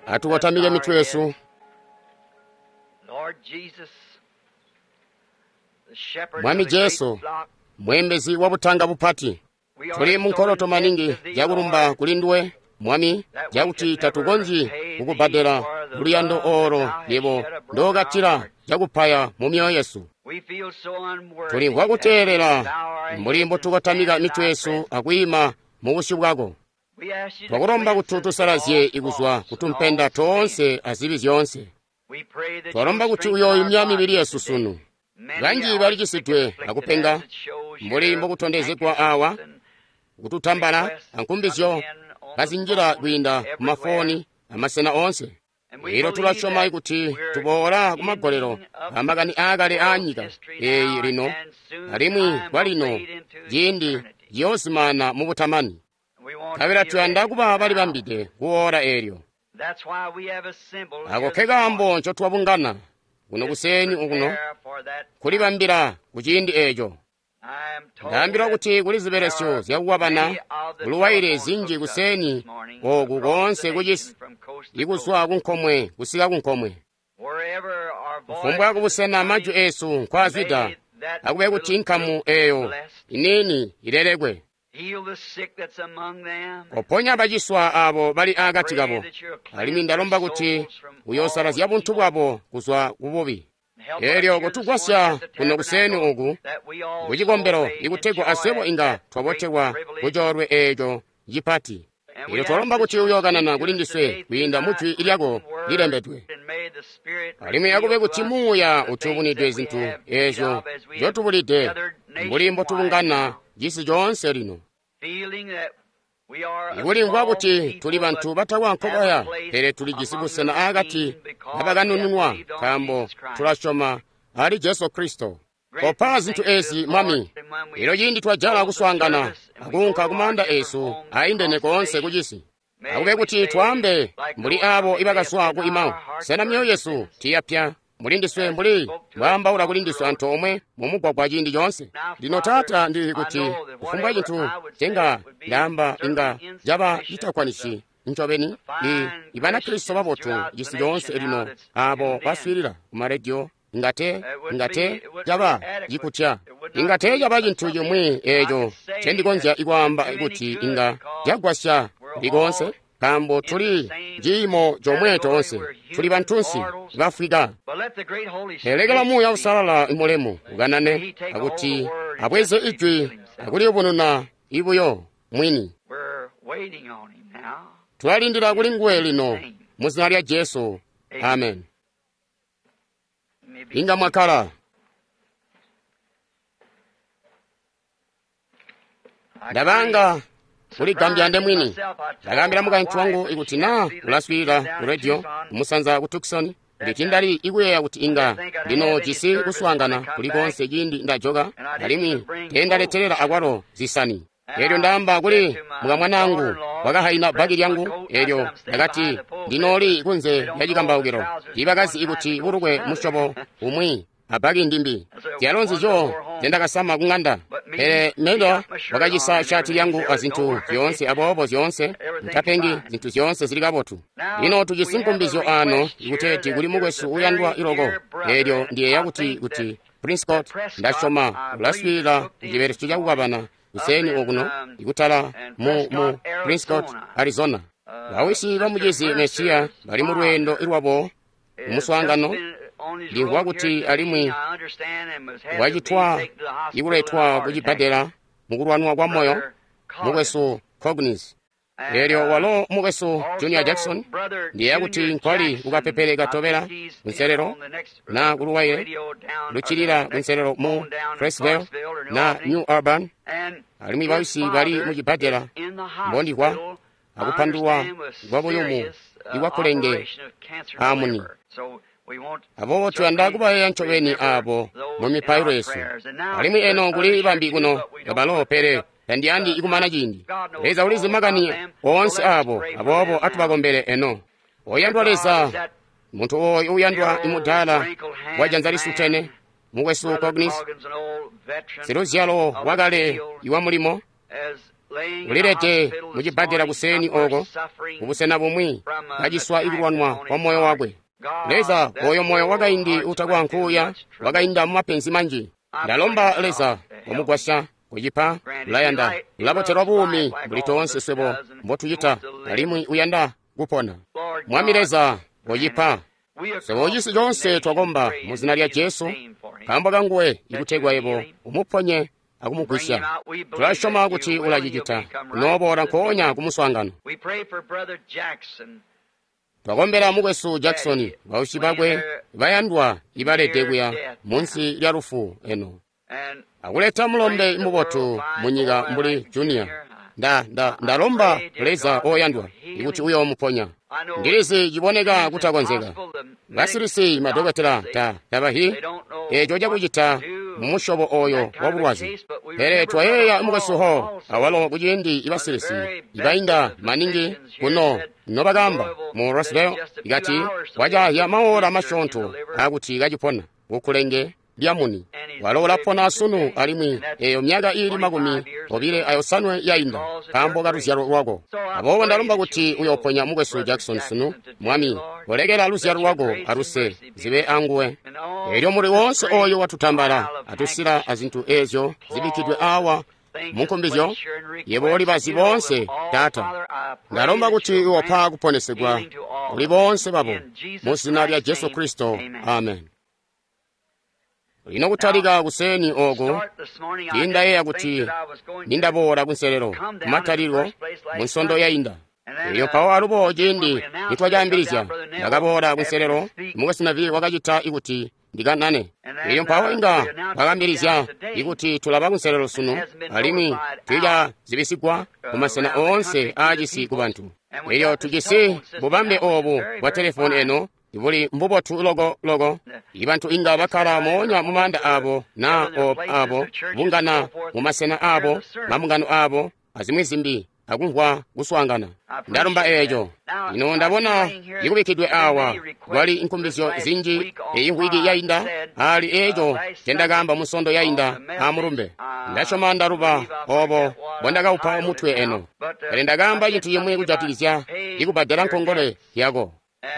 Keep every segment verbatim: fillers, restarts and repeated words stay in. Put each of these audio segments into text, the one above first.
Atukotamike mitwe yesu. Mwami Jesu, mweembezi wa butanga bupati, tuli munkoloto maningi jakulumba kuli nduwe Mwami, jakuti tatukonzyi kukubbadela luyando olo yebo ndokatila cakupaya mu myoyo yesu. Tulimvwa kuteelela mbuli mbotukotamika mitwe yesu akwiima mu busyu bwako. Twakulomba kuti tusalazye ikuzwa kutumpenda toonse azibi zyoonse. Twalomba kuti uyoyumya mibili yesu sunu. Banji balikisidwe akupenga mbuli mbokutondezegwa awa, kututambala ankumbizyo kazinjila kwiinda kumafoni amasena oonse. Ilo tulasyoma kuti tuboola kumagolelo amakani aakale aanyika eeyi lino, alimwi kwalino ciindi ciyoozimana mubutamani. Nkabela tuyanda kuba balibambide kuwoola eelyo. Ako ke kaambo ncotwabungana kuno kuseeni okuno, kulibambila ku ciindi eeco. Ndaambilwa kuti kuli zibelesyo zyakukwabana kuluwaile zinji kuseeni oku koonse kucisi, ikuzwa kunkomwe kusika kunkomwe. Kufumbwa kubusena majwi eesu nkwaazwida, akube kuti nkamu eeyo iniini ilelekwe. Koponya baciswa aabo bali aakati kabo, alimwi ndalomba kuti uyoosalazya buntu bwabo kuzwa kububi. Eelyo kutugwasya kuno kuseeni oku kucikombelo ikutegwa aswebo inga twabotelwa kucoolwe eeco cipati. Eelyo twalomba kuti uyookanana kuli ndiswe kwiinda mu jwi lyako lilembedwe, alimwi akube kuti Muuya utubunidwe zintu eezyo nzyotubulide mbuli mbotubungana cisi coonse lino. Ikulimvwa kuti tuli bantu batakwa nkobaya, pele tulijisi busena aakati kabakanununwa nkaambo tulasyoma ali Jesu Kristo. Kopa zintu eezi Mwami. Elyo ciindi twajala kuswaangana akuunka kumaanda eesu aindene koonse kucisi, akube kuti twaambe mbuli aabo ibakazwa ku Imau, sena myoyo yesu tiyapya muli ndiswe mbuli mbwaambaula kuli ndiswe antoomwe mumugwagwa ciindi coonse. Lino Taata, ndili kuti kufumbwa cintu cenga ndaamba inga caba citakwanisi ncobeni i Ibanakristo babotu cisi coonse lino aabo baswiilila kumarediyo inga te inga te caba cikutya, inga te caba cintu cimwi eeco ncendikonzya ikwaamba kuti inga cagwasya likoonse, nkaambo tuli ciimo comwe toonse, tuli bantunsi bafwika. Pele Muuya Uusalala imulemu ukanane akuti abweze ijwi akuliyubununa ibuyo mwini. Tulalindila kuli nguwe lino mu zina lya Jesu, amen. Inga mwakkala. Ndabanga kuligambya ndemwini. Ndakaambila mukaintu wangu ikuti naa ulaswiilila ku radio kumusanza ku Tucson, kuti tindali ikuyeeya kuti inga ndinoojisi kuswaangana kuli koonse ciindi ndajoka, alimwi teendaletelela akwalo zisani. Eelyo ndaamba kuli mukamwanaangu wakahaina bbaki lyangu, eelyo ndakati ndinooli kunze lya cikambaukilo. Tiibakazi ikuti bulukwe musyobo umwi abbaki ndimbi zyalo nzizyo zyendakasama kuŋanda. Pele Meda wakacisa shati lyangu azintu zyoonse, aboobo zyoonse ntapengi, zintu zyoonse zili kabotu. Lino tujisi nkumbizyo ano ikuteeti kuli mukwesu uyandwa iloko. Eelyo ndiyeeya kuti kuti Prescott, ndasyoma ulaswiilila kucibelesyo cakukwabana kuseeni okuno ikutala mu mu Prescott, Arizona. Bawisi bamucizi Mesiya bali mu lweendo lwabo kumuswaangano. Ndimvwa kuti alimwi wacitwa ikuletwa kucibbadela mukulwanwa kwa moyo mukwesu Cognis. Eelyo walo mukwesu Junior Jackson ndiyeeya kuti nkwali kukapepele katobela kunselelo na kuluwaile luccilila kunselelo mu Cresville na New Urban, alimwi bawisi bali mucibbadela mbondikwa akupandulwa kwa buyumu ikwakulenge aamuni. Aboobo tuyanda kubayeeya ncobeni aabo mu mipailo yesu. Alimwi eno kuli bambi kuno kabalo, pele tandiyandi ikumana ciindi. Leza ulizi makani oonse aabo, aboobo atubakombele eno. Oyandwa Leza, muntu ooyu uyandwa imudaala wa janza lisutene, mukwesu Cognis, siluzyalo wakale iwa mulimo, Ulilede mucibbadela kuseeni oko, kubusena bumwi, kaciswa ikulwanwa kwa moyo wakwe. Leza, oyo moyo wakaindi utakwankuya wakainda mumapenzi manji. Ndalomba Leza wamugwasya kucipa, ulayanda, ulabotelwa buumi mbuli toonse swebo mbotucita, alimwi uyanda kupona. Mwami Leza, kocipa. Swebo cisi coonse twakomba mu zina lya Jesu, nkaambo kanguwe ikutegwa yebo umuponye akumugwisya. Tulasyoma kuti ulacicita, unooboola nkoonya kumuswaangano. Twakombela mukwesu Jackson, bausyi bakwe bayandwa ibalede kuya munsi lya lufu eno, akuleta mulombe mubotu munyika mbuli Junior. Nda, nda, ndalomba Leza oyandwa ikuti uyoomuponya. Ndilizi ciboneka kutakonzeka. Basilisi madokotela ta tabahi eco cakucita mumusyobo oyo wa bulwazi. Pele twayeeya mukwesu Hall awalo kuciindi ibasilisi ibainda maningi kuno nobakamba mu Roswell ikati wacahya maola masyoonto akuti kacipona kukulenge lyamuni. Walo ulapona asunu alimwi eyo myaka iili makumi obile ayosanwe yainda nkaambo ka luzyalo lwako. Aboobo ndalomba kuti uyooponya mukwesu Jackson sunu, Mwami, kolekela luzyalo lwako aluse zibe anguwe. Elyo muli woonse oyo watutambala atusila azintu ezyo zibikkidwe awa munkumbizyo, yebo ulibazi boonse, Taata. Ndalomba kuti uyopa kuponesegwa kuli boonse babo mu zina lya Jesu Kristo, amen. Lino kutalika kuseeni oku, tindayeeya kuti nindaboola kunselelo kumatalilo mu nsondo yainda. Elyo mpawo alubo ciindi nitwacaambilizya, ndakaboola kunselelo, mukwesu Neville wakacita ikuti ndikanane. Elyo mpawo inga twakaambilizya ikuti tulaba kunselelo sunu, alimwi tiicazibisigwa kumasena oonse aacisi kubantu. Elyo tujisi bubambe oobu bwa telefoni eno ibuli mbubotu loko loko. Ibantu inga bakkala moonya mumaanda abo na abo bungana mumasena abo mambungano abo azimwi zimbi akumvwa kuswaangana. Ndalumba eeco. Lino ndabona ikubikkidwe awa kwali nkumbizyo zinji eyi mvwiki yainda ali eeco ncendakaamba munsondo yainda amulumbe. Ndasyoma ndaluba obo mbondakaupa mutwe eno, pele ndakaamba cintu cimwi kujatikizya ikubbadela nkongole yako.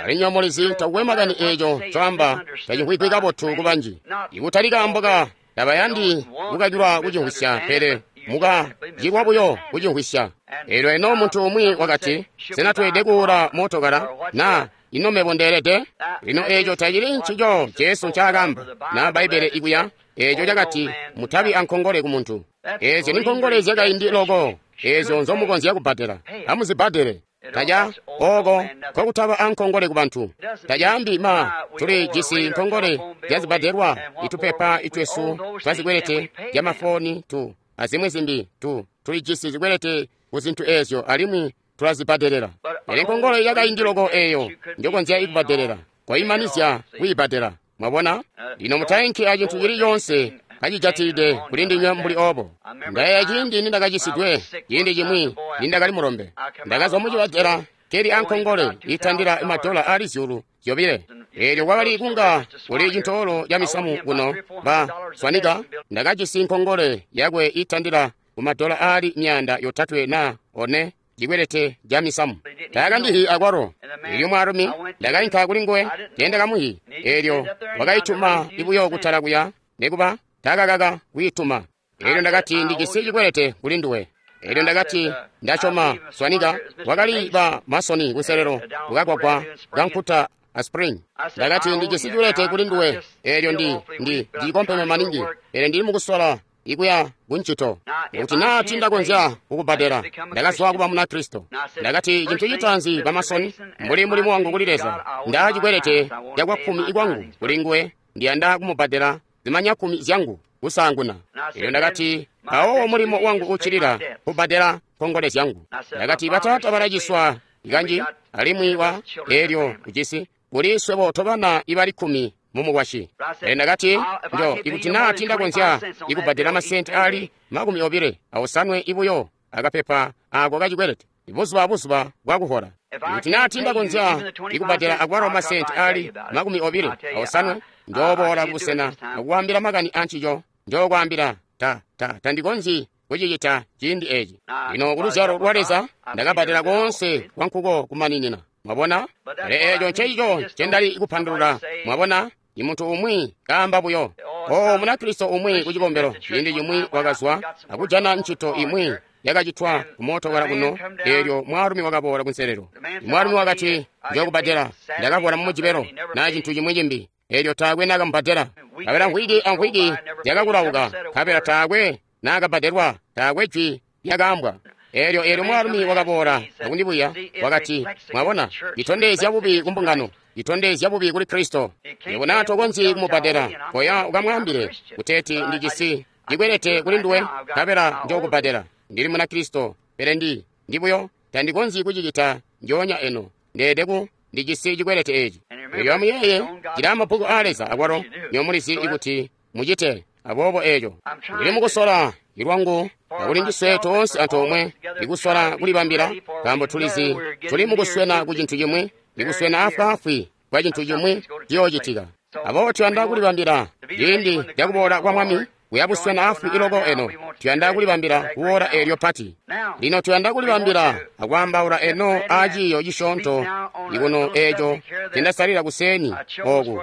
Alimwi mulizi takukwe makani eeco ncoamba tacimvwigwi kabotu kubanji. Ikutali kaambo ka tabayandi kukakilwa kucimvwisya, pele mukacilwa buyo kucimvwisya. Eelyo eno muntu umwi wakati, sena tweelede kuula mootokala na ino mebo ndeelede? Lino eeco tacili ncico Jesu ncaakaamba na Bbaibbele ikuya, eeco cakati mutabi ankongole kumuntu. Eezyo ni nkongole zyakaindi loko, eezyo nzomukonzya kubbadela, amuzibbadele. Taca oko nkokutaba ankongole kubantu. Tacaambi ma tuli jisi nkongole zyazibbadelwa, itupepa itwesu twazikwelete zyamafoni tu azimwi zimbi tu tulijisi zikwelete ku zintu eezyo alimwi tulazibbadelela. Pele nkongole yakaindi loko eeyo njokonzya ikubbadelela, koimanizya kwiibbadela. Mwabona? Lino mutainki acintu cili coonse kacijatilide kuli ndinywe mbuli obo. Ndayeeya ciindi nindakacisidwe, ciindi cimwi nindakali mulombe. Ndakazwa mucibbadela keli ankongole itandila madola ali zyuulu zyobile. Eelyo kwakali kunga kuli cintoolo ca misamu kuno ba Swanika, ndakajisi nkongole yakwe itandila kumadola ali myaanda yotatwe na one cikwelete ca misamu. Taakandihi akwalo. Elyo mwaalumi ndakainka kuli nguwe, teendakamuhi. Eelyo wakaituma ibuyo kutala kuya, nekuba taakakaka kwiituma. Eelyo ndakati ndijisi cikwelete kuli nduwe. Eelyo ndakati ndasyoma Swanika wakali ba masoni kunselelo kukagwagwa kankuta a Spring. Ndakati ndijisi cikwelete kuli nduwe. Eelyo ndi ndi ndikompeme maningi, pele ndili mukusola ikuya kuncito. Kuti naa tindakonzya kukubbadela, ndakazwa kuba Munakristo. Ndakati cintu citaanzi bamasoni, mbuli mulimu wangu kuli Leza, ndaa cikwelete cakwa kkumi kwangu kuli nguwe, ndiyanda kumubbadela zimanya kkumi zyangu kusaanguna. Eelyo ndakati mpawo mulimo wangu uccilila kubbadela nkongole zyangu. Ndakati bataata balaciswa kanji, alimwi wa eelyo ujisi kuli swebo tobana ibali kkumi mumukwasyi. Pele ndakati njo ikuti naa tindakonzya ikubbadela masenti ali makumi obile aosanwe ibuyo akapepa ako kacikwelete buzuba abuzuba bwakuhola. Ikuti naa tindakonzya ikubbadela akwalo masenti ali makumi obile aosanwe, njooboola kubusena akukwaambila makani ancico. Njookwaambila ta ta tandikonzyi kucicita ciindi eci. Lino ku luzyalo lwa Leza ndakabbadela koonse kwa nkuko kumaninina. Mwabona? Pele eco ncencico ncendali kupandulula. Mwabona? Imuntu umwi kaamba buyo. O Munakristo umwi ku cikombelo ciindi cimwi wakazwa akujana ncito imwi yakacitwa kumootokala kuno, eelyo mwaalumi wakaboola kunselelo. Mwaalumi wakati, "Njokubbadela, ndakaboola mu Mujibelo na cintu cimwi cimbi." Eelyo taakwe naakamubbadela. Nkabela mvwiki amvwiki zyakakulauka, nkabela taakwe naakabbadelwa, taakwe jwi lyakaambwa. Eelyo eelyo mwaalumi wakaboola akundibuya, wakati, "Mwabona, itondezya bubi ku mbungano, itondezya bubi kuli Kristo. Yebo naa tokonzyi kumubbadela, koya ukamwaambile kuteeti ndijisi cikwelete kuli nduwe, nkabela njokubbadela. Ndili Munakristo, pele ndi ndi buyo tandikonzyi kucicita njoonya eno. Ndeede ku ndijisi cikwelete eci." Elyo amuyeeye, cili amabbuku aa Leza akwalo nyomulizi ikuti mucite. Aboobo eco ndili mukusola ilwangu akuli ndiswe toonse antoomwe ikusola kulibambila, nkaambo tulizi tuli mukuswena ku cintu cimwi, ikuswena afwaafwi kwa cintu cimwi ciyoocitika. Aboobo tuyanda kulibambila ciindi cakuboola kwa Mwami kuyabuswena afwi iloko eno. Tuyanda kulibambila kuwoola eelyo pati. Lino tuyanda kulibambila akwaambaula eno aaciiyo cisyoonto ikuno eeco cendasalila kuseeni oku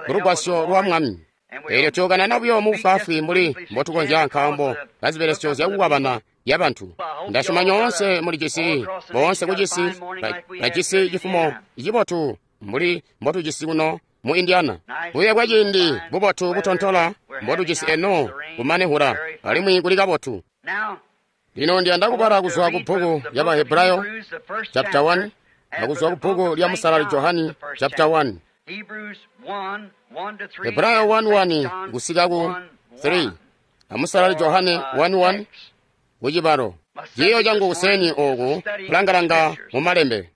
kulugwasyo lwa Mwami. Eelyo tuyokanana buyo mubufwaafwi mbuli mbotukonzya, nkaambo kazibelesyo zyakukwabana yabantu. Ndasyoma nyoonse mulijisi, boonse kucisi bajisi cifumo cibotu mbuli mbotujisi kuno mu Indiana. Buye bwa ciindi bubotu butontola mbotujisi eno kumane hula, alimwi kuli kabotu. Lino ndiyanda kubala kuzwa ku bbuku lya Bahebrayo chapter one akuzwa ku bbuku lya Musalali Johani chapter one. Hebrayo one one kusika ku three amusalali Johane one one kucibalo. Ciiyo cangu kuseeni oku kulangalanga mu malembe.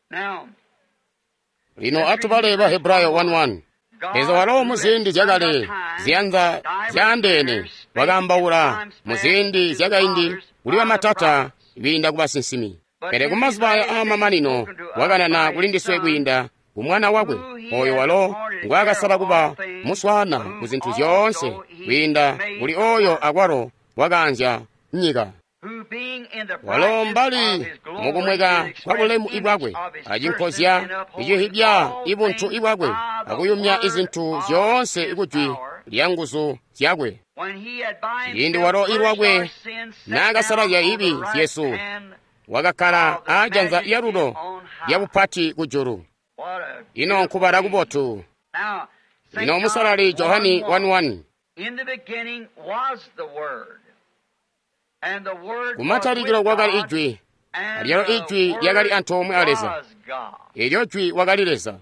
Lino atubale Bahebrayo one one. Leza walo muziindi zyakale ziyanza zyaandeene wakaambaula muziindi zyakaindi kuli bamatata kwiinda ku basinsimi. Pele kumazuba aya aamamanino wakanana kuli ndiswe kwiinda ku Mwana wakwe, oyo walo ngwaakasala kuba muswaana ku zintu zyoonse, kwiinda kuli oyo akwalo wakaanzya nyika. Walo mbali mukumweka kwa bulemu ibwakwe, acinkozya icihibya ibuntu ibwakwe, akuyumya izintu zyoonse ikujwi lya nguzu zyakwe. Ciindi walo ilwakwe naakasalazya ibi zyesu, wakakkala aajanza lyalulo lyabupati kujulu. Ino nkubala kubotu. Lino Musalali Johani one one. Kumatalikilo kwakali Ijwi, alyalo Ijwi lyakali antoomwe a Leza. Eelyo Jwi wakali Leza.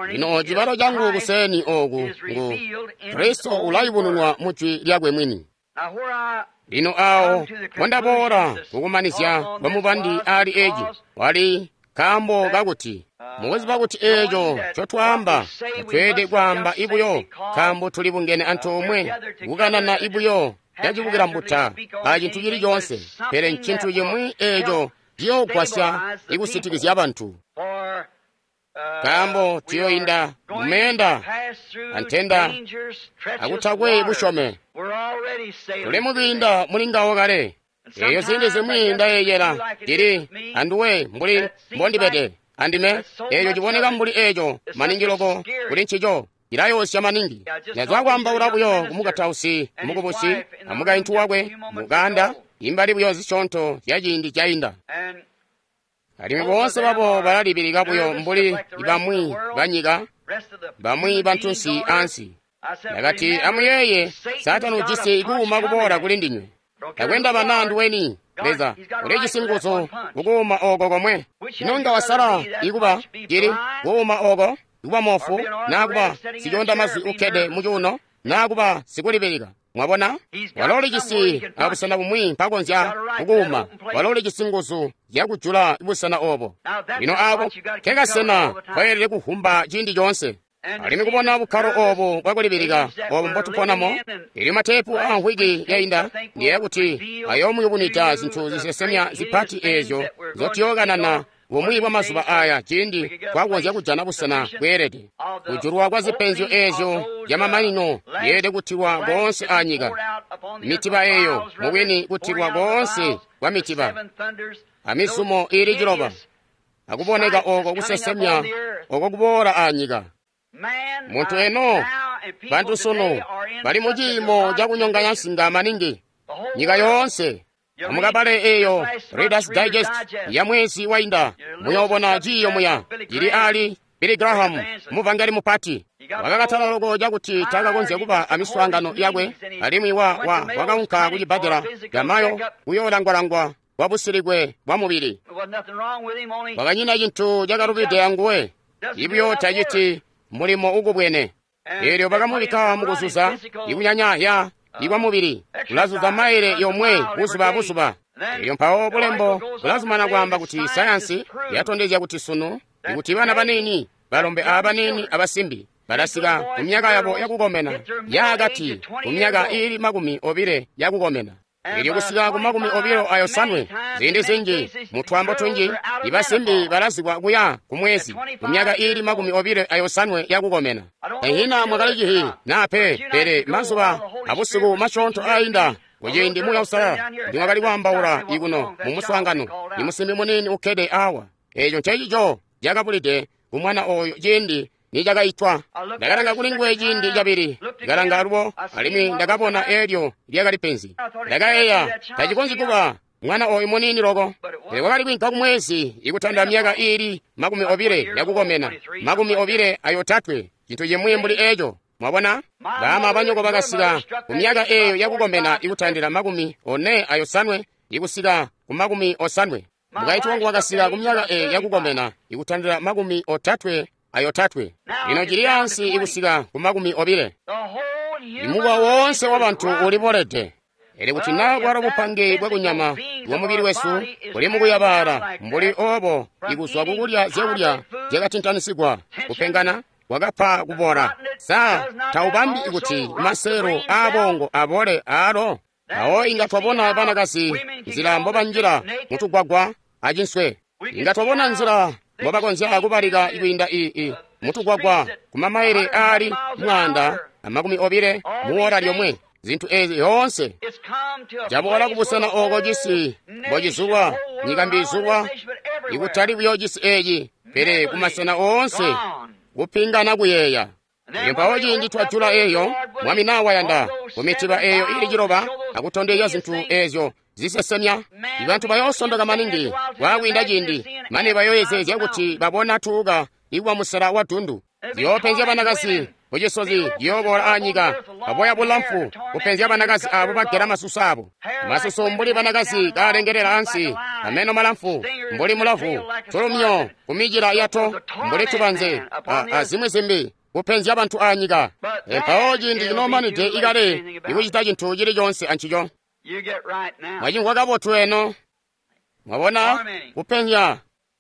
Lino cibalo cangu kuseeni oku ngu Kristo ulayubununwa mu Jwi lyakwe mwini. Lino awo mbondaboola kukumanizya kwa mubandi ali eci wali nkaambo kakuti mukuziba kuti eeco ncotwaamba tatweelede kwaamba ibuyo, nkaambo tuli bungene antoomwe kukanana ibuyo cacibukila mbuta acintu cili coonse, pele ncintu cimwi eeco ciyoogwasya ikusitikizya bantu. Nkaambo tuyoinda mumeenda antenda akutakwe busyome, tuli mukwiinda muli ngawo kale. Eeyo ziindi zimwi ndayeeyela ndili anduwe mbuli mbondibede andime, eeco ciboneka mbuli eeco maningi loko kuli ncico cilayoosya maningi. Ndazwa kwaambaula buyo kumukatausi mukubusi amukaintu wakwe mukanda imbali buyo zisyoonto zya ciindi cainda. Alimwi boonse babo balalibilika buyo mbuli bamwi banyika, bamwi bantunsi ansi. Ndakati, amuyeeye, Saatani ujisi kuuma kuboola kuli ndinywe. Takwenda bana anduweni, Leza ulijisi nguzu kukuuma oko komwe. Ino nga wasala ikuba cili kuuma oko, ikuba moofu, naa kuba sicoonda mazwi ukkede mucuuno, naa kuba sikulibilika. Mwabona, walo ulijisi abusena bumwi mpakonzya kukuuma. Walo ulijisi nguzu zyakujula busena obo. Lino aako nkekasena koyelede kuvumba ciindi coonse. Alimwi kubona bukkalo obu bwakulibilika obu mbotuponamo, elyo mateepu aamvwiki yainda ndiyeeya kuti ayoomuyubunwida zintu zisesemya zipati eezyo nzotuyookanana Bumwi bwa mazuba aya ciindi twakonzya kujana busena bweelede. Kujulwa kwa zipenzyo eezyo zyamamanino yeelede kutilwa koonse anyika. Mitiba eyo mubwini kutilwa koonse kwa mitiba amizumo iili ciloba akuboneka oko kusesemya oko kuboola anyika. Muntu eno bantu sunu bali mu ciimo cakunyonganya nsinga maningi nyika yoonse. Amukabale eyo Reader's Digest ya mwezi wainda muyoobona ciiyo muya cili ali Billy Graham muvangeli mupati wakakatala loko cakuti takakonzya kuba amiswaangano yakwe alimwi wa, wa, wakaunka kucibbadela camayo kuyoolangwalangwa kwa busilikwe bwa mubili. Kwakanyina cintu cakalubide anguwe ibyo taciti mulimo ukubwene. Eelyo bakamubikka mukuzuza ikunyanyahya ikwa mubili ulazuza maile yomwe buzuba abuzuba. Eelyo mpawo bulembo bulazumana kwaamba kuti sayansi yatondezya kuti sunu ikuti bana baniini balombe abaniini abasimbi balasika ku myaka yabo yakukomena yaakati ku myaka iili makumi obile yakukomena. Eelyo kusika ku makumi obilo ayosanwe ziindi zinji mu twaambo tunji ibasimbi balazikwa kuya ku mwezi ku myaka iili makumi obile ayosanwe yakukomena. Ehina mwakali cihi naa pe, pele mazuba abusiku masyoonto ainda kuciindi Muuya Uusalala ndimwakali kwaambaula ikuno mu muswaangano ni musimbi muniini ukkede awa. Eeco ncecico cakabulide ku mwana oyo ciindi nicakaitwa. Ndakalanga kuli nguwe ciindi cabili, ndakalanga alubo alimwi ndakabona eelyo lyakali penzi. Ndakayeeya tacikonzyi kuba mwana oyu muniini loko. Pele wakali kwiinka kumwezi ikutanda myaka iili makumi obile yakukomena, makumi obile ayotatwe, cintu cimwi mbuli eeco. Mwabona, baama abanyoko bakasika ku myaka eeyo yakukomena ikutandila makumi one ayosanwe ikusika ku makumi osanwe. Mukaintu wangu wakasika ku myaka eeyo yakukomena ikutandila makumi otatwe ayotatwe. Lino cili ansi ikusika ku makumi obile. Imukwa woonse wa bantu ulibolede. Ele kuti naa bwalo bupange bwakunyama bwa mubili wesu buli mukuyabaala mbuli obo ikuzwa kukulya zyakulya zyakatintanisigwa kupengana kwakapa kubola. Sa taubambi kuti maselo aabongo abole aalo? Awo inga twabona banakazi nzila mbobanjila mutugwagwa acinswe. Inga twabona nzila mbobakonzya kubalika kwiinda ii mutugwagwa kumamaile aali mwaanda amakumi obile muwola lyomwe. Zintu ezi yoonse caboola kubusena oko cisi mbocizulwa, nyika mbizulwa, ikutali buyo cisi eci pele kumasena oonse kupingana kuyeeya. Mpawo ciindi twajula eyo Mwami naa wayanda kumitiba eyo ili ciloba akutondezya zintu ezyo zisesemya, ibantu bayoosondoka maningi kwaakwiinda ciindi mane bayoyezezya kuti babona tuuka ikuwa musela wa dundu. Ziyoopenzya banakazi kucisozi ciyooboola anyika aboya bulamfu kupenzya banakazi abo bagela masusu abo masusu mbuli banakazi kaalengelela ansi, ameno malamfu mbuli mulavu, tulumyo kumicila yato mbuli tubanze azimwi zimbi kupenzya bantu anyika. Mpawo ciindi cinoomanide ikale ikucita cintu cili coonse ancico. Mwacimvwa kabotu eno. Mwabona kupenzya.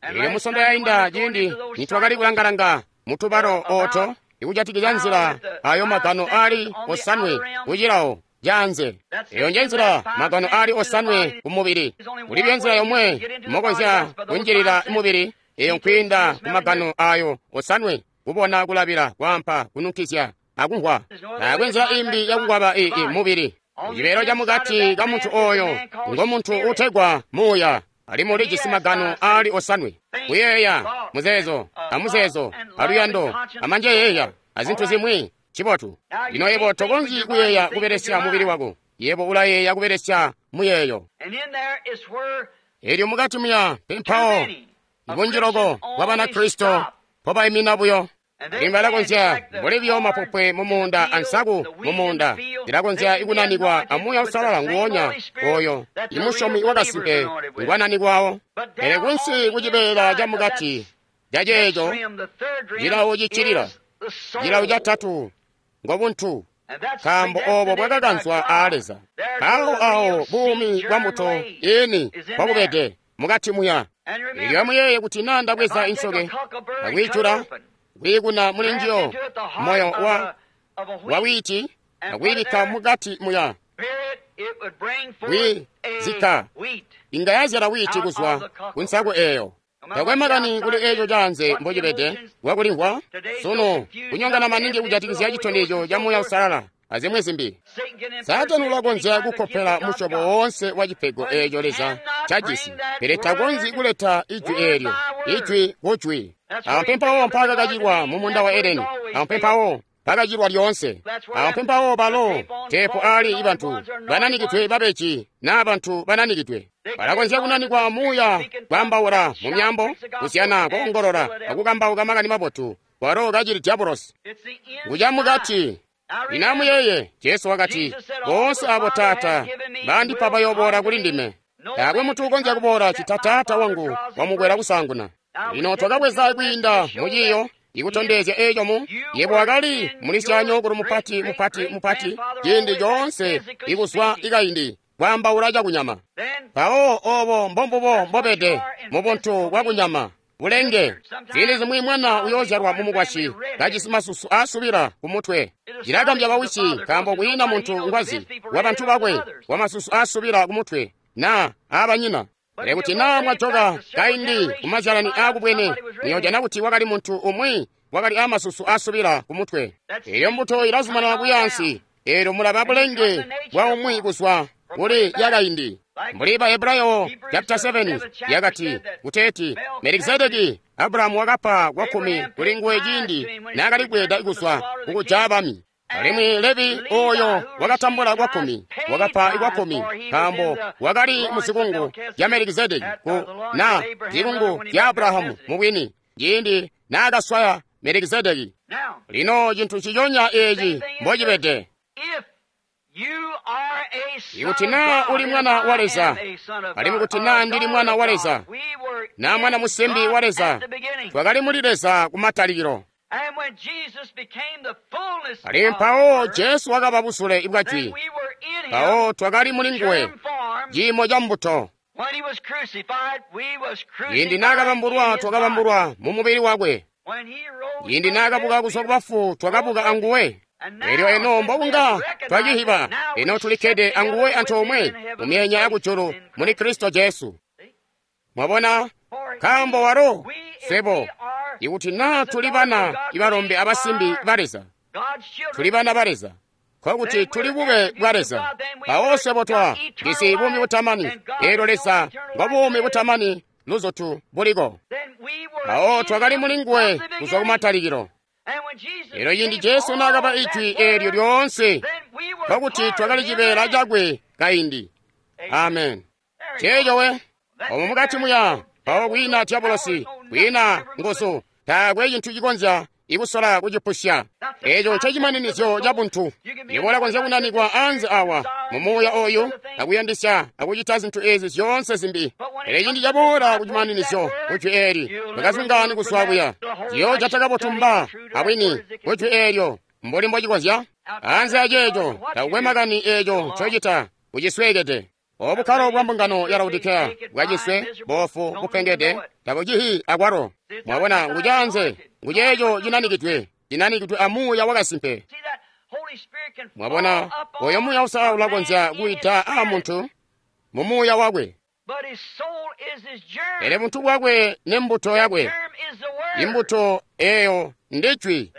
Eelyo musondo yainda ciindi nitwakali kulangalanga mutubalo oto ikujatikizya nzila ayo magano ali osanwe kucilawo janze. Eyo nje nzila magano ali osanwe ku mubili. Kulibyo nzila yomwe mokonzya kunjilila mubili, eyo nkwiinda ku magano ayo osanwe: kubona, kulabila, kwaampa, kununkizya akumvwa. Taakwe nzila imbi yakukwaba ii mubili. Cibeelo ca mukati ka muntu oyo ngo muntu utegwa muuya, alimwi ulijisi magano ali osanwe: kuyeeya, muzeezo, amuzeezo, aluyando, amanjeyeeya, azintu zimwi. Cibotu. Lino yebo tokonzyi kuyeeya kubelesya mubili wako, yebo ulayeeya kubelesya muyeeyo. Eelyo mukati muya pempawo ibunji loko bwa Banakristo mpobaimina buyo. Alimwi balakonzya mbuli buyo mapopwe mumuunda ansaku mumuunda zilakonzya ikunanikwa a Muuya Uusalala nguwonya oyo imusyomi wakasimpe ngwananikwawo. Pele kunsi kucibeela camukati caceeco cilawo ciccilila, cilawo catatu ngobuntu, nkaambo obo bwakakanzwa aa Leza. Mpawo awo buumi bwa mbuto ini bwakubede mukati muya. Eelyo amuyeeye kuti naa ndabweza insoke akwiijula kwiikuna muli njiyo moyo wa wa wiiti akwiibikka mukati muya wi zika inga yazyala wiiti kuzwa ku nsaku eyo. Takwe makani kuli eco caanze mbocibede, wakulimvwa sunu kunyongana maningi kujatikizya citondezyo ca Muuya Uusalala azimwi zimbi. Saatani ulakonzya kukkopela musyobo woonse wa cipego eeco Leza cajisi, pele takonzyi kuleta ijwi eelyo, ijwi kujwi. Awo mpempawo mpaakakacilwa mu muunda wa Edeni, awo mpempawo mpaakacilwa lyoonse, awo mpempawo balo teepu aali bantu bananikidwe babeji naa bantu bananikidwe. Balakonzya kunanikwa muuya, kwaambaula mu myaambo, kuzyana, koongolola, akukambauka makani mabotu, kwalo kacili diabolosi. Nguca mukati. Lino amuyeeye, Jesu wakati, boonse abo Taata bandipa bayoboola kuli ndime. Taakwe muntu ukonzya kuboola cita Taata wangu wamukwela kusaanguna. Lino twakabweza kwiinda mu ciiyo ikutondezya eco mu yebo wakali mulisyanyookulu mupati mupati mupati ciindi coonse ikuzwa ikaindi kwaambaula cakunyama. Mpawo obo mbombubo mbobede mu buntu bwakunyama bulenge. Ziindi zimwi mwana uyoozyalwa mumukwasyi kajisi masusu aasubila kumutwe. Cilagambya bawisi nkaambo kwiina muntu ngwazi wa bantu bakwe wa masusu aasubila kumutwe naa aabanyina. Pele kuti naa mwajoka kaindi kumazyalani aakubwene, muyoojana kuti wakali muntu umwi wakali aamasusu aasubila kumutwe. Eyo mbuto ilazumanana kuyaansi, eelyo mulaba bulenge bwa umwi kuzwa kuli yakaindi. Mbuli ba Hebrayo chapter seven yakati kuteeti Melikizedeki Abrahamu wakapa kwa kkumi kuli nguwe ciindi naakali kweeda kuzwa kukujaya bami. Alimwi Levi oyo wakatambula kwa kkumi wakapa kwa kkumi nkaambo wakali mu zikungu zya Melikizedeki ku na zikungu zya Abrahamu mubwini ciindi naakaswaya Melikizedeki. Lino cintu nciconya eeci mbocibede. Ikuti naa uli mwana wa Leza, alimwi kuti naa ndili mwana wa Leza, naa mwana musimbi wa Leza, twakali muli Leza kumatalikilo. Alimwi mpawo Jesu wakaba busule bwa jwi, mpawo twakali muli nguwe, ciimo ca mbuto. Ciindi naakabambulwa, twakabambulwa mu mubili wakwe. Ciindi naakabuka kuzwa ku bafu, twakabuka anguwe. Elyo eno mbokunga twacihiba, eno tulikkede anguwe antoomwe mu myenya yakujulu muli Kristo Jesu. Mwabona, nkaambo walo swebo, ikuti naa tuli bana ibalombe abasimbi ba Leza, tuli bana ba Leza, nkokuti tuli bube bwa Leza. Mpawo swebo twa jisi buumi butamani, eelyo Leza ngo buumi butamani luzutu buliko. Mpawo twakali muli nguwe kuzwa kumatalikilo. Elyo ciindi Jesu naakaba ijwi eelyo lyoonse, nkokuti twakali cibeela cakwe kaindi. Amen. Ceeco we, omo mukati muya, mpawo kwiina diabolosi, kwiina nguzu, taakwe cintu cikonzya ikusola kucipusya. Eeco ncecimaninizyo ca buntu. Yebo ulakonzya kunanikwa anze awa mu muuya oyu akuyandisya akucita zintu ezi zyoonse zimbi, pele ciindi caboola kucimaninizyo kujwi eeli, mwakazungaani kuzwa kuya. Ciyoojata kabotu mba abwini kujwi eelyo mbuli mbocikonzya. Anze aceeco takukwe makani eeco ncocita, ucisweekede. Obukkalo bwa mbungano ya Laodikeya bwaciswe, boofu, bupengede, tabucihi akwalo. Mwabona, ngucaanze, nguceeco cinanikidwe, cinanikidwe a Muuya wakasimpe. Mwabona, oyo Muuya Uusalala ulakonzya kuyita a muntu mu muuya wakwe, pele buntu bwakwe nembuto yakwe. Imbuto eyo ndijwi.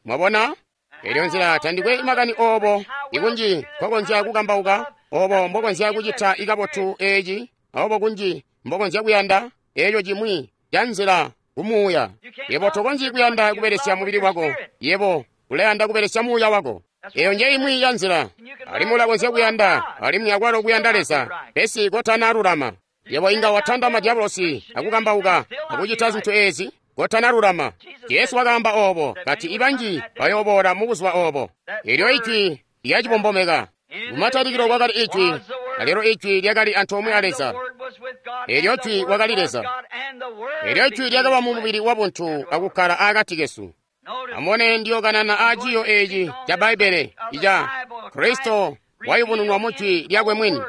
Mwabona? Elyo nzila tandikwe makani obo ikunji nkokonzya kukambauka, obo mbokonzya kucita ikabotu eeci, obo kunji mbokonzya kuyanda eeco cimwi ca nzila kumuuya. Yebo tokonzyi kuyanda kubelesya mubili wako, yebo ulayanda kubelesya muuya wako. Eyo nje imwi ya nzila. Alimwi ulakonzya kuyanda, alimwi akwalo kuyanda Leza, pesi kotanalulama. Yebo inga watanda madiabolosi akukambauka akucita zintu ezi kotanalulama. Jesu wakaamba obo, kati ibanji bayooboola mu buzuba obo. Elyo ijwi lyacibombomeka. Kumatalikilo kwakali ijwi, alelo ijwi lyakali antoomwe a Leza. Elyo jwi wakali Leza. Elyo jwi lyakaba mu mubili wa buntu akukkala akati kesu. Amubone ndiyokanana a ciiyo eeci ca Bbaibbele ica Kristo wayubununwa mu jwi lyakwe mwini.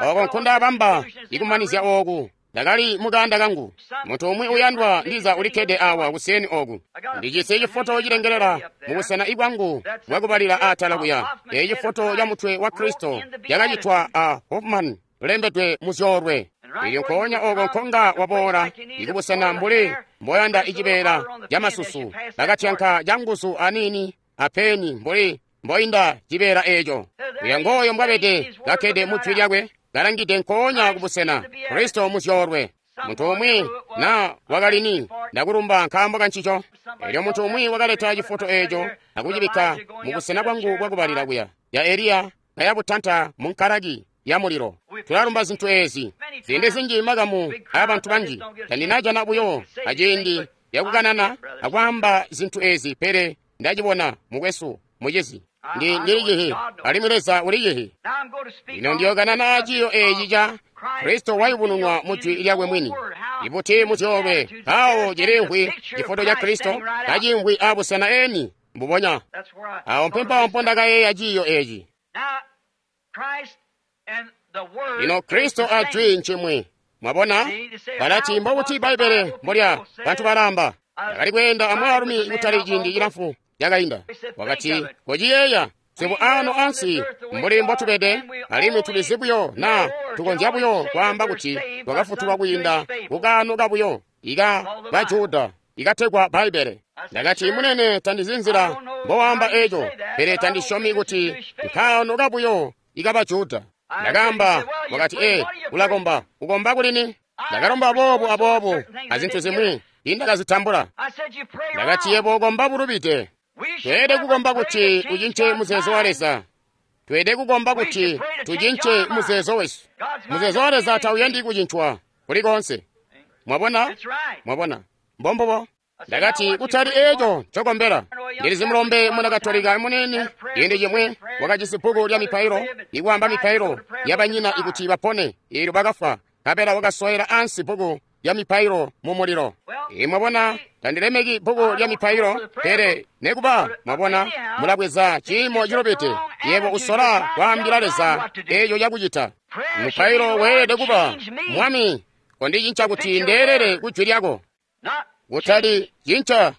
Oko nkundabamba ikumanizya ooku. Ndakali mukanda kangu. Muntu umwi uyandwa ndiza ulikkede awa kuseni oku. Ndijisi cifoto cilengelela mubusena ibwangu bwakubalila atala kuya. Eeci cifoto ca mutwe wa Kristo cakacitwa a Hoffman ulembedwe mu zyoolwe. Elyo nkoonya oko nkonga waboola ikubusena mbuli mboyanda icibeela camasusu, bakatyanka canguzu aniini apeni mbuli mboinda cibeela eco. Uya ngooyo mbwabede kakkede mu jwi lyakwe, kalangide nkoonya kubusena Kristo muzyoolwe. Muntu umwi na wakalini, ndakulumba nkaambo kancico. Elyo muntu umwi wakaleta cifoto eco akucibikka mubusena bwangu bwakubalila kuya ya Eliya kayabutanta mu nkalaki ya mulilo. Tulalumba zintu ezi ziindi zinji, makamu aabantu banji. Tandinajana buyo aciindi yakukanana akwaamba zintu ezi, pele ndacibona, mukwesu, mucizi. Ndi ndili alimwi Leza uliyihi. Lino ndiyokanana aciyo eci ca Kristo wayubununwa mu jwi lyakwe mwini. Ibuti muzyoolwe mpawo cilimvwi cifoto ca Kristo kacimvwi abusena eni mbubonya. Awo mpempawo mpondakayeeya ciyo eci. Lino Kristo a jwi ncimwi. Mwabona? Balati mbobuti Bbaibbele mbolya bantu balamba. Ndakali kweenda amwaalumi kutali ciindi cilamfu cakainda. Wakati, kociyeeya, swebo ano ansi mbuli mbotubede, alimwi tulizi buyo na tukonzya buyo kwaamba kuti twakafutulwa kwiinda kukaano kabuyo ika Bajuda ikategwa Bbaibbele. Ndakati, munene, tandizi nzila mbowaamba eco, pele tandisyomi kuti nkaano kabuyo ika Bajuda. Ndakaamba, wakati, ee, ulakomba, ukomba kulini? Ndakalomba boobu aboobu azintu zimwi indakazitambula. Ndakati, yebo ukomba bulubide. Tweelede kukomba kuti ucince muzeezo wa Leza. Tweelede kukomba kuti tucince muzeezo wesu. Muzeezo wa Leza tauyandi kucincwa kuli koonse. Mwabona? Mwabona? Mbombubo. Ndakati, kutali eco ncokombela. Ndilizi mulombe muna Katolika munene ciindi cimwi wakajisi bbuku lya mipailo ikwaamba mipailo yabanyina ikuti bapone, eelyo bakafwa, nkabela wakasowela ansi bbuku lya mipailo mu mulilo. Mwabona, tandilemeki bbuku lya mipailo, pele nekuba, mwabona, mulabweza ciimo cilubide. Yebo usola kwaambila Leza eco cakucita. Mupailo weelede kuba, Mwami, kondicinca kuti ndeelele ku jwi lyako. Kutali cinca,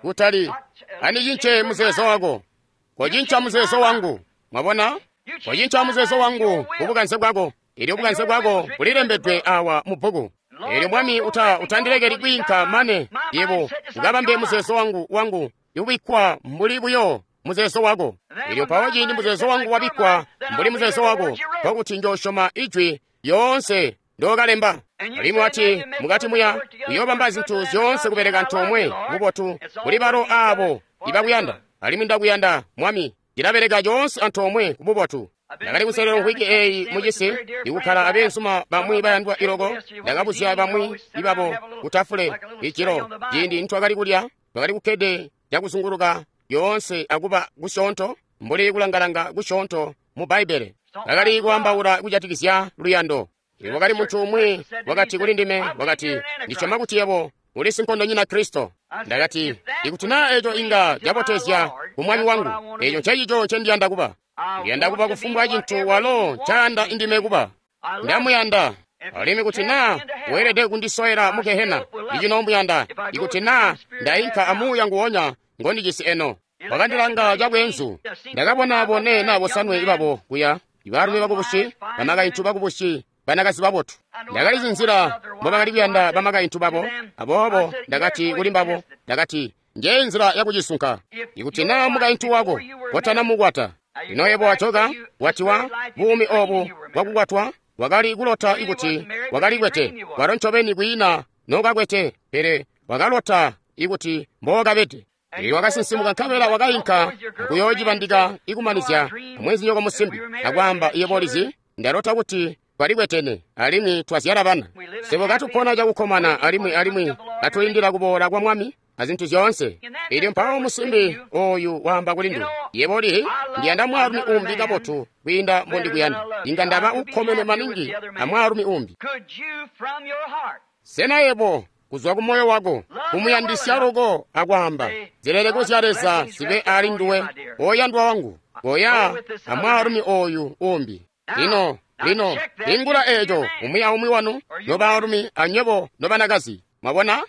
kutali andicince muzeezo wako. Kocinca muzeezo wangu. Mwabona? Kocinca muzeezo wangu kubukanze bwako. Elyo bukanze bwako bulilembedwe awa mu bbuku. Elyo Mwami uta utandilekeli kwiinka mane yebo ukabambe muzeezo wangu wangu iwikwa mbuli buyo muzeezo wako. Elyo mpawo ciindi muzeezo wangu wabikkwa mbuli muzeezo wako, nkokuti njoosyoma ijwi lyoonse ndookalemba. Alimwi wati mukati muya uyoobamba zintu zyoonse kubeleka antoomwe bubotu kuli balo aabo ibakuyanda. Alimwi ndakuyanda, Mwami, ndilabeleka coonse antoomwe kububotu. Ndakali kuselela mvwiki eyi mucisi ikukkala abeenzuma bamwi bayandwa iloko. Ndakabuzya bamwi ibabo kutafule ijilo ciindi nitwakali kulya. Twakali kukkede cakuzunguluka yoonse akuba kusyoonto mbuli kulangalanga kusyoonto mu Bbaibbele. Bakali kwaambaula kujatikizya luyando. Wakali muntu umwi wakati kuli ndime, wakati, ndisyoma kuti yebo uli sinkondonyina Kristo. Ndakati, ikuti naa eco inga cabotezya ku Mwami wangu, eco ncencico ncendiyanda kuba. Ndiyanda kuba kufumbwa cintu walo ncayanda indime kuba. Ndamuyanda. Alimwi kuti naa weelede kundisowela mu gehena, icinomuyanda. Ikuti naa ndainka amuuya nguwonya ngondijisi eno. Wakandilanga cabweenzu. Ndakabona bone naa bosanwe ibabo kuya, ibaalumi bakubusi, bamakaintu bakubusi, banakazi babotu. Ndakalizi nzila mbobakali kuyanda bamakaintu babo, aboobo ndakati kuli mbabo, ndakati, njeyi nzila yakucisunka. Ikuti naa mukaintu wako kotanamukwata, lino yebo wajoka, watiwa buumi obu bwakukwatwa, wakali kulota ikuti wakalikwete, walo ncobeni kwiina nokakwete, pele wakalota ikuti mbookabede. Elyo wakasinsimuka nkabela wakainka kuyoocibandika ikumanizya amweenzinyoko musimbi, akwaamba, yebo ulizi, ndalota kuti twalikwetene alimwi twazyala bana. Swebo katupona cakukkomana alimwi alimwi katulindila kuboola kwa Mwami azintu zyoonse. Elyo mpawo musimbi oyu waamba kuli ndiwe, yebo ulihi, ndiyanda mwaalumi umbi kabotu kwiinda mbondikuyanda. Inga ndaba ukkomene maningi amwaalumi umbi. Sena yebo kuzwa ku moyo wako kumuyandisya loko akwaamba, zileleko zya Leza zibe ali nduwe, oyandwa wangu, koya amwaalumi oyu umbi. Lino, lino, ingula eco umwi aumwi wanu, nobaalumi anywebo nobanakazi. Mwabona?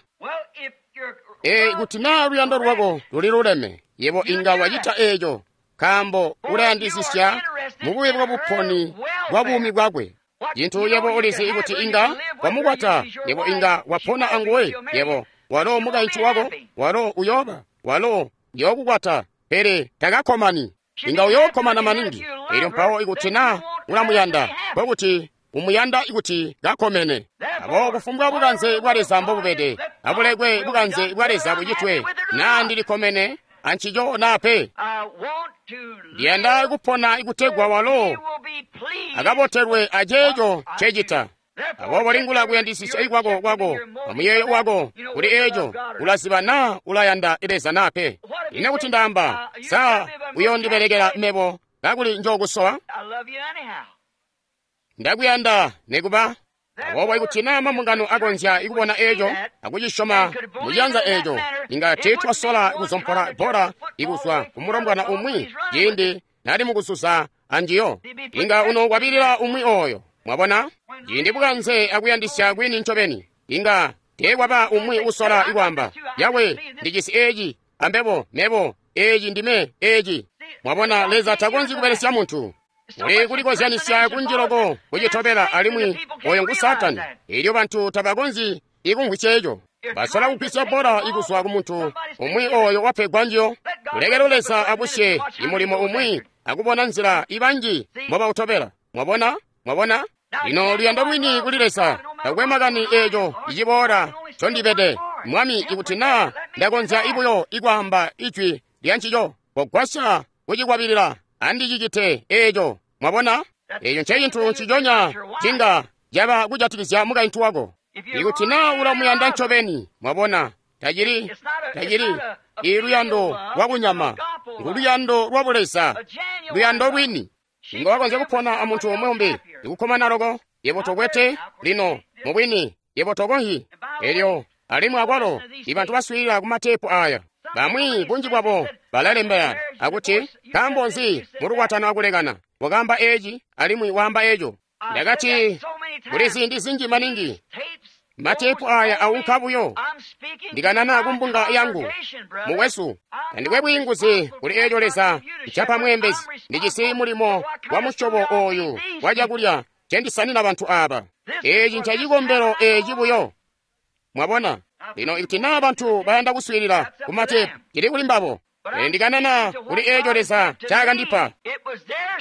Ee, kuti naa luyando lwako luliluleme, yebo inga wacita eco, nkaambo ulayandisisya mubube bwa buponi bwa buumi bwakwe. Cintu yebo ulizi kuti inga wamukwata, yebo inga wapona anguwe, yebo walo mukaintu wako, walo uyooba, walo uyookukwata, pele takakkomani. Inga uyookkomana maningi. Elyo mpawo ikuti na ulamuyanda, nkokuti umuyanda ikuti kakkomene. Aboobo kufumbwa bukanze bwa Leza mbobubede, abulekwe bukanze bwa Leza bucitwe, naa ndilikkomene ancico naa pe. Ndiyanda kupona ikutegwa walo akabotelwe aceeco ncecita. Aboobo lingula kuyandisisya ikwako kwako amuyeeyo wako kuli eeco, ulaziba naa ulayanda Leza naa pe. Ine kuti ndaamba, sa uyoondibelekela mebo kakuli njookusowa? Ndakuyanda nekuba. Aboobo ikuti naa mambungano akonzya ikubona eeco akucisyoma muciyanza eeco, inga tiitwasola kuzompola bbola ikuzwa kumulombwana umwi ciindi nali mukuzuza anjiyo. Inga unokwabilila umwi ooyo. Mwabona? Ciindi bukanze akuyandisya kwini ncobeni, inga teekwaba umwi usola ikwaamba, yawe ndijisi eeci, ambebo, mebo, eeci ndime, eeci. Mwabona, Leza takonzyi kubelesya muntu. Uli kulikozyanisya kunji loko kucitobela, alimwi oyo ngu Saatani. Elyo bantu tabakonzyi ikumvwisya eco. Basola kugwisya bbola ikuzwa ku muntu umwi oyo wapegwa njiyo. Kulekelo Leza abusye imulimo umwi akubona nzila ibanji mbobautobela. Mwabona? Mwabona? Lino luyando lwini kuli Leza, takwe makani eeco iciboola ncondibede. Mwami, ikuti naa ndakonzya ibuyo ikwaamba ijwi lya ncico, kogwasya kucikwabilila, andicicite eeco. Mwabona? Eeco ncecintu nciconya cinga caba kujatikizya mukaintu wako. Ikuti naa ulamuyanda ncobeni, mwabona, tacili, tacili iluyando lwakunyama, nguluyando lwa buleza, luyando lwini. Inga wakonzya kupona amuntu umwi umbi ikukkomana loko, yebo tokwete lino mubwini, yebo tokonzyi. Elyo alimwi akwalo ibantu baswiilila ku mateepu aya, bamwi bunji bwabo balalembela akuti, nkaambo nzi mulukwatano akulekana, wakaamba eeci alimwi waamba eeco. Ndakati kuli ziindi zinji maningi mateepu aya aunka buyo. Ndikanana kumbunga yangu, mukwesu, tandikwe bwiinguzi kuli eeco Leza ncapa mweembezi. Ndijisi mulimo wa musyobo ooyu wa cakulya ncendisanina bantu aaba. Eeci ncacikombelo eeci buyo. Mwabona? Lino ikuti naa bantu bayanda kuswiilila ku mateepu, cili kuli mbabo. Pele ndikanana kuli eeco Leza ncakandipa.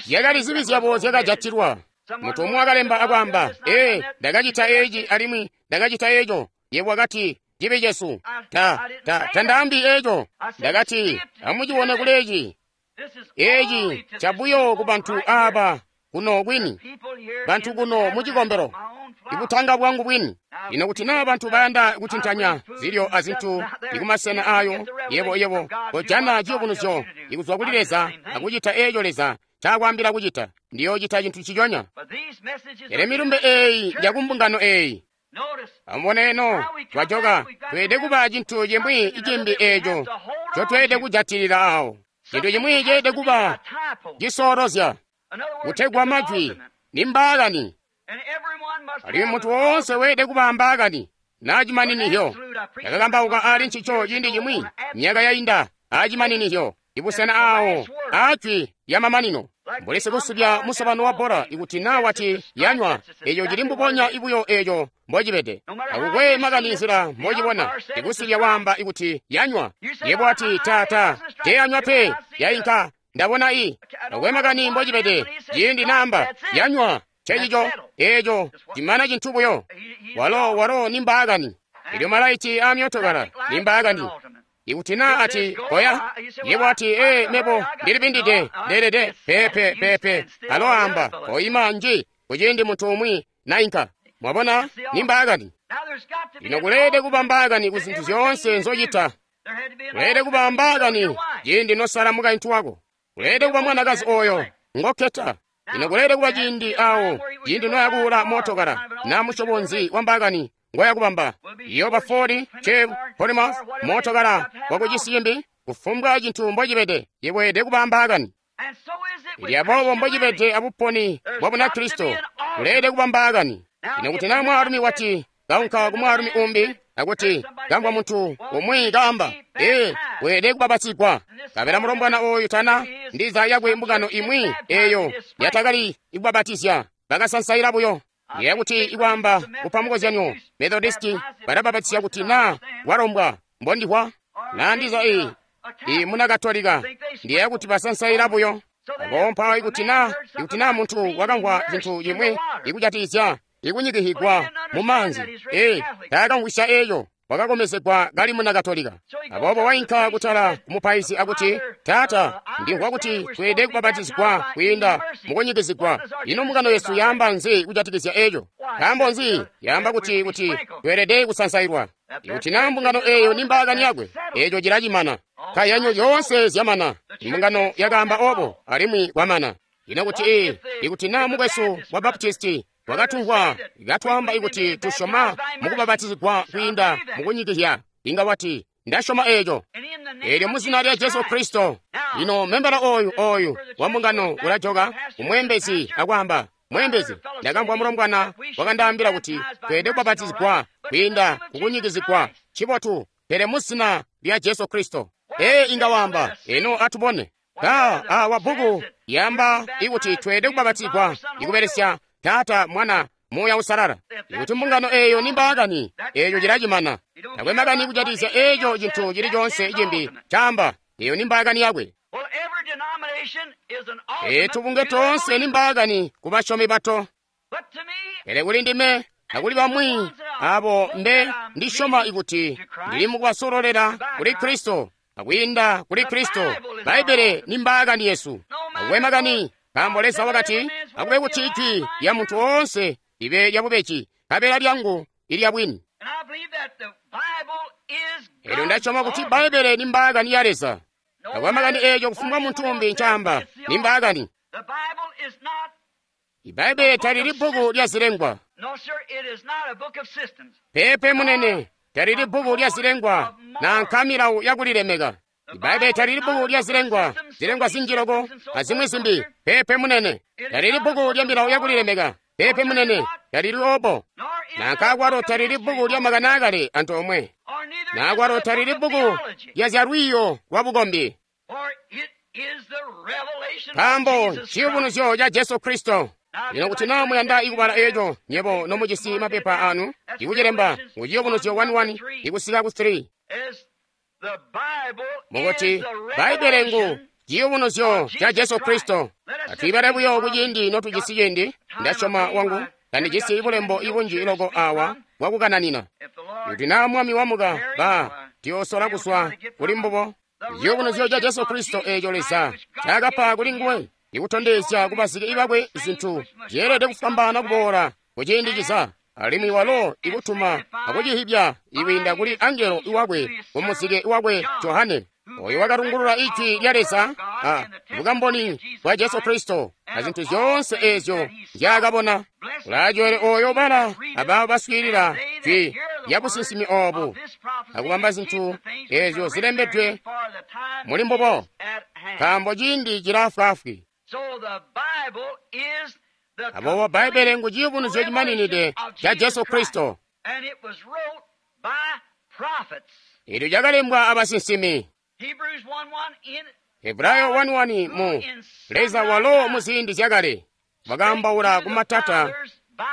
Zyakali zibi zyabo zyakajatilwa. Muntu umwi wakalemba akwaamba, ee, ndakacita eeci alimwi ndakacita eeco. Yebo wakati, cibi cesu. Ta, ta, tandaambi eeco. Ndakati, amucibone kuli eeci. Eeci ncabuyo ku bantu aaba kuno kwini, bantu kuno mucikombelo, ibutanga bwangu bwini. Lino kuti naa bantu bayanda kutintanya zilyo azintu ikumasena ayo, yebo yebo kojana ciyubunuzyo ikuzwa kuli Leza akucita eeco Leza ncaakwaambila kucita. Ndiyoocita cintu nciconya. Pele milumbe eeyi yakumbungano eeyi. Amubone eno, twajoka, tweelede kuba cintu cimwi cimbi eeco ncotweelede kujatilila awo. Cintu cimwi ceelede kuba cisoolozya, kutegwa majwi ni mbaakani. Alimwi muntu woonse weelede kuba mbaakani naa cimaninihyo. Ndakakambauka ali ncico ciindi cimwi myaka yainda aacimaninihyo, ibusena aawo aajwi lyamamanino. Mbuli sikusubya musobano wa bbola, ikuti naa wati yanywa, eeco cili mbubonya ibuyo eeco mbocibede. Takukwe makani nzila mbocibona, sikusubya waamba ikuti yanywa. Yebo wati, tata, teeyanywa pe, yainka, ndabona i. Takukwe makani mbocibede, ciindi naamba yanywa, ncecico eeco cimana cintu buyo. Walo walo ni mbaakani. Elyo malaiti aamyootokala ni mbaakani. Ikuti naa ati koya, yebo ati ee, mebo ndilibindide, ndeelede, pepe pepe. Alo amba koima nji kuciindi muntu umwi nainka. Mwabona, ni mbaakani. Lino kuleelede kuba mbaakani ku zintu zyoonse nzocita. Kuleelede kuba mbaakani ciindi nosala mukaintu wako. Kuleelede kuba mwanakazi oyo ngokketa. Lino kuleelede kuba ciindi awo ciindi noyakuula mootokala naa musyobo nzi wa mbaakani ngoyakubamba. Iyoba Ford, Chevy, Plymouth, mootokala wakucisi cimbi, kufumbwa cintu mbocibede, yebo kuba mbaakani. Ili aboobo mbocibede abuponi bwa Bunakristo, kuleelede kuba mbaakani. Lino kuti naa mwaalumi wati kaunka ku mwaalumi umbi akuti kamvwa muntu umwi kaamba, ee, weelede kubabatsigwa. Kabela mulombwana ooyu tana ndiza yakwe mbungano imwi eeyo yatakali ikubabatizya, bakasansaila buyo. Ndiyeeya kuti ikwaamba kupa mukozyanyo, Methodisti balabapatizya kuti naa walombwa mbondihwa naa ndiza i i muna Katolika. Ndiyeeya kuti basansaila buyo. Aboobo mpawo ikuti naa ikuti naa muntu wakamvwa cintu cimwi ikujatikizya ikunyikihigwa mu maanzi, ee, taakamvwisya eeco. Wakakomezegwa kali muna Katolika. Aboobo wainka kutala kumupaizi akuti, Taata, ndimvwa kuti tweelede kubapatizigwa kwiinda mukunyikizigwa. Ino mbungano yesu yaamba nzi kujatikizya eeco? Nkaambo nzi yaamba kuti kuti tweelede kusansailwa? Ikuti naa mbungano eeyo ni mbaakani yakwe, eeco cilacimana. Nkayanyo zyoonse zyamana. Imbungano yakaamba obo, alimwi kwamana. Ino kuti ee, ikuti naa mukwesu wa Baptisti wakatumvwa katwaamba ikuti tusyoma mukubabatizigwa kwiinda mukunyikizya, inga wati, Ndasyoma eeco. Eelyo mu zina lya Jesu Kristo. Lino membala oyu oyu wa mbungano ulajoka kumweembezi akwaamba, Mweembezi, ndakamvwa mulombwana wakandaambila kuti tweelede kubabatizigwa kwiinda kukunyikizigwa. Ncibotu, pele mu zina lya Jesu Kristo. Ee, inga waamba, eno atubone. Ka awa bbuku yaamba ikuti tweelede kubabatizigwa ikubelesya Taata, Mwana, Muuya Uusalala. Ikuti mbungano eeyo ni mbaakani, eeyo cilacimana. Takwe makani kujatikizya eeco cintu cili coonse cimbi caamba, eeyo ni mbaakani yakwe. Ee, tubunge toonse ni mbaakani ku basyomi bato. Pele kuli ndime akuli bamwi abo mbe ndisyoma ikuti ndili mukubasololela kuli Kristo akwiinda kuli Kristo. Bbaibbele ni mbaakani yesu. Akube makani, nkaambo Leza wakati, akube kuti ijwi lya muntu woonse libe lyabubeji, nkabela lyangu ilya bwini. Elyo ndasyoma kuti Bbaibbele ni mbaakani ya Leza. Akube makani eeco kufumbwa muntu umbi ncaamba, ni mbaakani. Ibbaibbele talili bbuku lya zilengwa. Peepe munene, talili bbuku lya zilengwa nanka milawo yakulilemeka. Ibbaibbele talili bbuku lya zilengwa, zilengwa zinji loko azimwi zimbi. Peepe munene, talili bbuku lya milawo yakulilemeka. Peepe munene, talili obo. Nanka akwalo talili bbuku lya makani aakale antoomwe. Na akwalo talili bbuku lya zyalwiiyo lwa bukombi. Nkaambo ciyubunuzyo ca Jesu Kristo. Lino kuti naa muyanda ikubala eeco, nyebo nomujisi mapepa anu, ikucilemba mu ciyubunuzyo one one ikusika ku three. Mukuti Bbaibbele ngu ciyubunuzyo ca Jesu Kristo. Atwiibale buyo kuciindi notujisi ciindi. Ndasyoma wangu tandijisi bulembo ibunji loko awa bwakukananina. Kuti naa Mwami wamuka, ba tiyoosola kuswa kuli mbubo. Ciyubunuzyo ca Jesu Kristo eeco Leza ncaakapa kuli nguwe, ikutondezya kubazike bakwe zintu zyeelede kufwambaana kuboola kuciindi ciza, alimwi walo ikutuma akucihibya ikwiinda kuli angelo iwakwe kumuzike wakwe Johane, oyo wakalungulula ijwi lya Leza a bukamboni bwa Jesu Kristo a zintu zyoonse eezyo nzyaakabona. Ulacoole oyo bala abaabo baswiilila jwi lya businsimi oobu akubamba zintu eezyo zilembedwe muli mbubo, nkaambo ciindi cilaafwaafwi. Aboobo Bbaibbele ngu ciyubunuzyo cimaninide ca Jesu Kristo. Eelyo cakalembwa abasinsimi. Hebrayo one one mu Leza walo mu ziindi zyakale wakaambaula kumatata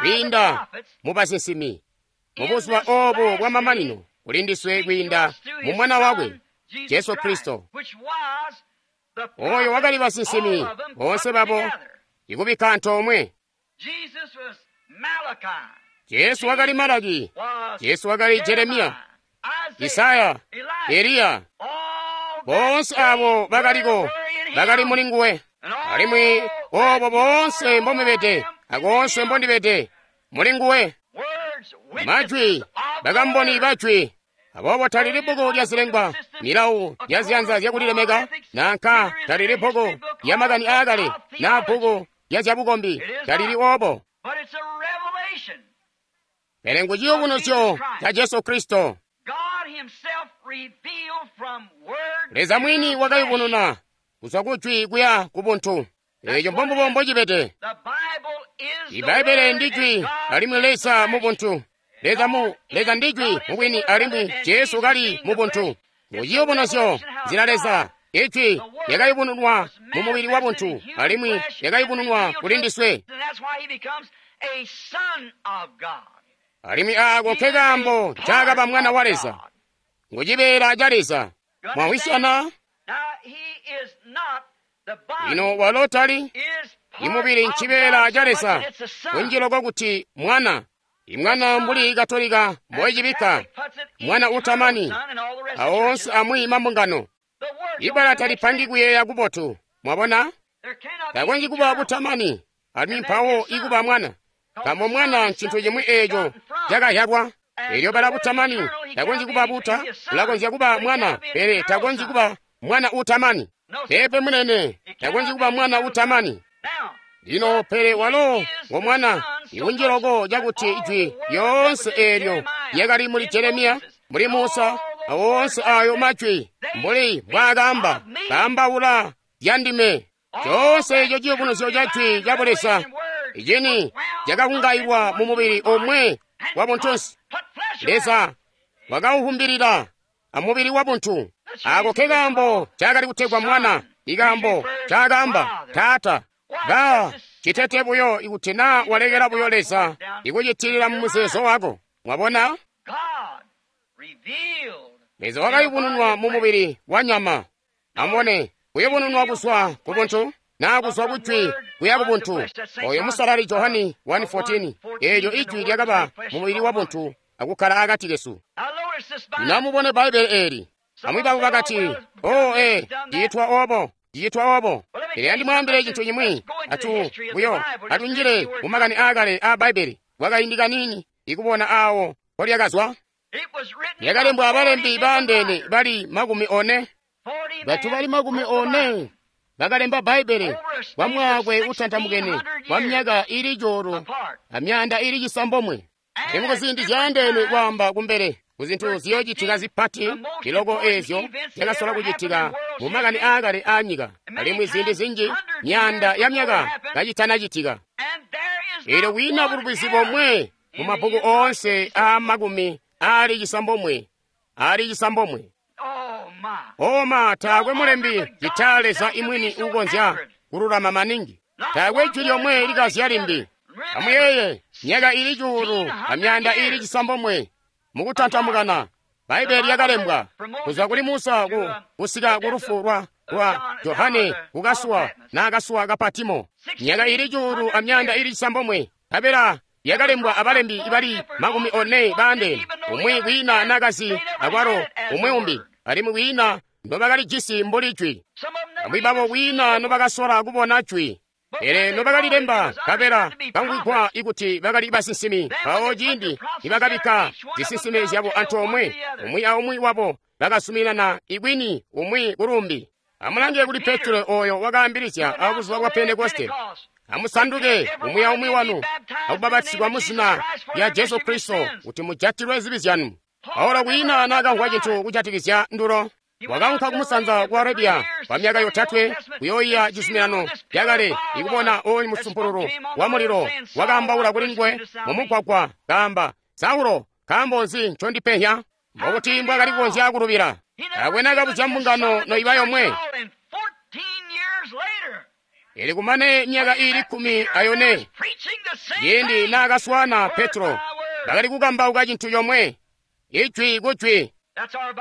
kwiinda mu basinsimi. Mu buzuba oobu bwamamanino kuli ndiswe kwiinda mu Mwana wakwe Jesu Kristo. Oyo wakali basinsimi boonse babo ikubikka antoomwe. Jesu wakali Malaki, Jesu wakali Jeremiya, Isaya, Eliya. Boonse abo bakaliko bakali muli nguwe, alimwi obo boonse mbomubede akoonse mbondibede muli nguwe. Majwi, bakamboni bajwi. Aboobo talili bbuku lya zilengwa, milawo ya ziyanza zyakulilemeka, nanka talili bbuku lya makani aakale naa bbuku lya zyabukombi, talili obo. Pele ngu ciyubunuzyo ca Jesu Kristo. Leza mwini wakayubununa kuzwa kujwi kuya ku buntu. Eeco mbombubo mbocibede. Ibbaibbele ndi jwi alimwi Leza mu buntu. Leza mu Leza ndi jwi mubwini alimwi Jesu kali mu buntu. Mu ciyubunuzyo nzila Leza ijwi lyakayubununwa mu mubili wa buntu alimwi lyakayubununwa kuli ndiswe. Alimwi aako nke kaambo ncaakaba Mwana wa Leza. Ngu cibeela ca Leza. Mwamvwisyana? Lino walo tali imubili ncibeela ca Leza, kunji loko kuti Mwana. Imwana mbuli Katolika mboicibikka, Mwana utamani, awoonse amwi mambungano. Ibbala talipangi kuyeeya kubotu, mwabona? Takonzyi kuba butamani, alimwi mpawo ikuba Mwana. Nkaambo Mwana ncintu cimwi eeco cakazyalwa. Eelyo bala butamani takonzyi kuba buta, ulakonzya kuba Mwana, pele takonzyi kuba Mwana utamani. Peepe munene, takonzyi kuba Mwana utamani. Lino pele walo ngo Mwana, ikunji loko cakuti ijwi lyoonse eelyo lyakali muli Jeremiya, muli Musa, awoonse ayo majwi mbuli mbwaakaamba, kaambaula zya ndime. Coonse eco ciyubunuzyo ca jwi ca Buleza icini cakakungailwa mu mubili omwe wa buntunsi. Leza wakauhumbilila amubili wa buntu. Ako ke kaambo cakali kutegwa Mwana, ikaambo cakaamba Taata. Ba citete buyo ikuti naa walekela buyo Leza ikucitilila mu muzeezo wako. Mwabona? Leza wakayubununwa mu mubili wa nyama. Amubone, kuyubununwa kuzwa ku buntu naa kuzwa ku jwi kuya ku buntu. Oyo musalali Johani one fourteen, eelyo ijwi lyakaba mu mubili wa buntu akukkala akati kesu. Lino amubone Bbaibbele eeli. Bamwi babo bakati, "Oh, ee, ciitwa obo, ciitwa obo." Pele andimwaambile cintu cimwi, atu buyo atunjile mu makani aakale aa Bbaibbele kwakaindi kaniini ikubona aawo mpolyakazwa. Lyakalembwa abalembi baandeene bali makumi one. Bantu bali makumi one bakalemba Bbaibbele kwa mwaakwe utantamukene kwa myaka ili cuulu amyaanda ili cisambomwe. Alimwi kuziindi zyaandeene kwaamba kumbele kuzintu ziyoocitika zipati liloko eezyo zyakasola kucitika mu makani aakale aanyika, alimwi ziindi zinji myaanda ya myaka kacitanacitika. Eelyo kwiina bulubizi bomwe mu mabbuku oonse aa makumi aali cisambomwe aali cisambomwe. Oma taakwe mulembi citaa Leza imwini uukonzya kululama maningi. Taakwe jwi lyomwe likazya limbi. Amuyeeye, myaka ili cuulu amyaanda ili cisambomwe mukutantamukana, Bbaibbele lyakalembwa kuzwa kuli Musa ku kusika ku lufu lwa lwa Johane kukasuwa naakasuwa ka Patimo. Myaka ili cuulu amyaanda ili cisambomwe nkabela yakalembwa abalembi bali makumi one baandeene, umwi kwiina naakazi akwalo umwi umbi, alimwi kwiina nobakalijisi mbuli jwi. Bamwi babo kwiina nobakasola kubona jwi. Pele nobakalilemba nkabela kamvwigwa ikuti bakali basinsimi, mpawo ciindi nibakabikka zisinsime zyabo antoomwe, umwi aumwi wabo bakasuminana ikwini umwi kulumbi. Amulange kuli Petro oyo wakaambilizya abuzuba bwa Pentekoste, "Amusanduke umwi aumwi wanu akubapatizigwa mu zina lya Jesu Kristo kuti mujatilwe zibi zyanu." Paulo kwiina naakamvwa cintu kujatikizya ndulo. Wakaunka kumusanza ku Arabia kwa myaka yotatwe kuyooyiya cizuminano cakale ikubona oyu musumpululu wa mulilo wakaambaula kuli nguwe mumugwagwa kaamba, "Saulo, nkaambo nzi ncondipehya?" Mbokuti mbwaakali kukonzya kulubila. Taakwe naakabuzya mbungano noiba yomwe. Ili kumane myaka ili kkumi ayone, ciindi naakaswaana Petro, bakali kukambauka cintu comwe, ijwi ku jwi.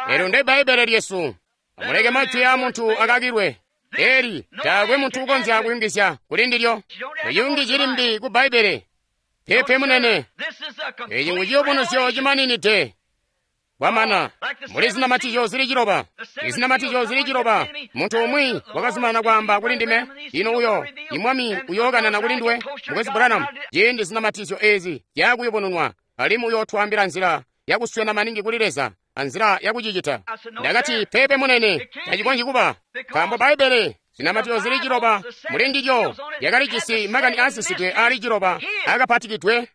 Eelyo nde Bbaibbele lyesu. Amuleke majwi aa muntu akakilwe. Eli taakwe muntu ukonzya kuyungizya kuli ndilyo. Tayungizyi limbi ku Bbaibbele. Peepe munene. Eeci ngu ciyubunuzyo cimaninide. Kwamana, muli zinamatizyo zili ciloba. Izinamatizyo zili ciloba. Muntu umwi wakazumanana kwaamba kuli ndime, "Ino uyo, imwami uyookanana kuli nduwe, Mukwesu Branham, ciindi zinamatizyo eezi zyaakuyubununwa, alimwi uyootwaambila nzila yakuswena maningi kuli Leza anzila yakucicita." Ndakati, "Peepe munene, tacikonzyi kuba, nkaambo Bbaibbele zinamatizyo zili ciloba muli ndilyo lyakalijisi makani aasisidwe aali ciloba aakapatikidwe,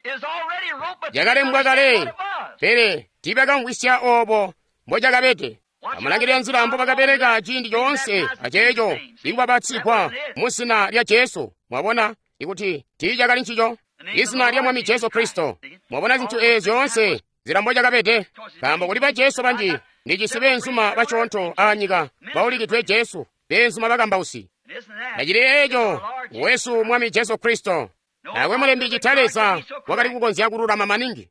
lyakalembwa kale, pele tiibakamvwisya oobo mbocakabede." Amulangilile nzila mbobakabeleka ciindi coonse aceeco ikubapatizigwa mu zina lya Jesu. Mwabona ikuti tiicakali ncico, izina lya Mwami Jesu Kristo. Mwabona zintu eezi zyoonse nzila mbocakabede, nkaambo kuli ba Jesu banji ndijisi beenzuma basyoonto aanyika baulikidwe Jesu, beenzuma bakambausi. Tacili eeco wesu Mwami Jesu Kristo. Taakwe mulembi cita Leza wakali kukonzya kululama maningi.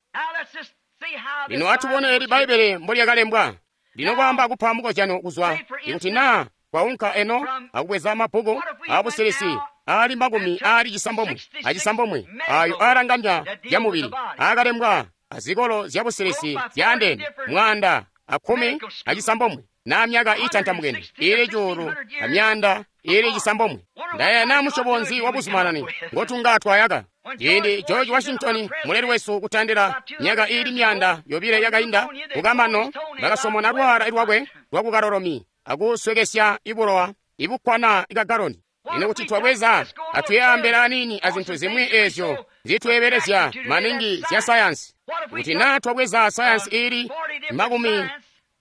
Lino atubone eli Bbaibbele mbolyakalembwa. Lino kwaamba kupa mukozyano kuzwa ikuti naa kwaunka eno akubweza mabbuku aabusilisi aali makumi aali cisambomwe acisambomwe ayo aalanganya zyamubili aakalembwa azikolo zyabusilisi zyaandeene mwaanda akkumi acisambomwe na myaka itantamukene ili cuulu amyanda ili cisambomwe. Ndaya na musyobo nzi wabuzumanani ngotunga twayaka. Ciindi George Washington muleli wesu kutandila myaka ili myanda yobile yakainda kukamano bakasomona lwala lwakwe lwakukalolomi akuswekesya ibulowa ibukkwana ikagaloni. Ino kuti twabweza atuyambela anini azintu zimwi ezyo zitweebelezya maningi zya sayansi. Kuti naa twabweza sayansi ili makumi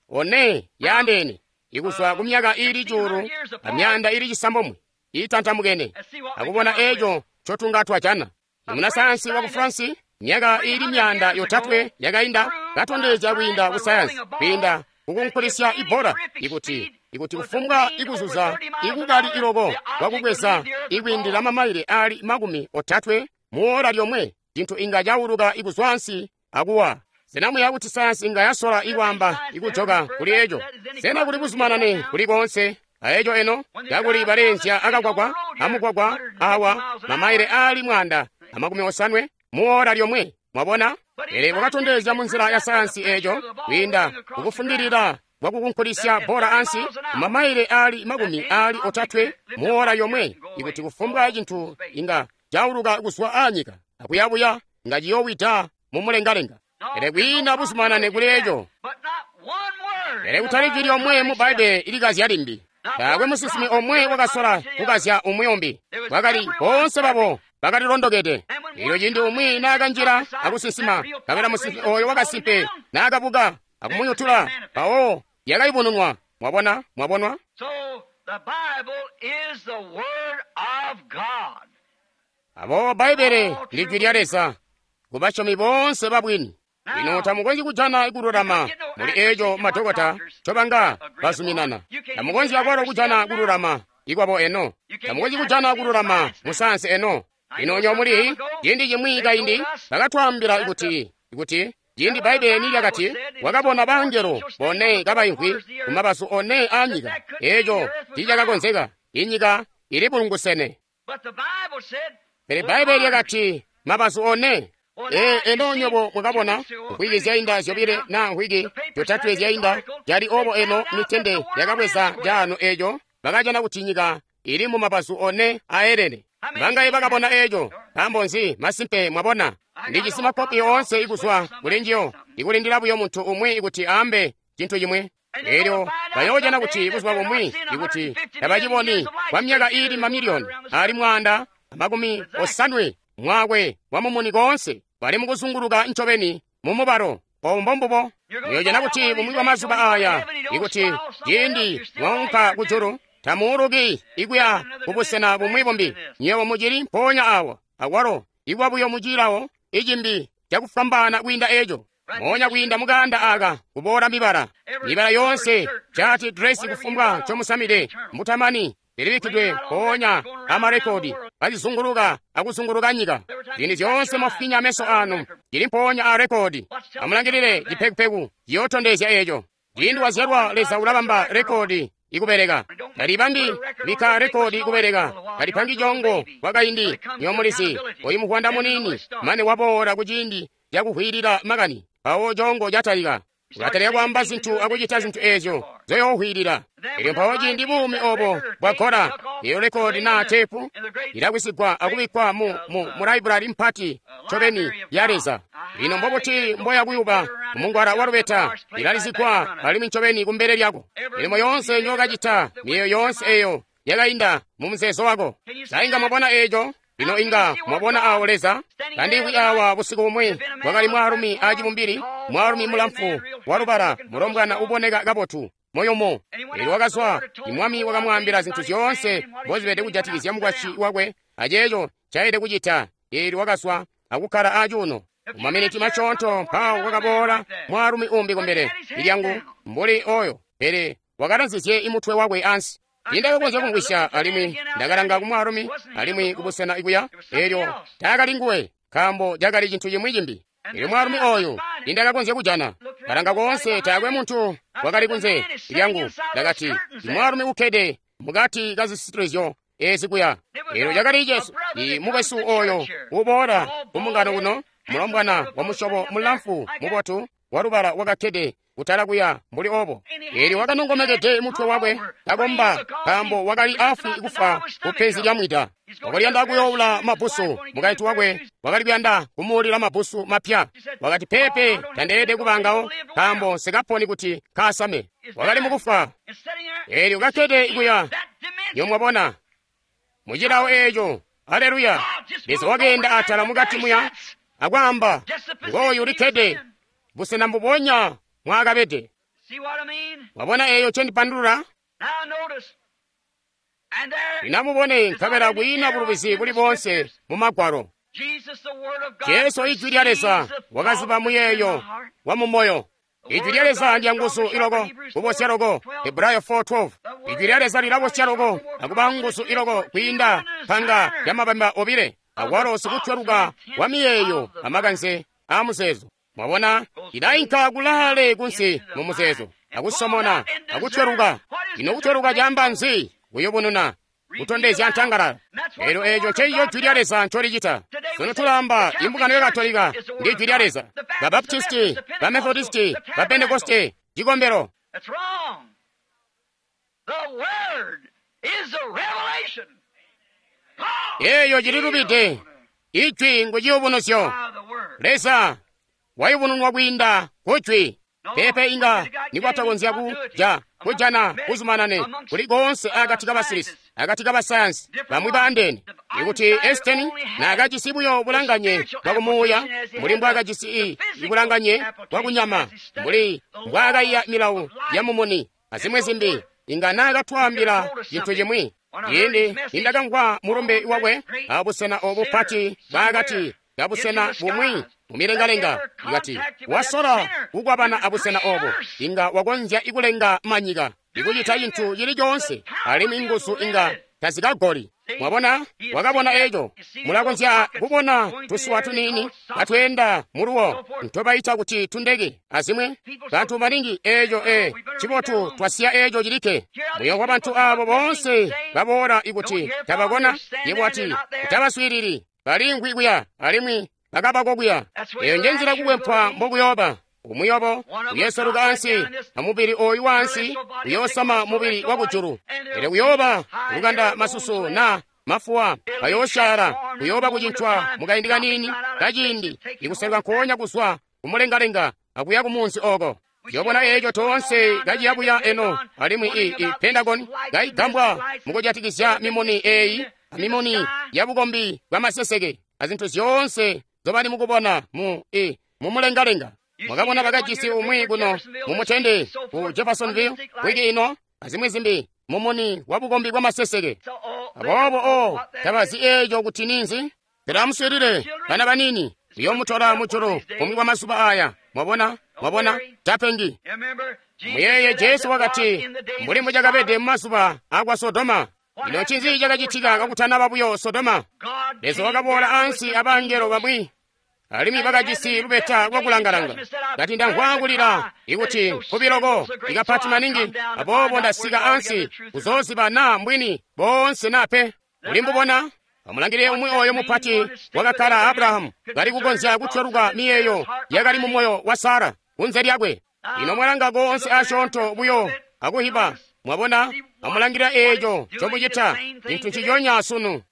one yaandeene ikuzwa ku myaka ili cuulu amyanda ili cisambomwe itantamukene akubona eco ncotunga twajana. Munasayansi waku France myaka ili myanda yotatwe yakainda katondezya kwiinda ku sayansi kwiinda kukunkulisya ibola ikuti ikuti kufumbwa ikuzuza ikukali iloko kwakukweza ikwiindila mamaile ali makumi otatwe muola lyomwe cinthu inga chauluka ikuzwa ansi akuwa. Sena kuti sayansi inga yasola ikwamba ikujoka kuli eco? Sena kuli buzumanane kuli konse aeco eno kakuli balenzya akakwakwa amukwakwa awa mamaile ali mwanda amakumi osanwe muola lyomwe. Mwabona? Pele wakatondezya munzila ya sayansi eco kwiinda kukufundilira kwakukunkulisya bola ansi mamaile ali makumi ali otatwe muola yomwe ikuti kufumbwa cinthu inga chauluka kuzwa anyika akuyabuya nga chiyowita mumulengalenga. Pele kwiina buzumanane kuli eco. Pele kutali jwi lyomwe mu Bbaibbele ilikazya limbi. Taakwe musinsimi omwe wakasola kukazya umwi umbi. Bakali boonse babo bakalilondokede. Elyo ciindi umwi naakanjila akusinsima, kabela musinsimi oyo wakasimpe naakabuka akumuyutula, mpawo yakayubununwa. Mwabona? Mwabonwa? Aboobo Bbaibbele ndi jwi lya Leza kubasyomi boonse babwini. Lino tamukonzyi kujana kululama muli eco madokota ncobanga bazuminana. Tamukonzyi akwalo kujana kululama ikwabo eno. Tamukonzyi kujana kululama musayansi eno. Lino nyo muli ciindi cimwi kaindi bakatwaambila kuti kuti ciindi Bbaibbele nilyakati wakabona bangelo bone kabaimvwi kumabazu one anyika, eco tiicakakonzeka. Inyika ili bulungusene. Pele Bbaibbele lyakati mabazu one. Ee, eno nyobo mwakabona nkhwiki zyainda zyobile na nkhwiki zyotatwe zyainda cali obo eno mitende yakabweza caano eco bakajana kuti nyika ili mu mabazu one aelene. Bangaye bakabona eco? Nkaambo nzi? Masimpe mwabona. Ndijisi makopi oonse ikuzwa kuli njiyo, ikulindila buyo muntu umwi ikuti aambe cintu cimwi. Elyo bayoojana kuti buzuba bumwi ikuti tabaciboni kwa myaka ili mamiliyoni ali mwaanda amakumi osanwe mwakwe wamumuni koonse bali mukuzunguluka ncobeni mumubalo. Obo mbombubo. Muyojana kuti bumwi bwa mazuba aya ikuti ciindi mwaunka kujulu tamuuluki ikuya kubusena bumwi bumbi. Nywebo mucili mpoonya awo akwalo ikuba buyo mucilawo icimbi cakufwambaana kwiinda eco. Moonya kwiinda mukanda aka kuboola mibala mibala yoonse cati dresi kufumbwa ncomusamide mutamani lilibikkidwe mpoonya amarekodi kazizunguluka akuzunguluka nyika. Zinthu zyoonse mwafinya ameso anu cili mpoonya a rekodi. Amulangilile cipekupeku ciyootondezya eco. Ciindi wazyalwa Leza ulabamba rekodi ikubeleka. Talibambi bikka rekodi ikubeleka. Talipangi congo kwakaindi nyomulizi oyu muvwanda munini mane waboola kuciindi cakuhwilila makani mpawo congo catalika. Ulatalika kwaamba zinthu akucita zinthu ezyo zoyoohwilila. Elyo mpawo ciindi buumi obo bwagola, eyo rekodi naa tepu ilakwisigwa akubikkwa mu, mu, mu laibulali mpati ncobeni ya Leza. Lino mbobuti mboya kuyuba mungwala wa lubeta ilalizigwa alimwi ncobeni kumbele lyako. Milimo yoonse njookacita, miyeeyo yoonse eyo yakainda mu muzeezo wako. Sa inga mwabona eco? Lino inga mwabona awo Leza kandikwi awa busiku bumwi kwakali mwaalumi acibumbili, mwaalumi mulamfu walubala, mulombwana uboneka kabotu moyomo. Elyo wakazwa, imwami wakamwaambila zinthu zyoonse mbozibede kujatikizya mukwasyi wakwe aceeco ncaelede kucita. Elyo wakazwa akukkala acuuno. Mumaminiti masyoonto mpawo kwakaboola mwaalumi umbi kumbele lyangu mbuli oyo, pele wakalanzizye imutwe wakwe ansi. Tiindakakonzya kumvwisya, alimwi ndakalanga kumwaalumi alimwi kubusena ikuya, elyo taakali nguwe, nkaambo cakali cintu cimwi cimbi. Elyo mwaalumi oyu tiindakakonzya kujana. Kalanga koonse, taakwe muntu wakali kunze lyangu. Ndakati, mwaalumi ukkede mukati kazisitilizyo ezi kuya. Elyo cakali Jesu, i mukwesu oyo uboola kumbungano kuno, mulombwana wa musyobo mulamfu mubotu walubala wakakkede kutala kuya mbuli obo. Elyo wakanongomekede mutwe wakwe kakomba, nkaambo wakali afwi kufa kupenzi lya mwida. Wakali kuyanda kuyoula mabbusu. Mukaintu wakwe wakali kuyanda kumuulila mabbusu mapya. Wakati, pepe, tandeelede kubangawo, nkaambo nsikaponi kuti kaasame. Wakali mukufa. Elyo kakkede kuya, nyomwabona mucilawo eeco. Aleluya! Leza wakeenda atala mukati muya akwaamba, ngooyu ulikkede busena mbubonya mwakabede. Wabona eeyo ncendipandulula? Lino mubone, nkabela kwiina bulubizi buli boonse mu Magwalo. Jesu, Ijwi lya Leza, wakaziba muyeeyo wa mumoyo. Ijwi lya Leza ndya nguzu iloko, kubosya loko. Hebrayo four twelve. Ijwi lya Leza lilabosya loko, akuba nguzu iloko kwiinda panga lya mabamba obile, akwalo sikutweluka wa miyeeyo amakanze a muzeezo. Mwabona, ilainka kulaale kunsi mu muzeezo, akusomona, akutweluka. Ino kutweluka caamba nzi? Kuyubununa, kutondezya ntangalala. Elyo eeco nceico Jwi lya Leza ncolicita. Sunu tulamba imbungano ya Katolika ndi Jwi lya Leza, ba Baptisti, ba Methodisti, ba Pentekoste, cikombelo. Eeyo cililubide. Ijwi ngu ciyubunuzyo. Leza wayubununwa kwiinda ku Jwi. Pepe inga nikwatakonzya kuja kujana kuzumanane kuli koonse akati kabasilisi, akati kabasayansi bamwi baandeene. Ikuti Einstein naakajisi buyo bulanganye bwakumuuya mbuli mbwaakajisi i ibulanganye bwakunyama mbuli mbwaakaiya milawo ya mumuni azimwi zimbi, inga naakatwaambila cintu cimwi. Ciindi nindakamvwa mulumbe wakwe abusena obu pati bwaakati kabusena bumwi mumilengalenga, ikati wasola kukwabana abusena obo, inga wakonzya ikulenga manyika, ikucita cintu cili coonse, alimwi nguzu inga tazikagoli. Mwabona, wakabona eco. Mulakonzya kubona tusuwa tuniini katweenda muluwo ntobaita kuti tundeke azimwi. Bantu baningi eco e cibotu twasiya eco cilikke. Muyo wa bantu abo boonse baboola ikuti tabakona, yebo ati kutabaswiilili, balingwi kuya alimwi bakabako kuya. Eyo njenzila kukwempwa mbokuyooba. Umuyobo uyeseluka ansi, amubili oyu wansi uyoosama mubili wakujulu. Elyo kuyooba lukanda masusu na mafuwa ayoosyaala, kuyooba kucincwa mukaindi kaniini kaciindi, ikuseluka nkoonya kuzwa kumulengalenga akuya kumunzi oko. Yobona eeco toonse kaciyabuya eno, alimwi i, i Pentagon kaigambwa mukujatikizya mimuni eeyi amimuni ya bukombi bwa maseseke azintu zyoonse zobali mukubona mu i mumulengalenga. Mwakabona bakajisi umwi kuno mumutende ku Jeffersonville wiki ino azimwi zimbi, mumuni wa bukombi bwa maseseke. Aboobo o tabazi eeco kuti ninzi. Pele amuswiilile, bana banini, uyomutola mujulu kumwi kwa mazuba aya. Mwabona, mwabona, tapengi. Muyeye Jesu wakati, mbuli mbucakabede mumazuba akwa Sodoma. Ino ncinzi cakacitika kakutanaba buyo Sodoma? Leza wakaboola ansi abangelo bamwi, alimwi bakajisi lubeta lwakulangalanga. Kati ndamvwa kulila ikuti nkubiloko ikapati maningi, aboobo ndasika ansi kuzooziba naa mbwini boonse na pe. Uli mbubona? Amulangilile umwi oyo mupati wakakkala Abrahamu kali kukonzya kutweluka miyeeyo yakali mu moyo wa Sara kunze lyakwe. Ino mwalanga koonse asyoonto buyo akuhiba. Mwabona, amulangilila eeco ncomucita, cintu nciconya sunu.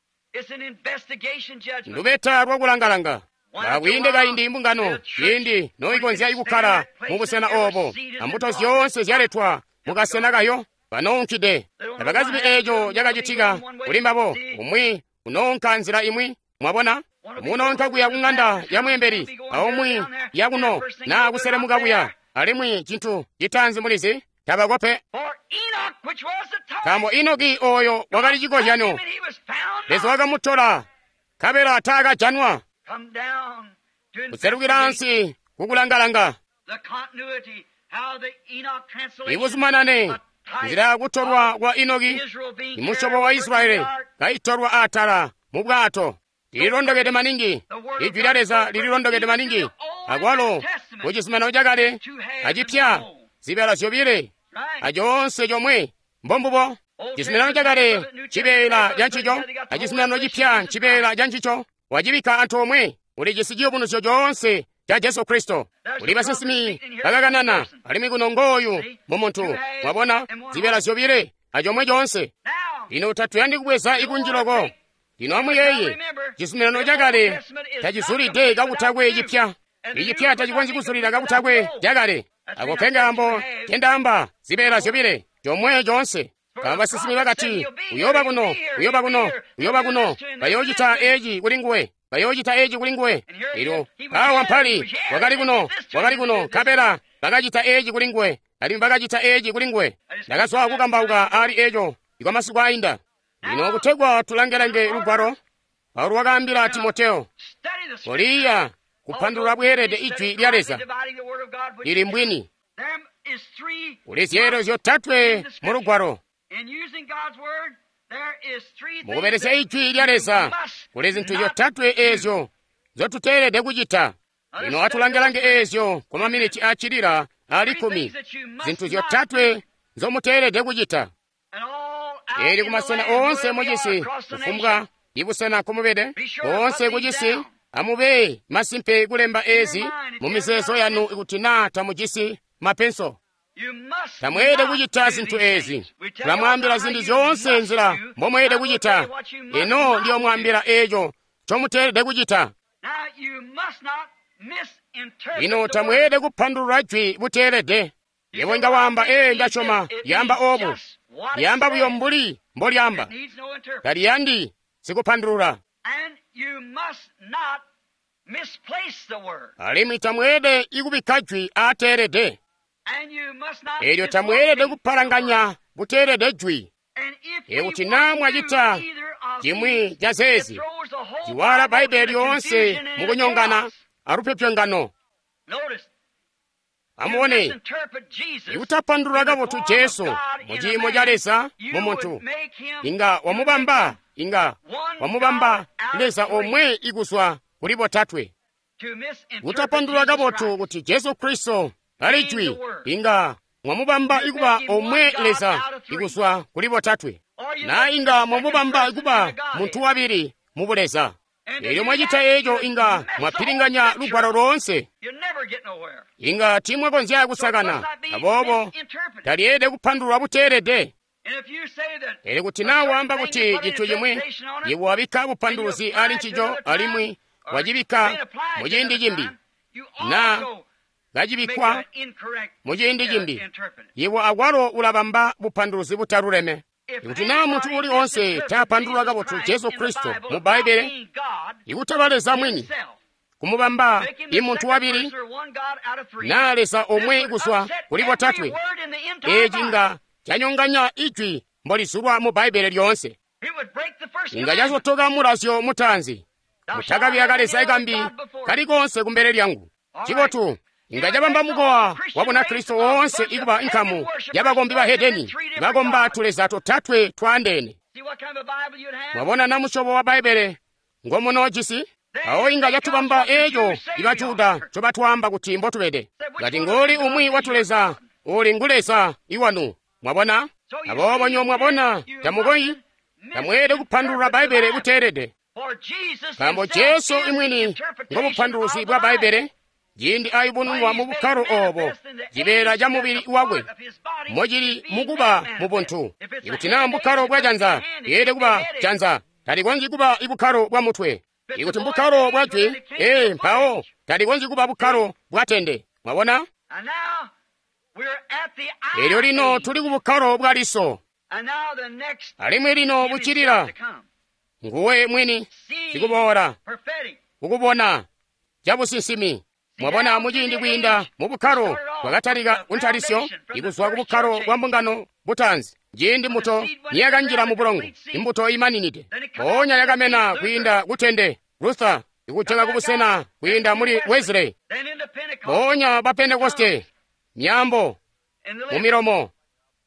Lubeta lwakulangalanga. Bakwiinde kaindi imbungano ciindi noikonzya ikukkala mubusena obo, ambuto zyoonse zyaletwa mukasena kayo, banounkide. Tabakazibi eeco cakacitika kuli mbabo. Umwi unoonka nzila imwi, mwabona, munoonka kuya kung'anda ya mweembeli, aumwi yakuno naa kuselemuka kuya, alimwi cintu citaanzi mulizi tabakope. Nkaambo Enoki oyo wakali cikozyanyo, Leza wakamutola, nkabela taakajanwa. Kuselukila ansi kukulangalanga. Ibuzumanane Nzila yakutolwa kwa Enoki, imusyobo wa Israeli kaitolwa atala mu bwato. Lililondokede maningi, Ijwi lya Leza lililondokede maningi. Akwalo mu Cizuminano Cakale acipya zibeela zyobile acoonse comwe mbombubo. Cizuminano Cakale cibeela ca ncico, a Cizuminano Cipya cibeela ca ncico. Wacibikka antoomwe, ulijisi ciyubunuzyo coonse ca Jesu Kristo. Kuli basinsimi bakakanana, alimwi kuno ngooyu mu muntu. Mwabona zibeela zyobile acomwe coonse. Lino tatuyandi kubweza ikunji loko. Lino amuyeeye, Cizuminano Cakale tacizulide kakutakwe cipya. Icipya tacikonzyi kuzulila kakutakwe cakale. Ako ke kaambo ncendaamba zibeela zyobile comwe coonse. Nkaambo basinsimi bakati, uyooba kuno, uyooba kuno, uyooba kuno, bayoocita eci kuli nguwe, bayoocita eci kuli nguwe. Elyo awa mpali, wakali kuno, wakali kuno, nkabela bakacita eci kuli nguwe, alimwi bakacita eci kuli nguwe. Ndakazwa kukambauka ali eco ikwa masiku ainda. Lino kutegwa tulange-lange lugwalo, Paulo wakaambila Timoteo, koliya kupandulula bweelede ijwi lya Leza lili mbwini. Kuli zyeelo zyotatwe mu lugwalo. Mukubelesya ijwi lya Leza kuli zintu zyotatwe eezyo nzotuteelede kucita. Lino atulange-lange eezyo kwa maminiti acilila ali kkumi, zintu zyotatwe nzomuteelede kucita. Eli kumasena oonse mucisi, kufumbwa ibusena kumubede, koonse kucisi, amube masimpe kulemba ezi mu mizeezo yanu ikuti naa tamujisi mapenso. Tamweelede kucita zintu ezi. Tulamwaambila zintu zyoonse nzila mbomweelede kucita. Eno ndiyomwaambila eco ncomuteelede kucita. Lino tamweelede kupandulula jwi buteelede. Yebo inga waamba, ee, ndasyoma lyaamba obu. Lyaamba buyo mbuli mbolyaamba. Taliyandi sikupandulula. Alimwi tamweelede ikubikka jwi aateelede. Elyo tamweelede kupalanganya buteelede jwi. Ikuti naa mwacita cimwi ca zeezi, ciwala Bbaibbele lyoonse mukunyongana alupyopyongano. Amubone, ikutapandulula kabotu Jesu mu ciimo ca Leza mu muntu, inga wamubamba inga wamubamba Leza omwe ikuzwa kuli botatwe. Kutapandulula kabotu kuti Jesu Kristo ali jwi, inga mwamubamba ikuba omwe Leza ikuzwa kuli botatwe, na inga mwamubamba ikuba muntu wabili mu buleza. Elyo mwacita eco inga mwapilinganya lugwalo loonse. Inga tiimwakonzya kusakana, aboobo talyeelede kupandulwa buteelede. Pele kuti naa waamba kuti cintu cimwi, yebo wabikka bupanduluzi ali ncico alimwi wacibikka mu ciindi cimbi, naa kacibikkwa mu ciindi cimbi, yebo akwalo ulabamba bupanduluzi butaluleme. Ikuti naa muntu uli onse taapandulula kabotu Jesu Kristo mu Bbaibbele, ikutaba Leza mwini, kumubamba imuntu wabili naa Leza omwe kuzwa kuli botatwe, eci inga canyonganya ijwi mbolizulwa mu Bbaibbele lyoonse. Inga casotoka mulazyo mutaanzi, mutakabi akaleza kambi kali konse kumbele lyangu. Cibotu, inga cabamba mukowa wa Bunakristo woonse ikuba nkamu yabakombi ba hedeni bakomba tuleza totatwe twaandeene. Mwabona na musyobo wa Bbaibbele ngomunoojisi? Awo inga catubamba eco iba Juda ncobatwaamba kuti mbotubede. Ngati ngoli umwi wa tuleza uli ngu Leza iwanu. Mwabona? Aboobo nyo mwabona tamukoyi tamweelede kupandulula Bbaibbele buteelede. Nkaambo Jesu imwini ngobupanduluzi bwa Bbaibbele, ciindi ayubununwa mu bukkalo obo, cibeela ca mubili wakwe mocili mukuba mu buntu. Ikuti naa mbukkalo bwa janza, yeelede kuba janza, talikonzyi kuba ibukkalo bwa mutwe. Ikuti mbukkalo bwa jwi, ee, mpawo talikonzyi kuba bukkalo bwa tende. Mwabona? Elyo lino tuli ku bukkalo bwa liso. Alimwi lino bucilila nguwe mwini sikuboola kukubona cabusinsimi. Mwabona, muciindi kwiinda mu bukkalo bwakatalika kuntalisyo ikuzwa ku bukkalo bwa mbungano butaanzi, ciindi mbuto niyakanjila mu bulongo, imbuto imaninide, mpoonya yakamena kwiinda kutende Luther, ikujoka kubusena kwiinda muli Wesley, mpoonya ba Pentekoste, myaambo mu milomo,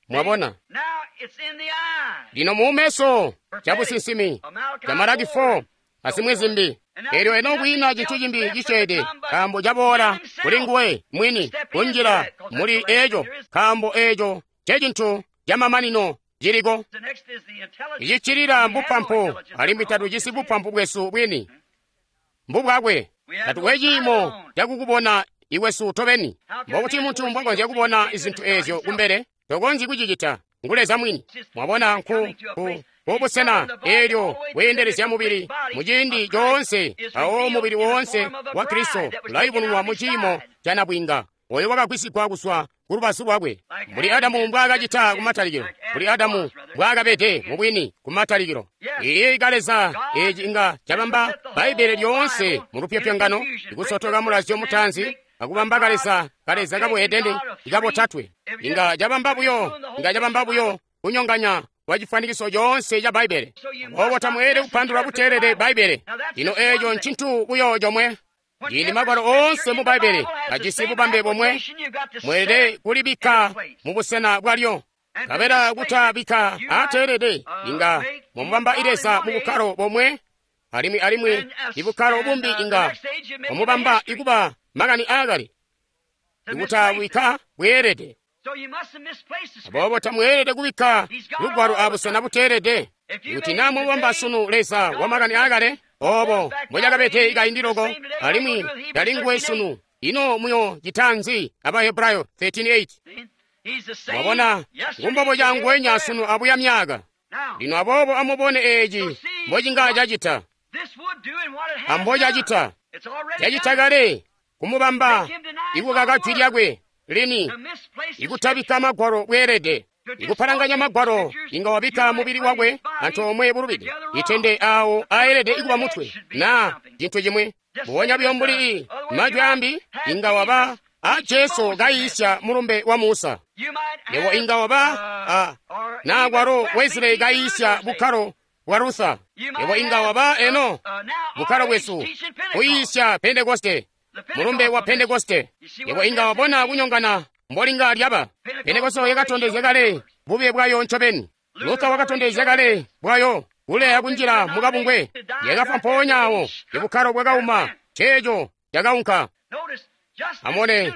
Mwabona? Lino muumeso cabusinsimi ca Malaki four azimwi zimbi. Elyo eno kwiina cintu cimbi cisyeede, nkaambo caboola kuli nguwe mwini kunjila muli eco, nkaambo eco ncecintu camamanino ciliko. Iciccilila mbupampu, alimwi tatujisi bupampu bwesu bwini, mbubwakwe. Tatukwe ciimo cakukubona iwesu tobeni. Mbokuti muntu mbwakonzya kubona zintu ezyo kumbele? Tokonzyi kucicita, ngu Leza mwini. Mwabona, nku ku kubusena eelyo weendelezya mubili muciindi coonse, awo mubili woonse wa Kristo ulayubununwa mu ciimo ca nabwiinga oyo wakagwisigwa kuzwa ku lubazu lwakwe, mbuli Adamu mbwaakacita kumatalikilo, mbuli Adamu mbwaakabede mubwini kumatalikilo. Iyi ka Leza eci inga cabamba Bbaibbele lyoonse mu lupyopyongano, ikusotoka mulazyo mutaanzi akubamba kaleza kaleza kabuhedeni ikabotatwe. Inga cabamba buyo, inga cabamba buyo kunyonganya kwa cifwanikiso coonse ca Bbaibbele. Aboobo tamweelede kupandulula buteelede Bbaibbele. Lino eco ncintu buyo comwe. Ciindi magwalo oonse mu Bbaibbele ajisi bubambe bomwe, mweelede kulibikka mu busena bwalyo. Nkabela kutabikka aateelede inga mwamubamba Leza mu bukkalo bomwe, alimwi alimwi ibukkalo bumbi inga mwamubamba ikuba makani aakale, ikutabikka bweelede. Aboobo tamweelede kubikka lugwalo abusena buteelede. Ikuti naa mwamubamba sunu Leza wa makani aakale, obo mbocakabede ikaindi loko, alimwi tali nguwe sunu, ino muyo cita nzi? Abahebrayo thirteen eight. Mwabona, ngumbobo canguwenya sunu abuya myaka. Lino aboobo amubone eci mbocinga cacita, ambocacita. Cacita kale kumubamba ikukaka jwi lyakwe lini, ikutabikka magwalo bweelede, ikupalanganya magwalo. Inga wabikka mubili wakwe antoomwe bulubide, itende awo aelede ikuba mutwe na cintu cimwi. Mbubonya buyo mbuli majwi ambi, inga waba a Jesu kayiisya mulumbe wa Musa. Yebo inga waba a na kwalo Wesley kayiisya bukkalo bwa Luther. Yebo inga waba eno bukkalo bwesu kuyiisya Pentekoste, mulumbe wa Pentekoste. Yebo inga wabona kunyongana mbolinga lyaba. Pentekoste yakatondezya kale bube bwayo ncobeni. Luther wakatondezya kale bwayo kuleya kunjila mukabungwe. Yakafwa mpoonya awo, ibukkalo bwakauma, ceeco cakaunka. Amone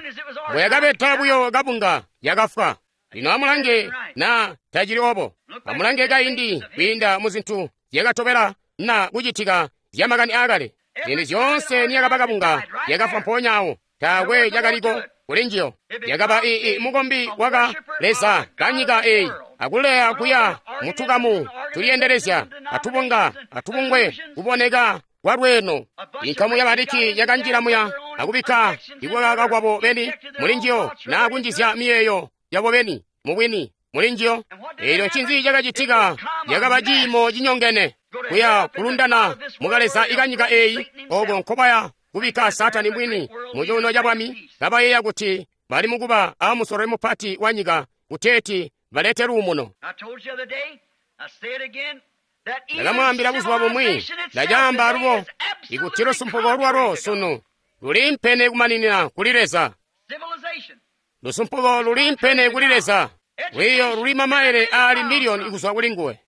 bweyakabeta buyo kabunga, yakafwa. Lino amulange na tacili obo. Amulange kaindi kwiinda mu zintu zyakatobela na kucitika zyamakani aakale. Ziindi zyoonse niyakaba kabunga, yakafwa mpoonya awo, taakwe cakaliko kuli njiyo. Yakaba ii mukombi waka Leza kanyika eyi, akuleya kuya mutukamu tulyendelezya, atubunga, atubungwe, kuboneka kwa lweeno. Inkamu yabaliki yakanjila muya akubikka ikukaka kwabo beni muli njiyo, na kunjizya miyeeyo yabo beni mubwini muli njiyo. Eelyo ncinzi cakacitika? Yakaba ciimo cinyongene kuya kulundana mukaleza ikanyika eyi, oko nkobaya kubikka Satani mwini mu cuuno ca bwami, kabayeeya kuti bali mukuba a musololi mupati wa nyika kuteeti balete luumuno. Ndakamwaambila buzuba bumwi, ndacaamba alubo, ikuti lusumpuko lwalo sunu luliimpene kumaninina kuli Leza. Lusumpuko luliimpene kuli Leza. Lwiiyo luli mamaile aali miliyoni kuzwa kuli nguwe.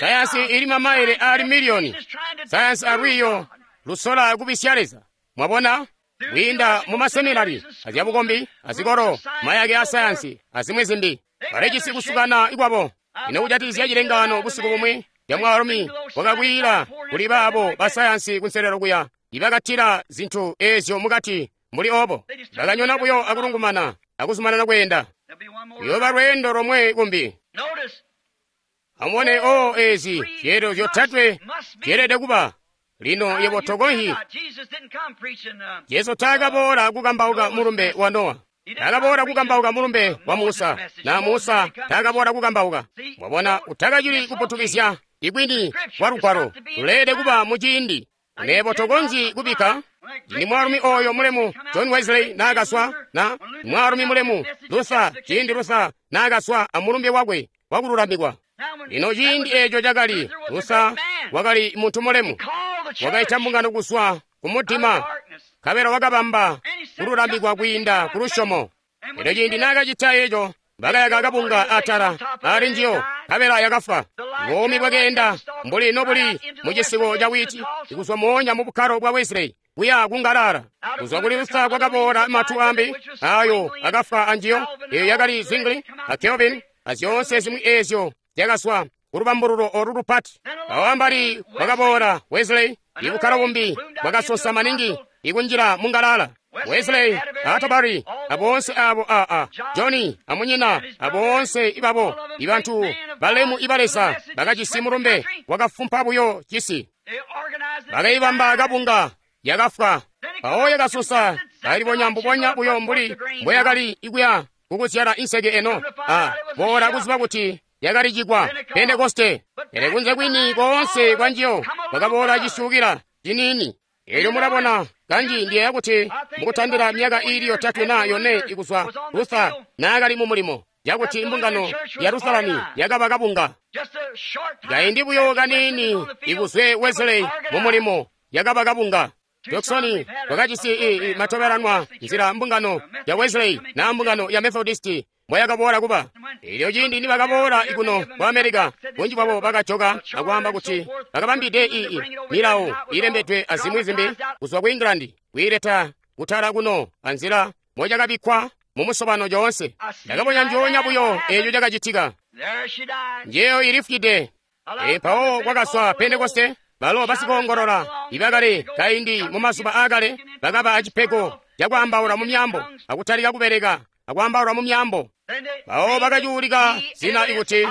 Sayansi ili mamaile aali miliyoni. Sayansi alwiiyo lusola kubisya Leza. Mwabona? Kwiinda mu maseminari, azyabukombi, azikolo, mayake a sayansi, azimwi zimbi. Balijisi kusukana ikwabo. Ino kujatikizya cilengano busiku bumwi ya mwaalumi wakakwiila kuli baabo basayansi kunselelo kuya, ibakatila zintu ezyo mukati mbuli obo. Bakanyona buyo akulungumana akuzumanana kweenda. Kuyooba lweendo lomwe kumbi. Amubone o ezi zyeelelo zyotatwe zyeelede kuba. Lino yebo tokonzyi. Jesu taakaboola kukambauka mulumbe wa Nowa. Taakaboola kukambauka mulumbe wa Musa, na Musa taakaboola kukambauka. Mwabona, utakacili kuputukizya ikwini kwa lugwalo luleelede kuba mu ciindi. Nebo tokonzyi kubikka Cindi mwaalumi oyo mulemu John Wesley naakaswa, na mwaalumi mulemu Luther, ciindi Luther naakaswa amulumbe wakwe wakululamikwa. Lino ciindi eco cakali Luther wakali muntu mulemu, wakaita mbungano kuzwa kumudima, nkabela wakabamba kululamikwa kwiinda ku lusyomo. Elyo ciindi naakacita eco, Bakayaka kabunga atala ali njiyo, nkabela yakafwa. Buumi bwakeenda mbuli nobuli mucisiko ca witi, kuzwa moonya mu bukkalo bwa Wesley kuya kungalala. Kuzwa kuli Luther kwakaboola matu ambi ayo akafwa anjiyo, eyo yakali Zwingli a Calvin azyoonse zimwi ezyo zyakazwa kulubambululo olu lupati. Awo ambali kwakaboola Wesley, ibukkalo bumbi bwakasosa maningi ikunjila mungalala. Wesley, Atterbury, abonse abo a a Johnny amunyina abonse ibabo ibantu balemu ibalesa bakajisi mulumbe wakafumpa buyo cisi. Bakaibamba kabunga yakafwa. Awo yakasusa kalibonya mbubonya buyo mbuli mboyakali ikuya kukuzyala inseke eno. A boola kuziba kuti yakali cikwa Pentekoste. Pele kunze kwini koonse kwa njiyo kwakaboola cisyukila ciniini. Elyo mulabona kanji ndiyeeya kuti mukutandila myaka iili yotatwe na yone ikuzwa Luther naakali mu mulimo, yakuti imbungano ya Lutherani yakaba kabunga. Kaindi buyo kaniini ikuzwe Wesley mu mulimo yakaba kabunga. Jackson wakajisi i, i, matobelanwa nzila mbungano ya Wesley na mbungano ya Methodist mboyakaboola kuba. Elyo ciindi nibakaboola ikuno ku America, bunji bwabo bakajoka akwaamba kuti bakabambide ii milawo ilembedwe azimwi zimbi kuzwa ku England kwiileta kutala kuno anzila mocakabikkwa mu musobano coonse. Ndakabonya njoonya buyo eeco cakacitika. Njeyo ilifwide. E, mpawo kwakazwa Pentekoste. Balo basikoongolola ibakali kaindi mu mazuba aakale bakaba acipego cakwaambaula mu myaambo akutalika kubeleka akwaambaula mu myaambo. Mpawo bakacuulika zina ikuti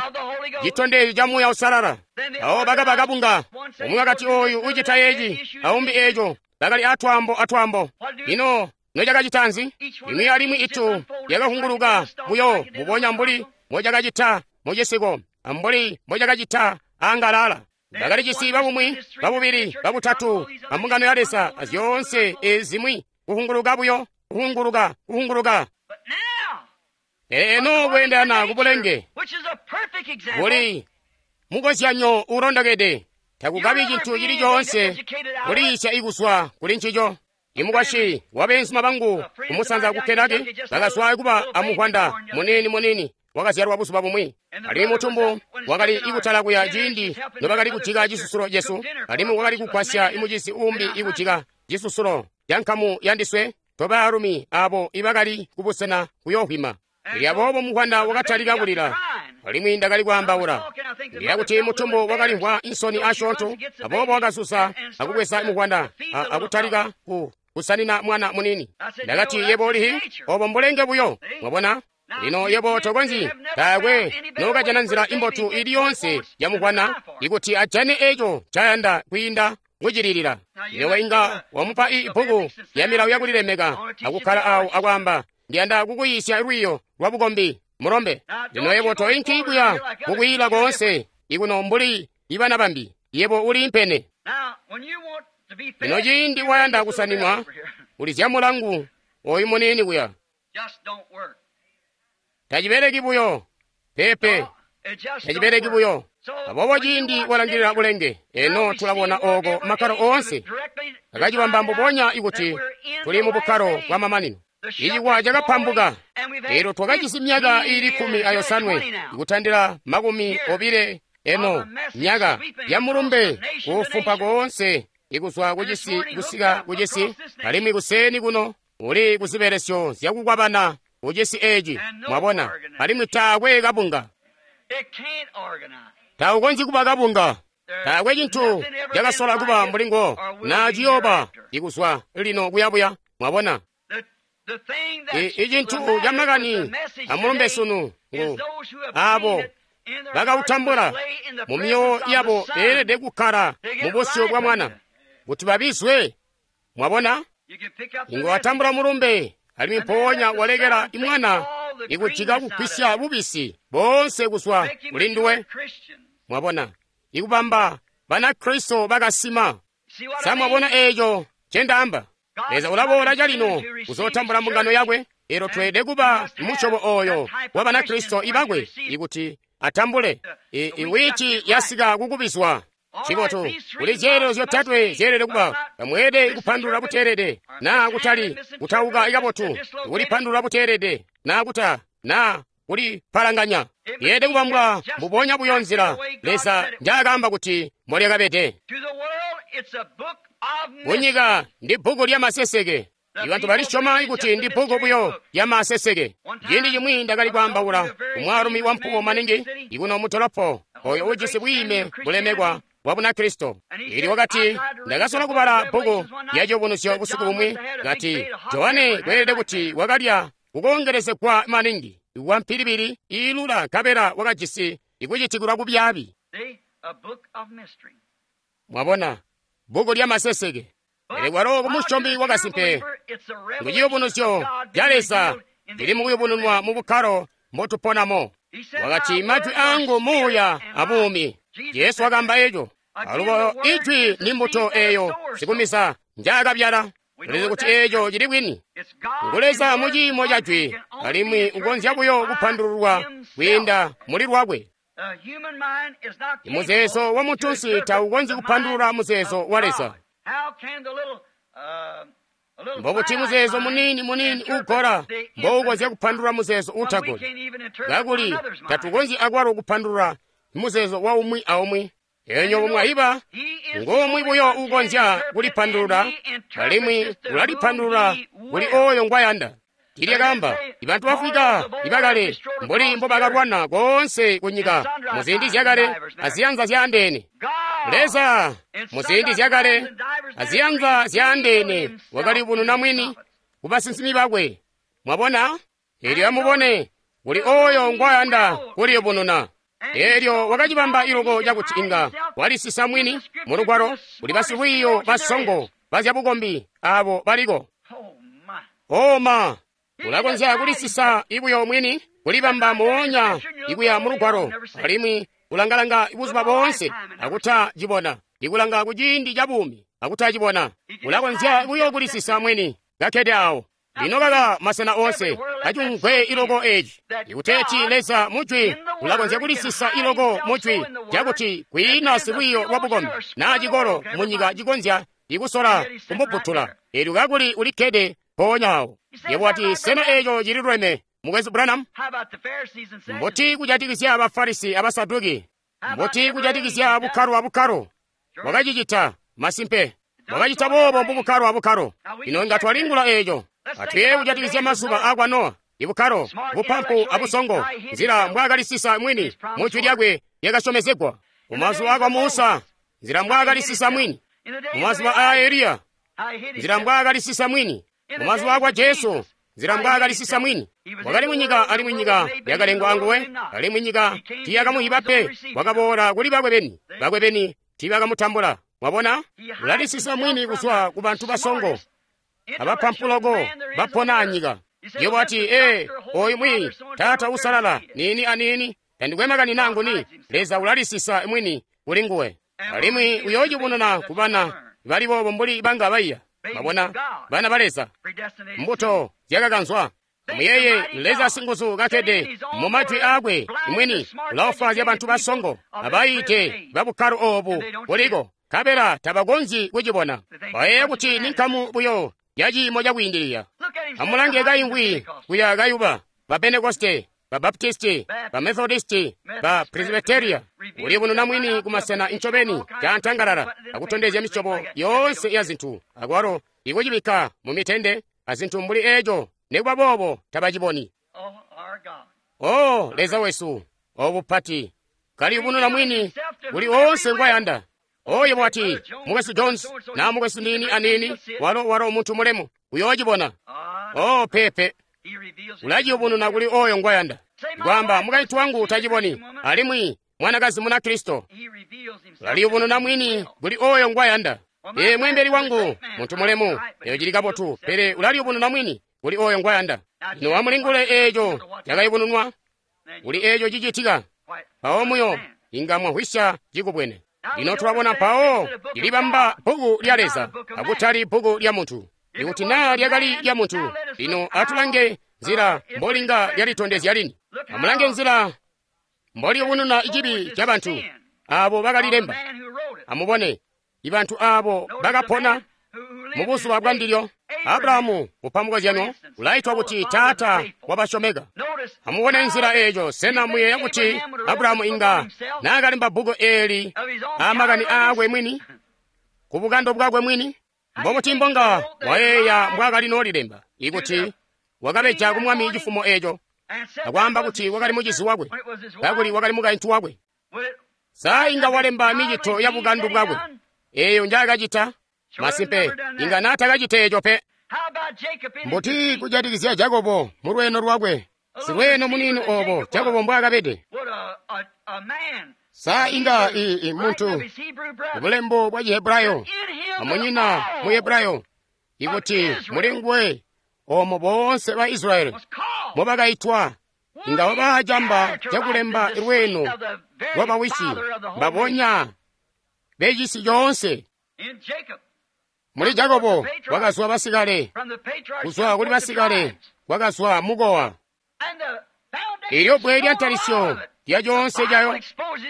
citondezyo ca Muuya Uusalala. Mpawo bakaba kabunga. Umwi wakati oyu ucita eci aumbi eco, bakali atwaambo atwaambo. Ino nocakacita nzi? Imwi alimwi itu yakahunguluka buyo mbubonya mbuli mbocakacita mucisiko ambuli mbocakacita angalala. Bakali cisi babumwi, babubili, babutatu, ambungano ya Leza azyoonse ezimwi kuhunguluka buyo, kuhunguluka, kuhunguluka. Pele eno kweendana kubulenge buli mukozyanyo ulondokede, takukabi cintu cili coonse kuliisya ikuzwa kuli ncico. Imukwasyi wa beenzuma bangu kumusanza ku Kentucky bakazwa kuba amuhwanda muniini muniini wakazyalwa buzuba bumwi. Alimwi mutumbu wakali ikutala kuya ciindi nobakali kujika cisusulo cesu, alimwi wakali kugwasya imucizi uumbi ikujika cisusulo ca nkamu yandiswe tobaalumi abo ibakali kubusena kuyoohwima. Elyo aboobo muhwanda wakatalika kulila, alimwi ndakali kwaambaula. Ndiyeeya kuti mutumbu wakalimvwa insoni asyoonto, aboobo wakasusa akubweza muhwanda akutalika ku kusanina mwana munini. Ndakati, yebo ulihi? Obo mbulenge buyo. Mwabona? Lino yebo tokonzyi, taakwe nokajana nzila imbotu ili yonse ya muhwana ikuti ajane eco ncayanda kwiinda kucililila. Lino inga wamupa ibbuku ya milawo yakulilemeka akukkala awo akwaamba, ndiyanda kukuyiisya lwiiyo lwa bukombi mulombe. Lino yebo toinki kuya kukwiila koonse ikuno mbuli ibana bambi, yebo uli impene. Lino ciindi wayanda kusaninwa, ulizya mulangu oyu muniini kuya. Tacibeleki buyo, pepe, tacibeleki buyo. Aboobo ciindi walangilila bulenge, eno tulabona oko makkalo oonse akacibamba mbubonya ikuti tuli mu bukkalo bwa mamanino. Icikwa cakapambuka. Elo twakajisi myaka iili kkumi ayosanwe ikutandila makumi obile eno myaka ya mulumbe kufumpa koonse ikuzwa kucisi kusika kucisi, alimwi kuseeni kuno uli kuzibelesyo zyakukwabana kucisi eci, mwabona, alimwi taakwe kabunga. Taukonzyi kuba kabunga. Taakwe cintu cakasola kuba mbulingo na ciyooba ikuzwa lino kuyabuya, mwabona. Icintu ca makani amulumbe sunu ngu abo bakautambula mu myoyo yabo beelede kukkala mu busyu bwa mwana kuti babizwe. Mwabona, inga watambula mulumbe alimwi mpoonya walekela imwana ikujika kugwisya bubisi boonse kuzwa kuli nduwe. Mwabona, ikubamba Banakristo bakasima. Sa mwabona eeco ncendaamba? Leza ulaboola calino kuzootambula mbungano yakwe. Elo tweelede kuba musyobo oyo wa Banakristo ibakwe ikuti atambule. Iwiti yasika kukubizwa. Cibotu, kuli zyeelelo zyotatwe zyeelede kuba. Tamweelede kupandulula buteelede, naa kutali kutauka kabotu, kulipandulula buteelede, naa kuta, naa kuli palanganya. Lyeelede kubambwa mbubonya buyo nzila Leza njaakaamba kuti mbolyakabede. Kunyika ndi bbuku lya maseseke. Ibantu balisyoma kuti ndi bbuku buyo lya maseseke. Ciindi cimwi ndakali kwaambaula kumwaalumi wampuwo maningi ikuno mutolopo oyo ujisi bwiime bulemekwa bwa Bunakristo. Ili wakati ndakasola kubala bbuku lya Ciyubunuzyo busiku bumwi, kati Johane kweelede kuti wakalya kukongelezegwa maningi wa mpilibili iilula nkabela wakajisi ikucitikilwa kubyaabi. Mwabona, bbuku lya maseseke. Pele kwalo kumusyomi wakasimpe ngu ciyubunuzyo ca Leza lili mukuyubununwa mu bukkalo mbotuponamo. Wakati majwi angu muuya abuumi. Jesu wakaamba eco. Alubo ijwi ni mbuto eyo sikumisa njaakabyala. Tulizi kuti eco cili bwini. Ngu Leza mu ciimo ca jwi, alimwi ukonzya buyo kupandululwa kwiinda muli lwakwe. Muzeezo wa muntunsi taukonzyi kupandulula muzeezo wa Leza. Mbobuti muzeezo muniini muniini ugola mboukonzya kupandulula muzeezo utagoli? Kakuli tatukonzyi akwalo kupandulula muzeezo wa umwi aumwi. Enyo mwayiba ngomwi buyo ukonzya kulipandulula, alimwi ulalipandulula kuli oyo ngwayanda. Tilyakamba ibantu bafwika ibakale mbuli mbobakalwana koonse kunyika muziindi zyakale aziyanza zyaandeene. Leza muziindi zyakale aziyanza zyaandeene wakaliyubununa mwini kubasinsimi bakwe. Mwabona? Elyo amubone kuli oyo ngwayanda kuliyubununa. Elyo wakacibamba iloko cakuti inga walisisa mwini mu lugwalo kuli basilwiiyo basongo bazyabukombi abo baliko. Oma ulakonzya kulisisa ibuyo mwini kulibamba moonya ikuya mu lugwalo, alimwi ulangalanga buzuba boonse akutacibona, ikulanga kuciindi ca buumi akutacibona. Ulakonzya buyo kulisisa mwini kakkede awo. Lino kaka masena onse acumvwe iloko eci ikuteeti Leza mujwi ulakonzya kulisisa iloko mujwi cakuti kwiina silwiiyo lwa bukombi naa cikolo munyika cikonzya ikusola kumubutula. Elyo kakuli ulikkede mpoonya awo. Yebo wati, sena eco cililuleme, Mukwesu Branham? Mbuti kujatikizya Bafarisi Abasaduki? Mbuti kujatikizya bukkalo abukkalo? Wakacicita masimpe. Wakacita boobo mubukkalo abukkalo. Ino inga twalingula eco. Atuye kujatikizya mazuba akwa Nowa, ibukkalo, bupampu abusongo, nzila mbwaakalisisa mwini mu jwi lyakwe lyakasyomezegwa. Mumazuba akwa Musa, nzila mbwaakalisisa mwini. Mumazuba aa Eliya, nzila mbwaakalisisa mwini. Mumazuba akwa Jesu, nzila mbwaakalisisa mwini. Wakali munyika alimwi nyika yakalengwa anguwe, alimwi nyika tiyakamuhiba pe. Wakaboola kuli bakwe beni, bakwe beni tiibakamutambula. Mwabona, ulalisisa mwini kuzwa ku bantu basongo abapampuloko bapona anyika. Yebo wati, ee, oyu mwi taata usalala nini anini, tandikwe makani nangu ni Leza ulalisisa mwini kuli nguwe, alimwi uyoocibonana ku bana bali boobo mbuli banga baiya. Mwabona, bana ba Leza, mbuto zyakakanzwa. Muyeye Leza singuzu kakkede mu majwi aakwe mwini ulaofwaazya bantu basongo abayiite babukkalo oobu buliko, nkabela tabakonzyi kucibona. Bayeeya kuti ni nkamu buyo ya ciimo cakwiindilila. Amulange kaimvwi kuya kayuba ba Pentekoste, ba Baptisti, ba Methodisti, ba Presbyteria, uliyubununa mwini kumasena incobeni caantangalala akutondezya misyobo yoonse ya zintu, akwalo ikucibikka mu mitende azintu mbuli eco. Nikuba boobo tabaciboni. Oh, Leza wesu, obupati kaliyubununa mwini kuli oonse ngwayanda. Oyo bwati Mukwesu Jones na Mukwesu nini anini, walo walo muntu mulemu uyoocibona. Oh, pepe ulaciyubununa kuli oyo ngwayanda. Kwamba mukaintu wangu taciboni, alimwi mwanakazi muna Kristo ulaliyubununa mwini kuli oyo ngwayanda. Ee, mwembeli wangu muntu mulemu, eyo cili kabotu, pele ulaliyubununa mwini kuli oyo ngwayanda. Lino amulingule eco cakayubununwa kuli eco cicitika, mpawo muyo inga mwahwisya cikubwene. Lino tulabona mpawo lilibamba bbuku lya Leza akutali bbuku lya muntu. Ikuti naa lyakali lya muntu, lino atulange nzila mbolinga lyalitondezya lini. Amulange nzila mboliyubununa cibi ca bantu abo bakalilemba. Amubone ibantu abo bakapona mubuzuba bwa ndilyo. Abrahamu upa mukozyano ulaitwa kuti taata wabasyomeka. Amubone nzila eeco. Sena muyeeya kuti Abrahamu inga naakalemba bbuku eeli aamakani aakwe mwini, ku bukando bwakwe mwini? Mbobuti mbonga wayeeya mbwaakali noolilemba ikuti wakabeja ku mwami cifumo eeco akwaamba kuti wakali mucizi wakwe kakuli wakali mukaintu wakwe? Sa inga walemba micito ya bukandu bwakwe eeyo njaakacita? Masimpe, inga naatakacita eeco pe. Mbuti kujatikizya Jakobo mu lweeno lwakwe? Silweeno muniini oobo Jakobo mbwaakabede. Sa inga i, i muntu bulembo bwa Chihebrayo amunyina mu Hebrayo ikuti muli nguwe oomo boonse ba Israyeli mobakaitwa inga wabaa camba cakulemba lweeno lwabawisi mbabonya becisi coonse. Muli Jakobo kwakazwa basikale, kuzwa kuli basikale kwakazwa mukowa. Elyo bbwe lya ntalisyo lya coonse cayo,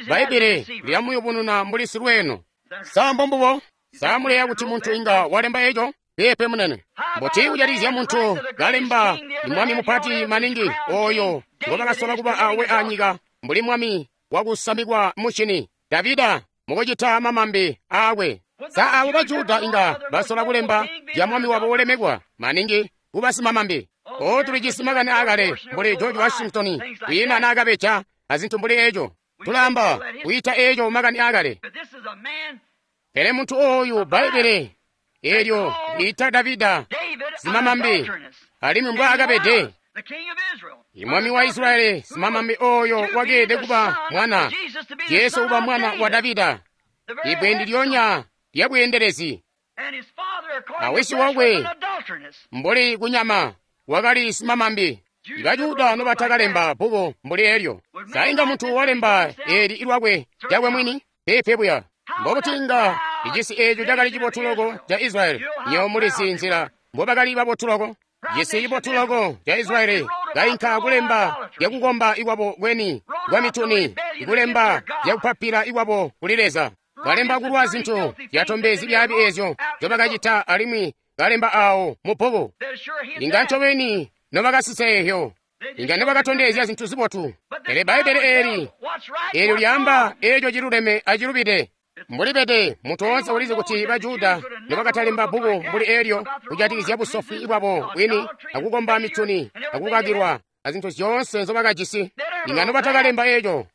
Bbaibbele lilamuyubununa mbuli silweeno. Sa mbombubo? Sa muleya kuti muntu inga walemba eco? Peepe munene. Mbuti kujatikizya muntu kalemba mwami mupati maningi oyo ngobakasola kuba awe anyika mbuli mwami wakusamikwa mucini Davida mukucita mamambi aakwe? Sa abo ba Juda inga basola kulemba zya mwami wabo wolemekwa maningi kuba simamambi? O, tulijisi makani aakale mbuli George Washington kwiina naakabeja azintu mbuli eco. Tulaamba kuyita eco makani aakale. Pele muntu oyu Bbaibbele eelyo liita Davida simamambi alimwi mbwaakabede. Imwami wa Israyeli simamambi oyo wakeelede kuba mwana, Jesu kuba mwana wa Davida, ibbwe ndilyonya lya bweendelezi. Awisi wakwe mbuli kunyama wakali simamambi. Ibajuda nobatakalemba bbuku mbuli eelyo. Sa inga muntu walemba eeli ilwakwe lyakwe mwini? Peepe buya. Mbobuti inga icisi eeco cakali cibotu loko ca Israyeli? Nywebo mulizi nzila mbobakali babotu loko. Cisi cibotu loko ca Israyeli kainka kulemba zyakukomba ikwabo kweni kwa mituni, ikulemba zyakupapila ikwabo kuli Leza. Kalemba kulwa zintu zyatombe zibyaabi eezyo nzyobakacita alimwi kalemba aawo mu bbuku. Inga ncobeni nobakasisa eeyo, inga nobakatondezya zintu zibotu. Pele Bbaibbele eeli eelyo lyaamba eeco ciluleme acilubide. Mbulibede muntu woonse ulizi kuti ba Juda nobakatalemba bbuku mbuli eelyo kujatikizya busofi bwabo bwini akukomba mituni akukakilwa azintu zyoonse nzobakajisi, inga nobatakalemba eeco.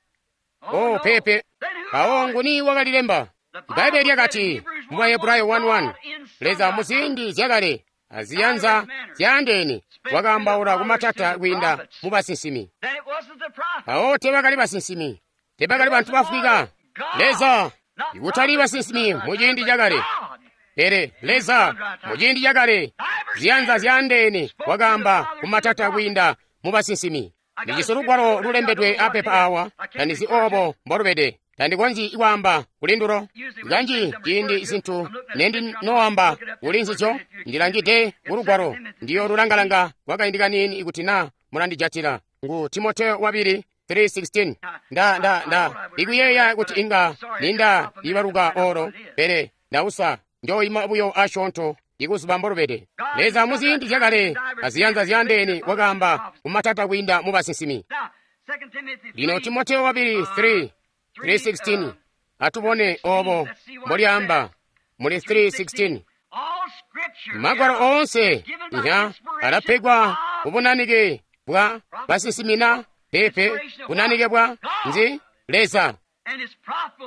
O, peepe. Mpawo nguni wakalilemba? Bbaibbele lyakati mu Bahebrayo one one, Leza muziindi zyakale aziyanza zyaandeene wakaambaula kumatata kwiinda mu basinsimi. Mpawo teebakali basinsimi, teebakali bantu bafwika. Leza ikutali basinsimi muciindi cakale, pele Leza muciindi cakale ziyanza zyaandeene wakaamba kumatata kwiinda mu basinsimi. Ndijisi lugwalo lulembedwe apepa awa, tandizi oobo mbolubede. Tandikonzyi kwaamba kuli ndulo. Kanji ciindi zintu nendinoamba kuli nzizyo, ndilangide kulugwalo, ndiyoolulangalanga kwakaindi kaniini ikuti naa mulandijatila. Ngu Timoteyo wabili three sixteen. Nda nda nda ikuyeeya kuti inga ninda ibaluka olo, pele ndausa njoyima buyo asyoonto ikuzuba mbolubede. Leza muziindi zyakale aziyanza zyaandeene wakaamba kumatata kwiinda mu basinsimi. Lino Timoteyo wabili three three sixteen. Atubone oobo mbolyaamba muli three sixteen. Magwalo oonse nya alapegwa kubunanike bwa basinsimina peepe bunanike bwa nzi Leza,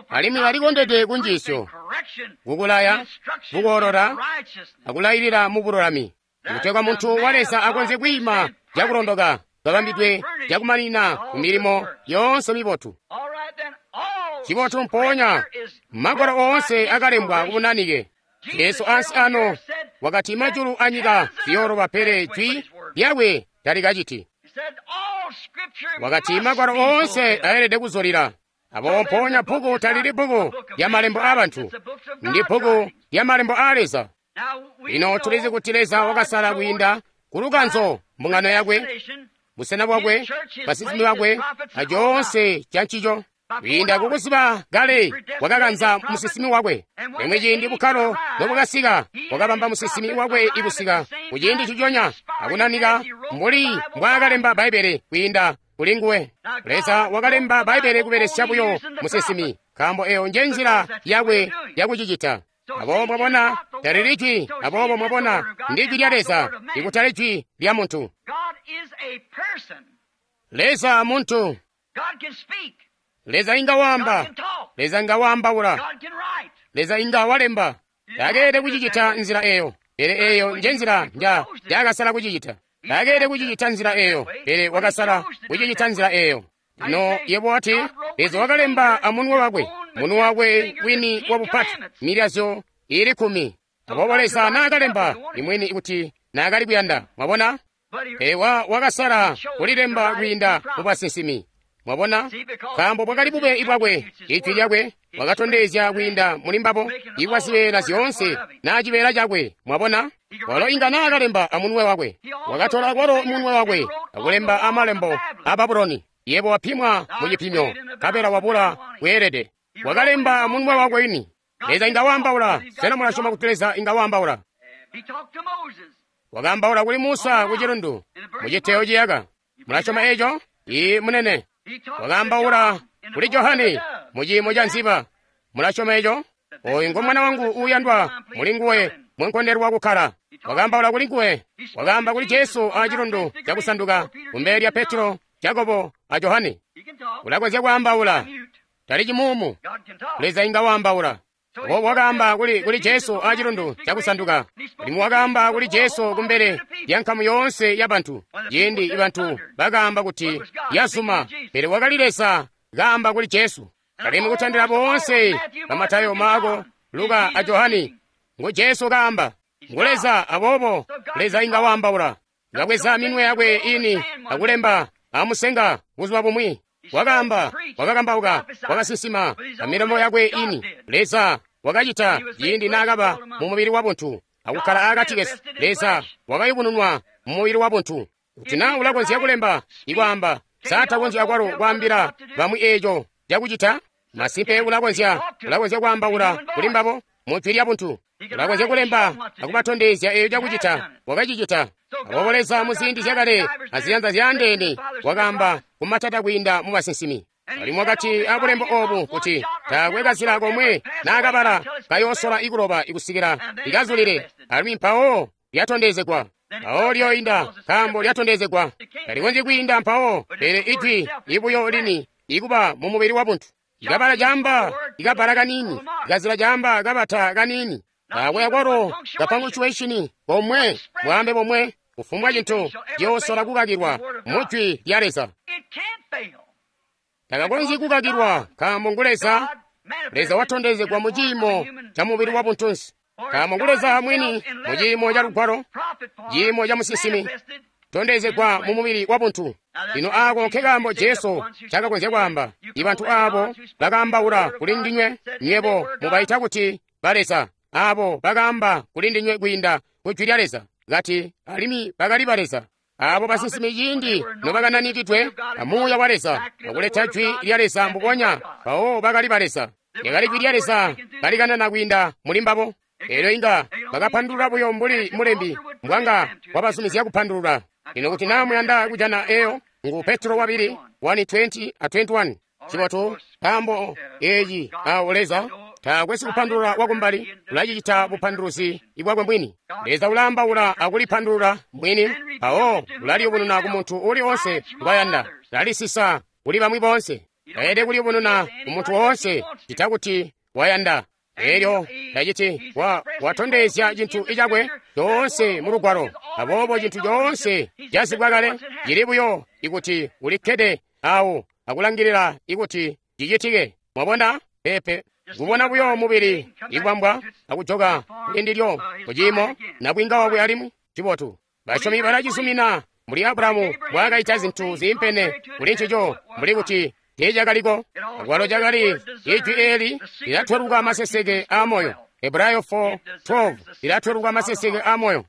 alimwi alikondedwe kunjiisyo, kukulaya, kukoolola, akulailila mu bululami, kutegwa muntu wa Leza akonzye kwiima cakulondoka kabambidwe cakumanina ku milimo yoonse mibotu. Cibotu mpoonya magwalo oonse akalembwa kubunanike. Jesu ansi ano wakati majulu anyika ziyooloba, pele jwi lyakwe talikaciti. Wakati magwalo oonse ayelede kuzulila. Abo mpoonya bbuku talili bbuku lya malembo aabantu, ndi bbuku lya malembo aa Leza. Lino tulizi kuti Leza wakasala kwiinda kulukanzo mbungano yakwe, busena bwakwe, basinsimi bakwe, acoonse ca ncico. Kwiinda kukuziba kale wakakanza musinsimi wakwe. Limwi ciindi bukkalo nobwakasika, wakabamba musinsimi wakwe ikusika kuciindi nciconya akunanika mbuli mbwaakalemba Bbaibbele kwiinda kuli nguwe. Leza wakalemba Bbaibbele kubelesya buyo musinsimi, nkaambo eyo nje nzila yakwe yakucicita. Aboobo mwabona, talili jwi, aboobo mwabona, ndi jwi lya Leza, ikutali jwi lya muntu. Leza muntu. Leza inga waamba, Leza inga waambaula, Leza inga walemba. Takeelede kucicita nzila eyo, pele eyo nje nzila nja njakasala kucicita. Takeelede kucicita nzila eyo, pele wakasala kucicita nzila eyo. Lino yebo wati, Leza wakalemba amunwe wakwe, munwe wakwe wini wabupati, milazyo ili kkumi. Aboobo Leza naakalemba imwini kuti naakali kuyanda, mwabona? Pele wa wakasala kulilemba kwiinda mu basinsimi. Mwabona? Nkaambo bwakali bube bwakwe, ijwi lyakwe wakatondezya kwiinda muli mbabo ibwa zibeela zyoonse naa cibeela cakwe. Mwabona? Walo inga naakalemba amunwe wakwe. Wakatola kwalo munwe wakwe akulemba amalembo a Babuloni. Yebo wapimwa mu cipimyo, nkabela wabula bweelede. Wakalemba munwe wakwe wini. Leza inga waambaula. Sena mulasyoma kuti Leza inga waambaula? Wakaambaula kuli Musa ku cilundu, mu citeyo ciyaka. Mulasyoma eco? Ii, munene. Wakaambaula kuli Johane mu ciimo ca nziba. Mulasyoma eco? Oyu ngo mwana wangu uuyandwa, muli nguwe mwenkondelwa kukkala. Wakaambaula kuli nguwe. Wakaamba kuli Jesu a cilundu cakusanduka kumbele lya Petro, Jakobo a Johane. Ulakonzya kwaambaula, tali cimuumu. Leza inga waambaula. Aboobo wakaamba kuli, kuli Jesu a cilundu cakusanduka. Alimwi wakaamba kuli Jesu kumbele lya nkamu yoonse ya bantu. Ciindi bantu bakaamba kuti yazuma, pele wakali Leza kaamba kuli Jesu. Alimwi kutandila boonse ba Matayo, Maako, Luka a Johane, ngu Jesu kaamba. Ngu Leza, aboobo Leza inga waambaula. Kabweza minwe yakwe ini akulemba amusenga buzuba bumwi. Wakaamba, wakakambauka, wakasinsima amilomo yakwe ini. Leza wakacita ciindi naakaba mu mubili wabuntu akukkala akati kesu. Leza wakayubununwa mu mubili wabuntu. Kuti naa ulakonzya kulemba ikwaamba, sa takonzya akwalo kwaambila bamwi eeco cakucita? Masimpe ulakonzya, ulakonzya kwaambaula kuli mbabo mu jwi lya buntu. Ulakonzya kulemba akubatondezya eeco cakucita, wakacicita. Aboobo Leza muziindi zyakale aziyanza zyaandeene wakaamba kumatata kwiinda mu basinsimi. Alimwi wakati abulembo oobu kuti taakwe kazila komwe naakabala kayoosola ikuloba ikusikila ikazulile, alimwi mpawo lyatondezegwa. Mpawo lyoinda nkaambo lyatondezegwa. Talikonzyi kwiinda mpawo, pele ijwi ibuyo lini ikuba mu mubili wabuntu. Ikabala caamba ikabala kaniini, ikazila caamba kabata kaniini. Taakwe akwalo kapanguchuweshini komwe, bwaambe bomwe, kufumbwa cintu ciyoosola kukakilwa mu jwi lya Leza. Takakonzyi kukakilwa nkaambo ngu Leza. Leza watondezegwa mu ciimo ca mubili wa buntunsi. Nkaambo ngu Leza mwini mu ciimo ca lugwalo, ciimo ca musinsimi, tondezegwa mu mubili wa buntu. Lino aako nkekaambo Jesu cakakonzya kwaamba. Ibantu aabo bakaambaula kuli ndinywe, nywebo mubaita kuti baleza. Aabo bakaamba kuli ndinywe kwiinda ku jwi lya Leza, kati alimwi bakali baleza. Aabo basinsimi ciindi nobakananikidwe amuuya wa Leza akuleta jwi lya Leza mbubonya, mpawo bakali baleza. Lyakali jwi lya Leza kalikanana kwiinda muli mbabo. Eelyo inga bakapandulula buyo mbuli mulembi mbwanga wabazumizya kupandulula. Lino kuti naa muyanda kujana eyo, ngu Petro wabili one twenty a twenty-one. Cibotu, nkaambo eeci awo Leza taakwe sikupandulula wakumbali, ulacicita bupanduluzi bwakwe mwini. Leza ulaambaula akulipandulula mwini, mpawo ulaliyubununa ku muntu uli oonse ngwayanda. Lalisisa kuli bamwi boonse. Taelede kuliyubununa ku muntu woonse cita kuti wayanda. Eelyo taciti wa watondezya cintu icakwe coonse mu lugwalo. Aboobo cintu coonse cazibwa kale cili buyo ikuti ulikkede awo akulangilila ikuti cicitike. Mwabona? Peepe. Kubona buyo mubili ikwambwa akujoka kulindilyo kuciimo nabwinga wakwe alimwi cibotu. Basyomi balacizumina mbuli Abulahamu mbwaakaita zintu ziimpene kuli ncico mbuli kuti teecakaliko. Akwalo cakali ijwi eeli lilatweluka maseseke aamoyo. Hebrayo four twelve lilatweluka maseseke aamoyo.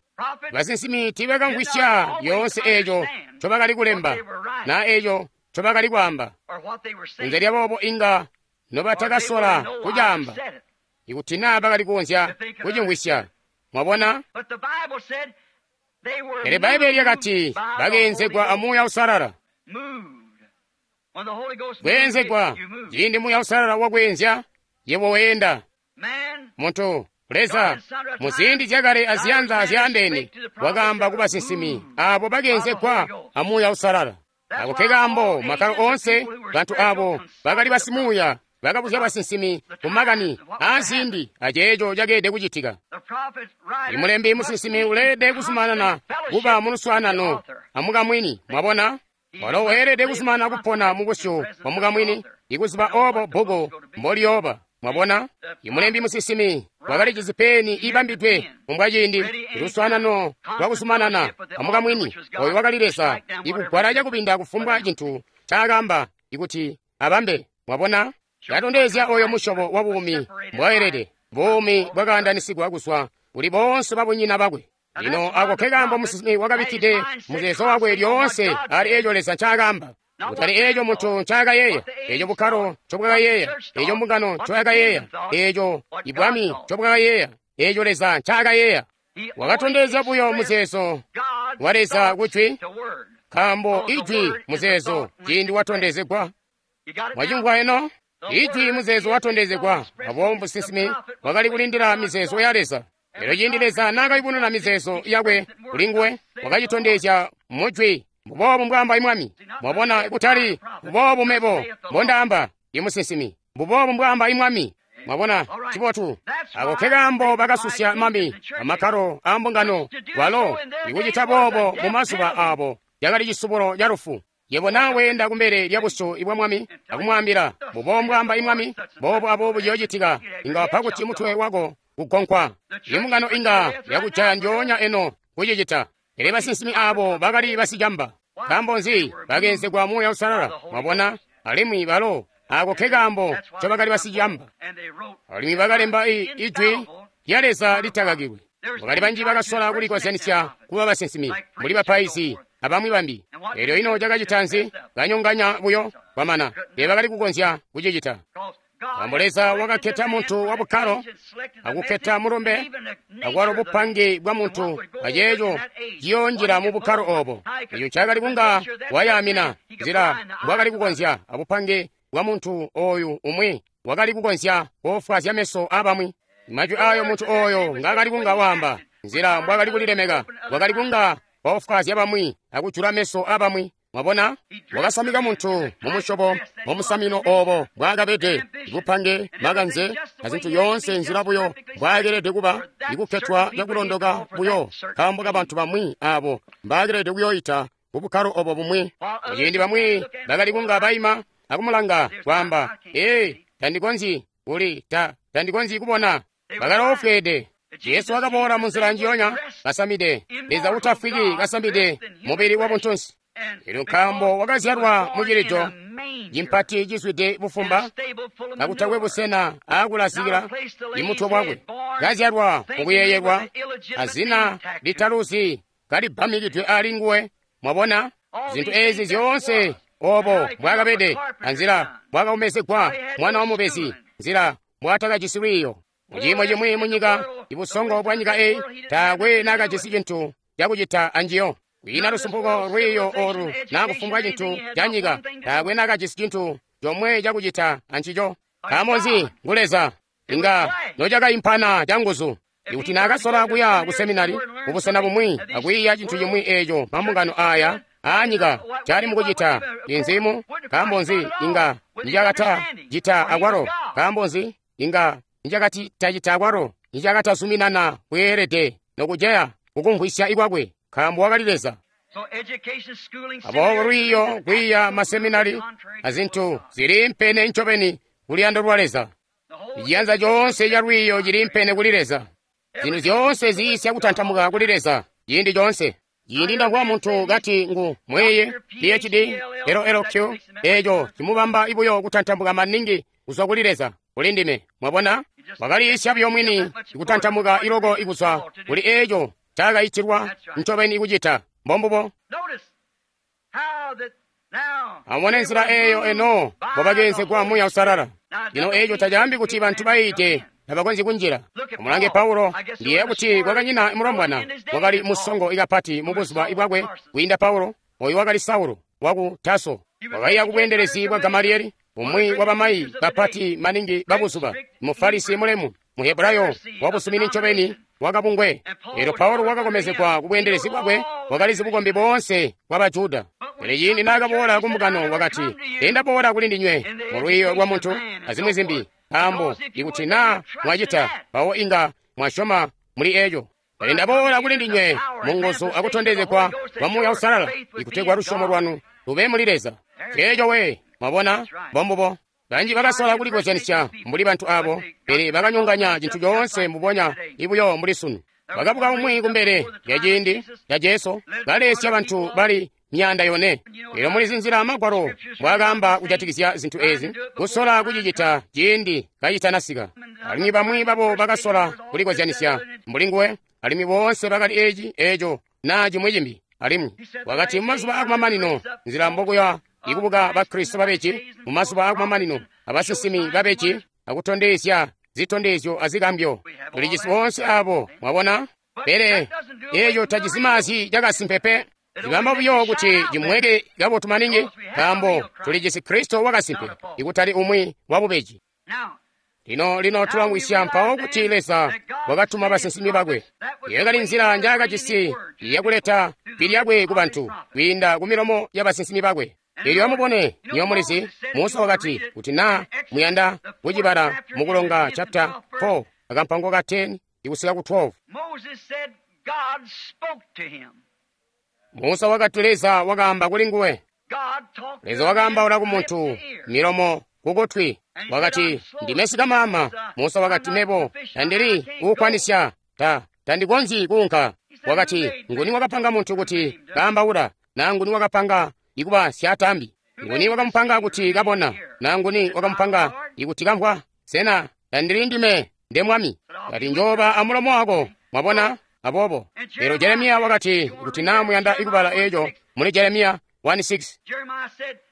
Basinsimi tiibakamvwisya yoonse eeco ncobakali kulemba na eeco ncobakali kwaamba. Kunze lyaboobo inga nobatakasola kucaamba, ikuti naa bakali kukonzya kucimvwisya. Mwabona? Pele Bbaibbele lyakati bakeenzegwa a Muuya Uusalala. Kweenzegwa, ciindi Muuya Uusalala wakweenzya, yebo weenda. Muntu, Leza, mu ziindi zyakale aziyanza zyaandeene, wakaamba ku basinsimi abo bakeenzegwa a Muuya Uusalala. Ako ke kaambo makkalo oonse bantu abo bakali basimuuya bakabuzya basinsimi ku makani aaziindi aceeco cakeelede kucitika. Imulembi musinsimi uleelede kuzumanana kuba muluswaanano amukamwini. Mwabona? Walo weelede kuzumanana kupona mubusyu bwa mukamwini, ikuziba obo bbuku mboliyooba. Mwabona? Imulembi musinsimi wakali peni ibambidwe mumbwaciindi luswaanano lwakuzumanana amukamwini oyo wakali Leza, ikugwala cakubinda kufumbwa cintu ncaakamba ikuti abambe. Mwabona? Katondezya oyo musyobo wa buumi mbwaelede, buumi bwakaandanisigwa kuzwa kuli boonse babunyina bakwe. Lino ako ke kaambo musinsimi wakabikkide muzeezo wakwe lyoonse ali eeco Leza ncaakamba, kutali eeco muntu ncaakayeeya, eeco bukkalo ncobwakayeeya, eeco mbungano ncoyakayeeya, eeco ibwami ncobwakayeeya, eeco Leza ncaakayeeya. Wakatondezya buyo muzeezo wa Leza kujwi, nkaambo ijwi muzeezo ciindi watondezegwa. Mwacimvwa eno? Ijwi muzeezo watondezegwa. Aboobo musinsimi wakali kulindila mizeezo ya Leza. Elyo ciindi Leza naakayubununa mizeezo yakwe kulinguwe, wakacitondezya mujwi. Mbuboobu mbwaamba Mwami. Mwabona, kutali mbuboobu mebo mbondaamba, imusinsimi. Mbuboobu mbwaamba Mwami. Mwabona, cibotu. Ako ke kaambo bakasusya mami amakkalo aambungano walo ikucita boobo mu mazuba aabo yakali cisubulo ca lufu. Yebo naa weenda kumbele lya busyu bwa Mwami akumwaambila, mbuboobu mbwaamba Mwami, boobu aboobu ciyoocitika, inga wapa kuti mutwe wako kugonkwa. Imbungano inga yakujaya njoonya eno kucicita. Pele basinsimi abo bakali basicamba. Nkaambo nzi? Bakeenzegwa Muuya Uusalala. Mwabona? Alimwi balo ako ke kaambo ncobakali basicamba. Alimwi bakalemba ijwi lya Leza litakakilwe. Bakali banji bakasola kulikozyanisya kuba basinsimi, mbuli bapaizi abamwi bambi. Elyo ino cakacita nzi? Kanyonganya buyo kwamana. Teebakali kukonzya kucicita. Nkaambo Leza wakakketa muntu wa bukkalo, akukketa mulumbe, akwalo bupange bwa muntu aceeco ciyoonjila mu bukkalo obo. Eco ncaakali kunga wayaamina nzila mbwakali kukonzya abupange bwa muntu oyu umwi wakali kukonzya koofwaazya meso aabamwi. Majwi aayo muntu oyo ngaakali kunga waamba, nzila mbwakali kulilemeka, wakali kunga waofwaazya bamwi akujula meso aabamwi. Mwabona? Wakasamika muntu mumusyobo mumusamino obo mbwaakabede, ibupange, makanze, azintu yoonse nzila buyo mbwaakelede kuba, ikukketwa cakulondoka buyo nkaambo kabantu bamwi abo mbaakelede kuyoyita kubukkalo obo bumwi. Ciindi bamwi bakali kunga baima akumulanga kwaamba, ee, tandikonzyi kuli ta tandikonzyi kubona. Bakaloofweede. Jesu wakaboola munzila njiyonya kasamide, Leza utafwiki kasamide mubili wa buntunsi. Elyo nkaambo wakazyalwa mucilido cimpati cizwide bufumba, kakutakwe busena aakulazikila imutwe bwakwe, kazyalwa mukuyeeyelwa azina litaluzi kalibamikidwe ali nguwe. Mwabona zintu ezi zyoonse obo mbwaakabede, anzila mbwaakaomezegwa mwana wa mubezi, nzila mbwaatakajisi lwiiyo. Muciimo cimwi munyika, ibusongo bwa nyika eyi taakwe naakajisi cintu cakucita anjiyo. Kwiina lusumpuko lwiiyo olu naa kufumbwa cintu ca nyika, taakwe naakajisi cintu comwe cakucita ancico. Nkaambo nzi? Ngu Leza. Inga nocakaimpana canguzu. Ikuti naakasola kuya ku seminari kubusena bumwi akwiiya cintu cimwi eeco mambungano aya aanyika cali mukucita inzimu, nkaambo nzi inga nicakata cita akwalo? Nkaambo nzi inga nicakati tacita akwalo? Nicakatazuminana kweelede nokujeya kukumvwisya ikwakwe, nkaambo wakali Leza. Aboobo lwiiyo, kwiiya maseminari azintu ziliimpene ncobeni kuluyando lwa Leza. Iciyanza coonse ca lwiiyo ciliimpene kuli Leza. Zintu zyoonse ziisya kutantamuka kuli Leza ciindi coonse. Ciindi ndamvwa muntu kati ngu mwiiyi P H D L L Q, eeco cimubamba buyo kutantamuka maningi kuzwa kuli Leza kuli ndime. Mwabona? Wakaliisya buyo mwini kutantamuka iloko ikuzwa kuli eeco ncaakaitilwa ncobeni kucita. Mbombubo. Amubone nzila eyo eno mbobakeenzegwa Muuya Uusalala. Lino eco tacaambi kuti bantu bayiide tabakonzyi kunjila. Amulange Paulo, ndiyeeya kuti kwakanyina mulombwana wakali musongo kapati mubuzuba bwakwe kwiinda Paulo. Oyu wakali Saulo waku Taso, wakaiya kubweendelezi bwa Gamalieli, umwi wabamayi bapati maningi babuzuba, Mufarisi mulemu, Muhebrayo wabusumini ncobeni wakabungwe. Elyo Paulo wakakomezegwa kubweendelezi bwakwe, wakalizi bukombi boonse bwa Bajuda. Pele ciindi naakaboola kumbungano wakati, "Ndaboola kuli ndinywe mulwiiyo lwa muntu azimwi zimbi, nkaambo ikuti naa mwacita mpawo inga mwasyoma muli eco. Pele ndaboola kuli ndinywe munguzu akutondezegwa kwa Muuya Uusalala, ikutegwa lusyomo lwanu lube muli Leza." Ceeco we, mwabona, mbombubo. Banji bakasola kulikozyanisya mbuli bantu abo, pele bakanyonganya cintu coonse mbubonya ibuyo mbuli sunu. Bakabuka umwi kumbele lya ciindi ca Jesu, balesya bantu bali myaanda yone. Elyo mulizi nzila Magwalo mbwaakaamba kujatikizya zintu ezi, kusola kucicita ciindi kacitanasika. Alimwi bamwi babo bakasola kulikozyanisya mbuli nguwe, alimwi boonse bakali eci, eco, naa cimwi cimbi. Alimwi wakati mumazuba akumamanino, nzila mbokuya ikubuka Bakristo babeji mumazuba akumamanino, abasinsimi babeji, akutondezya zitondezyo azigambyo. Tulijisi boonse abo, mwabona. Pele eco tacizimaazyi cakasimpe pe. Cibamba buyo kuti cimweke kabotu maningi, nkaambo tulijisi Kristo wakasimpe, ikutali umwi wabubeji. Lino lino tulamwisya mpawo kuti Leza wakatuma basinsimi bakwe. Yakali nzila njaakajisi yakuleta jwi lyakwe ku bantu kwiinda ku milomo ya basinsimi bakwe. Elyo amubone, nywebo mulizi, Musa wakati kuti naa muyanda kucibala mukulonga chapter four akampango ka ten ikusika ku twelve. Musa wakati Leza wakaamba kuli nguwe. Leza wakaambaula ku muntu milomo kukutwi. Wakati, "Ndime sikamama." Musa wakati, "Mebo tandili kukwanisya, ta tandikonzyi kuunka." Wakati, "Nguni wakapanga muntu kuti kaambaula, na nguni wakapanga ikuba syaatambi? Nguni wakamupanga kuti kabona, na nguni wakamupanga ikuti kamvwa? Sena tandili ndime nde Mwami?" Kati, "Njooba amulomo wako." Mwabona? Aboobo lero Jeremiya wakati, kuti naa muyanda ikubala eco muli Jeremiya one six.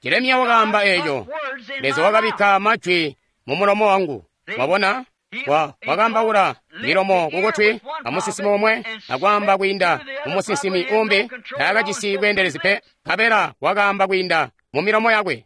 Jeremiya wakaamba eco, Leza wakabikka majwi mu mulomo wangu. Mwabona? Wa wakaambaula milomo kukutwi amusinsimi omwe, akwaamba kwiinda mu musinsimi umbi, taakajisi bweendelezi pe, nkabela wakaamba kwiinda mu milomo yakwe.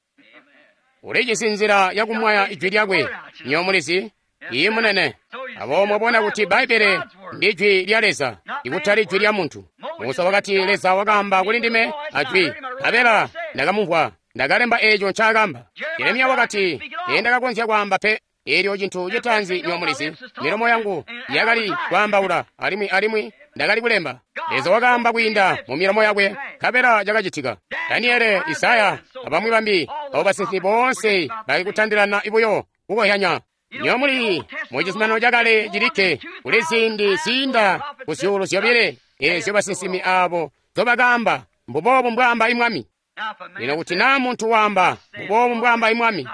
Ulijisi nzila yakumwaya ijwi lyakwe, nywebo mulizi, iyi munene. Aboobo mwabona kuti Bbaibbele ndi jwi lya Leza, ikutali jwi lya muntu. Musa wakati, Leza wakaamba kuli ndime ajwi, nkabela ndakamumvwa, ndakalemba eco ncaakamba. Jeremiya wakati, "Teendakakonzya kwaamba pe." Elyo cintu citaanzi nywebo mulizi, milomo yangu yakali kwaambaula, alimwi alimwi ndakali kulemba. Leza wakaamba kwiinda mu milomo yakwe, nkabela cakacitika. Daniele, Isaya, abamwi bambi, abo basinsimi boonse bali kutandilana buyo kukohyanya. Nywebo muli mu Cizuminano Cakale cilikke kuli ziindi ziinda ku zyuulu zyobile ezyo basinsimi abo nzobakaamba, mbuboobu mbwaamba Mwami. Lino kuti naa muntu waamba, mbuboobu mbwaamba Mwami,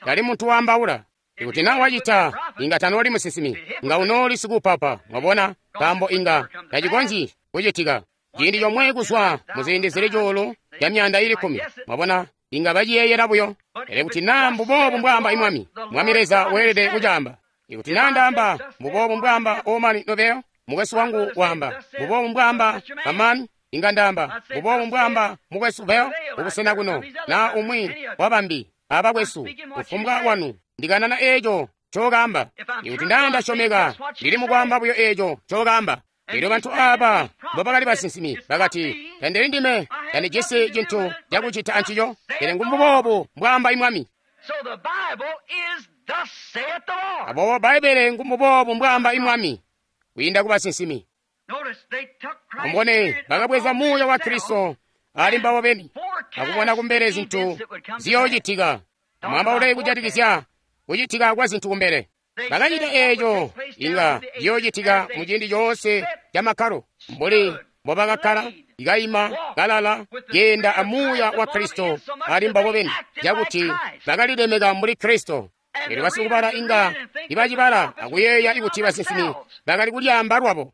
tali muntu waambaula. Ikuti naa wacita, inga tanooli musinsimi, nga unooli sikupapa. Mwabona, nkaambo inga tacikonzyi kucitika. Ciindi comwe kuzwa muziindi zili cuulu ca myaanda ili kkumi. Mwabona, inga baciyeeyela buyo. Pele kuti naa mbuboobu mbwaamba Mwami, Mwami Leza weelede kucaamba. Ikuti naa ndaamba mbuboobu mbwaamba Omani Nobeyo, mukwesu wangu waamba mbuboobu mbwaamba Amani, inga ndaamba mbuboobu mbwaamba mukwesu Beyo kubusena kuno, naa umwi wabambi abakwesu, kufumbwa wanu, ndikanana eco ncokaamba. Ikuti naa ndasyomeka, ndili mukwaamba buyo eco ncokaamba. Elyo bantu aba mbobakali basinsimi bakati, "Tandili ndime, tandijisi cintu cakucita ancico, pele ngumbuboobu mbwaamba Mwami." Aboobo Bbaibbele ngumbuboobu mbwaamba Mwami kwiinda ku basinsimi. Amubone, bakabweza Muuya wa Kristo ali mbabo beni, akubona kumbele zintu ziyoocitika. Amwaambaule kujatikizya kucitika kwa zintu kumbele. Bakacita eeco inga ciyoocitika muciindi coonse ca makkalo, mbuli mbobakakkala, kaima, kalala, keenda amuuya wa Kristo ali mbabo beni, cakuti bakalilemeka mbuli Kristo. Elyo basikubala inga nibacibala akuyeeya kuti basinsimi bakali kulyaamba lwabo.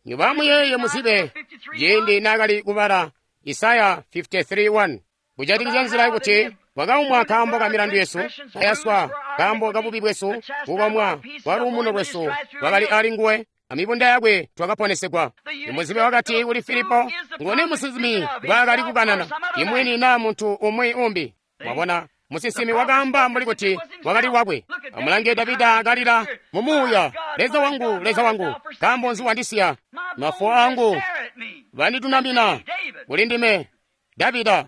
Nywebo amuyeeye muzibe ciindi naakali kubala Isaya fifty-three one. Kujatikizya nzila kuti wakaumwa nkaambo ka milandu yesu, kayaswa nkaambo ka bubi bwesu, kukomwa kwa luumuno lwesu lwakali ali nguwe, amibunda yakwe twakaponesegwa. Imuzibe wakati kuli Filipo, nguni musinsimi ngwaakali kukanana, imwini naa muntu umwi umbi? Mwabona, musinsimi wakaamba mbuli kuti wakali wakwe. Amulange Davida kalila mumuuya, Leza wangu, Leza wangu, nkaambo nzi wandisiya? Mafuwa angu banditunamina kuli ndime. Davida,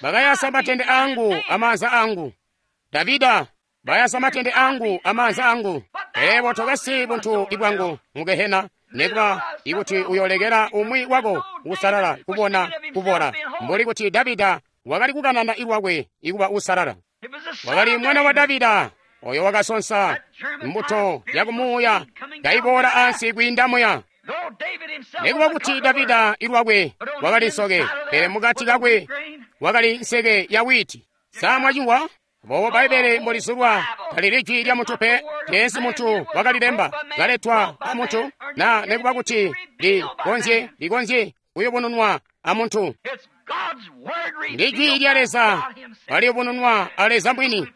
bakayasa matende angu amaanza angu. Davida, bayasa matende angu amaanza angu. Pele tokasi buntu ibwangu mugehena, nekuba ikuti uyolekela umwi wako usalala kubona kubora, mbuli kuti Davida wakali kukanana ilwakwe ikuba usalala. Wakali mwana wa Davida oyo wakasonsa mbuto yakumuuya kaiboola ansi kwiinda muya. Nekuba kuti Davida ilwakwe wakali nsoke, pele mukati kakwe wakali nseke ya witi. Samwacingwa bobo Baibele mbolizulwa talili jwi lya muntu pe, teensi muntu wakalilemba, kaletwa a muntu, na nekuba kuti likonzye likonzye kuyubununwa a muntu. Ndi jwi lya Leza kaliyubununwa a Leza mwini,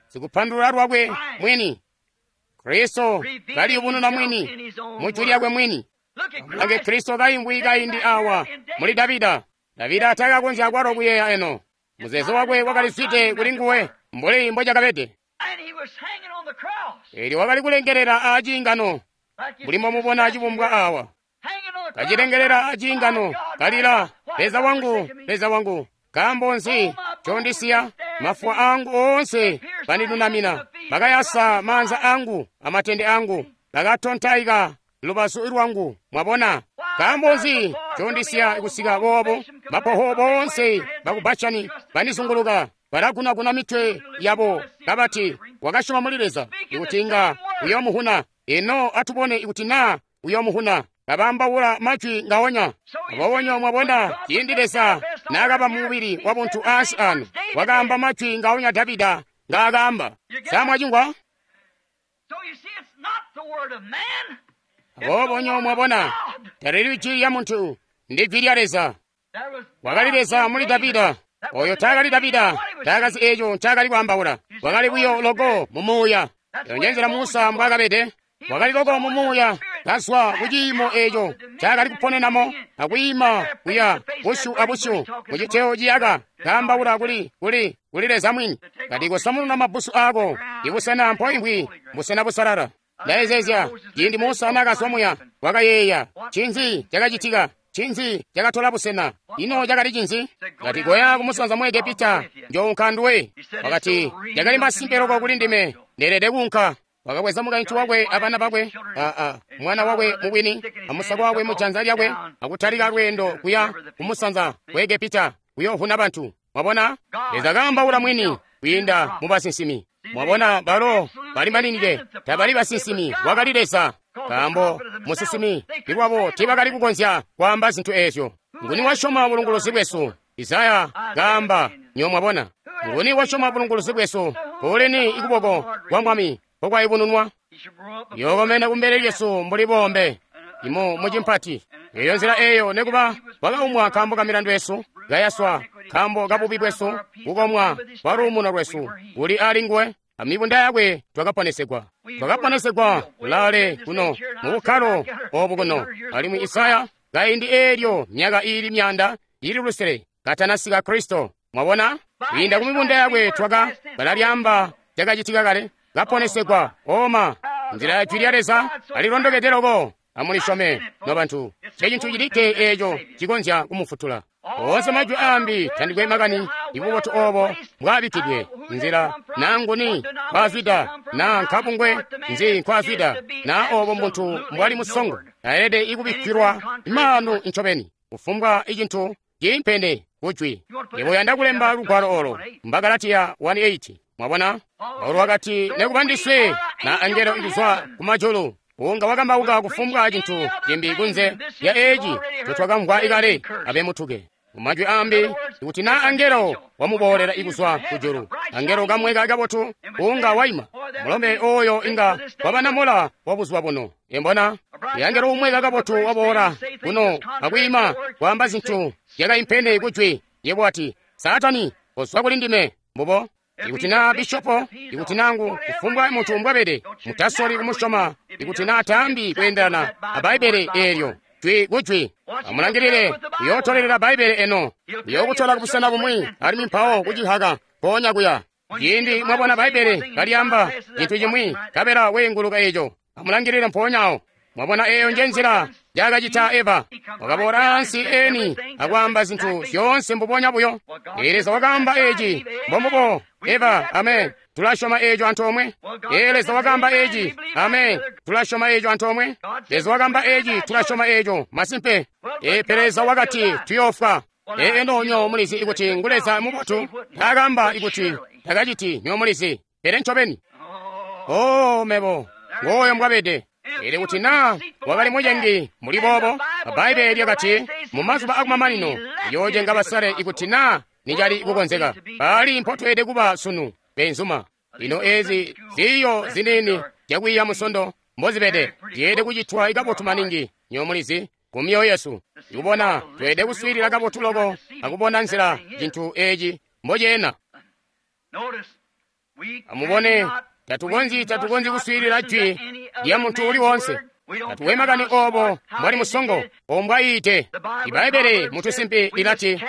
sikupandulula lwakwe mwini. Kristo kaliyubununa mwini mu jwi lyakwe mwini. Amulange Kristo kaimvwi kaindi awa muli Davida. Davida takakonzya kwalo kuyeeya eno. Muzeezo wakwe wakalizwide kuli nguwe mbuli mbocakabede. Eelyo wakali kulengelela aciingano, mbuli mbomubona cibumbwa awa. Kacilengelela aciingano, kalila, Leza wangu, Leza wangu, nkaambo nzi condisiya? Mafuwa angu oonse bandinunamina, bakayasa maanza angu amatende angu, bakatontaika lubazu lwangu. Mwabona, nkaambo nzi condisiya kusika boobo? Mapoho boonse baku Bashani bandizunguluka, balagunaguna mitwe yabo kabati, wakasyoma muli Leza ikuti inga uyoomuhuna. Ino atubone ikuti naa uyoomuhuna. Kabambaula majwi ngaonya. Aboobo mwabona, ciindi Leza naakaba mubili wabuntu ansi ano, wakaamba majwi ngaonya Davida ngaakaamba. Samwacingwa? Aboobo mwabona, talili jwi lya muntu, ndi jwi lya Leza. Wakali Leza muli Davida. Oyo taakali Davida, taakazi eeco ncaakali kwaambaula. Wakali buyo loko mumuuya. Eyo njenzela Musa mbwaakabede. Wakali loko mumuuya, kazwa kuciimo eeco ncaakali kuponenamo, akwiima kuya busyu abusyu muciteyo ciyaka, kaambaula kuli kuli kuli Leza mwini. Kati kosamununa mabbusu aako, ibusena mpoimvwi busena busalala. Ndayezeezya ciindi Musa naakazwa muya, wakayeeya ncinzi cakacitika, ncinzi cakatola busena, ino cakali cinzi? Kati koya kumusanza mu Egepita, njounka nduwe. Wakati cakali masimpe loko kuli ndime, ndeelede kuunka. Wakabweza mukaintu wakwe abana bakwe, aa mwana wakwe mubwini amusako wakwe mujanza lyakwe, akutalika lweendo kuya kumusanza ku Egepita kuyoovuna bantu. Mwabona, Leza kaambaula mwini kwiinda mu basinsimi. Mwabona, balo bali maninike, tabali basinsimi, wakali Leza. Nkaambo musinsimi ilwabo tiibakali kukonzya kwaamba zintu eezyo. Nguni wasyoma bulunguluzi bwesu? Isaya kaamba, nyo mwabona. Nguni wasyoma bulunguluzi bwesu? Kuuleni ikuboko kwa Mwami mpokwayubununwa? Yokomena kumbele lyesu mbuli bombe imo mucimpati. Eyo nzila eyo nekuba wakaumwa nkaambo ka milandu yesu, kayaswa nkaambo ka bubi bwesu, kukomwa kwa luumuno lwesu kuli ali nguwe, amibunda yakwe twakaponesegwa. Twakaponesegwa kulaale kuno mu bukkalo obu kuno. Alimwi Isaya kaindi eelyo myaka iili myanda ili lusele katanasika Kristo. Mwabona, kwiinda ku mibunda yakwe twaka balalyaamba cakacitika kale, kaponesegwa. Oma nzila ya jwi lya Leza alilondokede loko. Amulisyome nobantu, ncecintu cilikke eeco cikonzya kumufutula. Oonse majwi aambi tandikwe makani ibubotu oobo mbwaabikkidwe nzila naa nguni nkwazwida naa nkabungwe nzi nkwazwida naa oobo muntu mbwali musongo, aelede ikubikkilwa maanu ncobeni kufumbwa icintu ciimpene kujwi. Yebo uyanda kulemba lugwalo olo, Mbagalatiya one eight. Mwabona, Paulo wakati nekuba ndiswe na angelo ikuzwa kumajulu unga wakambauka kufumbwa cintu cimbi kunze lya eeci ncotwakamvwa ikale, abe mutuke. Mumajwi aambi, ikuti naa angelo wamuboolela ikuzwa kujulu, angelo kamweka kabotu unga waima. Mulombe oyo inga wabanamola wa buzuba buno. Embona, angelo umweka kabotu waboola kuno akwiima kwaamba zintu zyakaimpene kujwi, yebo wati, Saatani, kozwa kuli ndime. Mbubo. Ikuti naa bishopo, ikuti nangu kufumbwa muntu mbwabede, mutasoli kumusyoma, ikuti naa taambi kweendelana a Bbaibbele eelyo jwi kujwi. Amulangilile, uyootolelela Bbaibbele eno, uyookutola kubusena bumwi, alimwi mpawo kucihaka mpoonya kuya. Ciindi mwabona Bbaibbele kalyaamba cintu cimwi, nkabela weenguluka eco, amulangilile mpoonya awo. Mwabona eyo nje nzila njaakacita Eva. Wakaboola ansi eni akwaamba zintu zyoonse mbubonya buyo. Ee, Leza wakaamba eci, mbombubo, Eva, amen. Tulasyoma eco antoomwe. Ee, Leza wakaamba eci, amen. Tulasyoma eco antoomwe. Leza wakaamba eci, tulasyoma eco, masimpe. Ee, pele Leza wakati tuyoofwa. Ee, eno nyo mulizi ikuti ngu Leza mubotu, taakamba ikuti takaciti, nyo mulizi. Pele ncobeni. Oh, mebo, ngooyo mbwabede. Pele kuti naa wakali mucengi muli boobo, Bbaibbele lyakati mu mazuba akumamanino yoocenga basale ikuti naa nicali kukonzeka. Pali mpotweelede kuba sunu, benzuma. Lino ezi ziiyo ziniini zyakwiiya musondo mbozibede zyeelede kucitwa kabotu maningi, nyo mulizi, ku myoyo yesu. Ikubona tweelede kuswiilila kabotu loko akubona nzila cintu eci mboceena. Amubone, tatukonzyi tatukonzyi kuswiilila jwi lya muntu uli woonse. Tatuwe makani obo mbwali musongo ombwayiite. Ibbaibbele mutusimpi lilati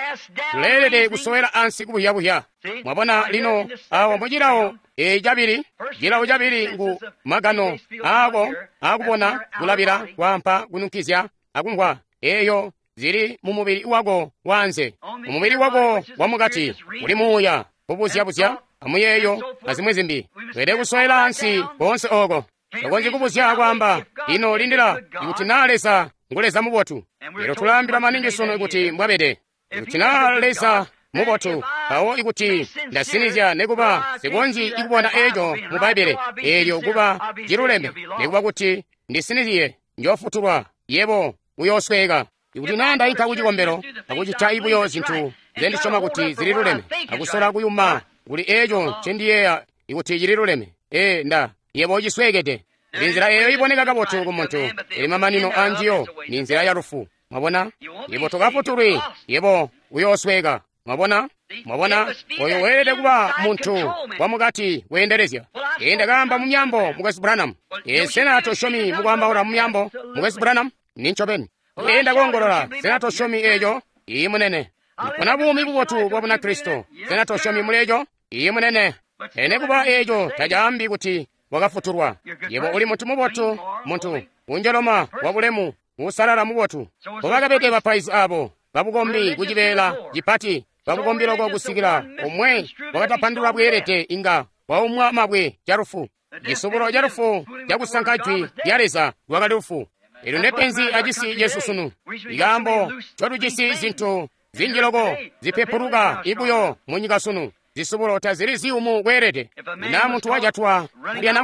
tuleelede kusowela ansi kubuhyabuhya. Mwabona lino awo mucilawo e cabili, cilawo cabili ngu magano aako akubona, kulabila, kwaampa, kununkizya akumvwa. Eyo zili mu mubili wako waanze. Mu mubili wako wamukati uli muuya, kubuzyabuzya amuyeeyo azimwi zimbi. Tweelede kusowela ansi koonse ooko. Tokonzyi kubuzya akwaamba, ino lindila, ikuti naa Leza ngu Leza mubotu. Lero tulaambila maningi sunu ikuti mbwabede. Ikuti naa Leza mubotu, mpawo ikuti ndasinizya nekuba sikonzyi ikubona eco mu Bbaibbele eelyo kuba ciluleme, nekuba kuti ndisinizye, njoofutulwa, yebo uyoosweeka. Ikuti naa ndayinka kucikombelo akucita ibuyo zintu nzendisyoma kuti zililuleme, akusola kuyuma kuli eco ncendiyeeya ikuti cililuleme, ee nda yebo ucisweekede. Inzila eyo iboneka kabotu ku muntu, ili mamanino anjiyo ni nzila ya lufu. Mwabona? Yebo tokafutulwi, yebo uyoosweeka. Mwabona? Mwabona? Oyo weelede kuba muntu wamukati weendelezya. Ee, ndakaamba mu myambo, Mukwesu Branham. Ee, sena tosyomi mukwaambaula mu myambo, Mukwesu Branham? Ni ncobeni. Ee, ndakoongolola, sena tosyomi eco? Iyi munene. Ndipona buumi bubotu bwa Bunakristo. Sena tosyomi muli eco? Iyi munene. Ene kuba eco tacaambi kuti wakafutulwa. Yebo uli muntu mubotu, muntu unjoloma wabulemu, usalala mubotu. Mbobakabede bapaizi abo babukombi kucibeela cipati, babukombi loko kusikila omwe wakatapandulwa bweelede inga waumwa mabwe calufu. Cisubulo calufu cakusanka jwi lya Leza lwakali lufu. Elyo ndepenzi acisi cesu sunu. Ikaambo ncotujisi zintu zinji loko zipepuluka ibuyo munyika sunu. Zisubulo tazili ziyumu kweelede. Na muntu wajatwa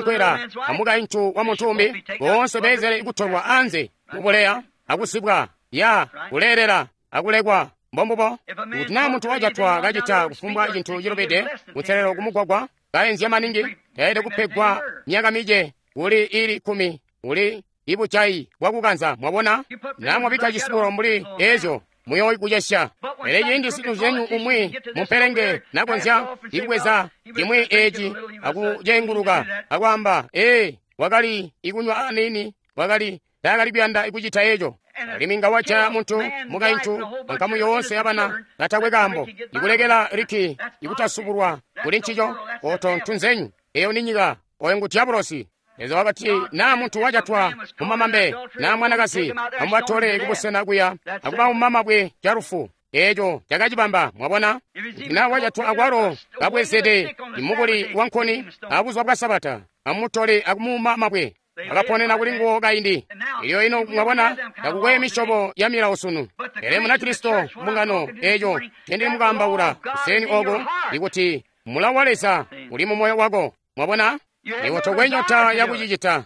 kulya amukaintu wa muntu umbi, boonse beezele kutolwa anze mubuleya akusibwa ya kuleelela akulekwa. Mbombubo. Kuti naa muntu wajatwa kacita kufumbwa cintu cilubide kutselelo kumugwagwa kaenzya maningi, taelede kupegwa myaka mice kuli ili kumi uli ibujayi bwakukanza. Mwabona? Na mwabikka cisubulo mbuli ezyo muyoikucesya. Pele ciindi siluzenyu umwi mumpelenge nakonzya ikubweza cimwi eci akucenguluka akwaamba, ee, wakali ikunywa aniini, wakali taakali kuyanda ikucita eco. Alimwi nga wajaya muntu, mukaintu, ankamu yoonse yabana katakwe kaambo, ikulekela liki ikutasubulwa kuli ncico, oto ntunzenyu. Eyo ni nyika, oyo ngu diabulosi. Leza wakati naa muntu wajatwa mumamambe naa mwanakazi, amubatole kubusena kuya akubauma mabwe calufu. Eco cakacibamba. Mwabona? Kuti naa wajatwa akwalo kabwezede imukuli wankuni abuzuba bwa Sabata, amutole akumuuma mabwe. Akaponena kuli nguwo kaindi. Elyo ino mwabona, takukwe misyobo ya milawo sunu. Pele Munakristo mbungano eco cendili mukaambaula kuseni oko, ikuti mulawo wa Leza uli mu moyo wako. Mwabona? Iwe tokwe nyota yakucicita.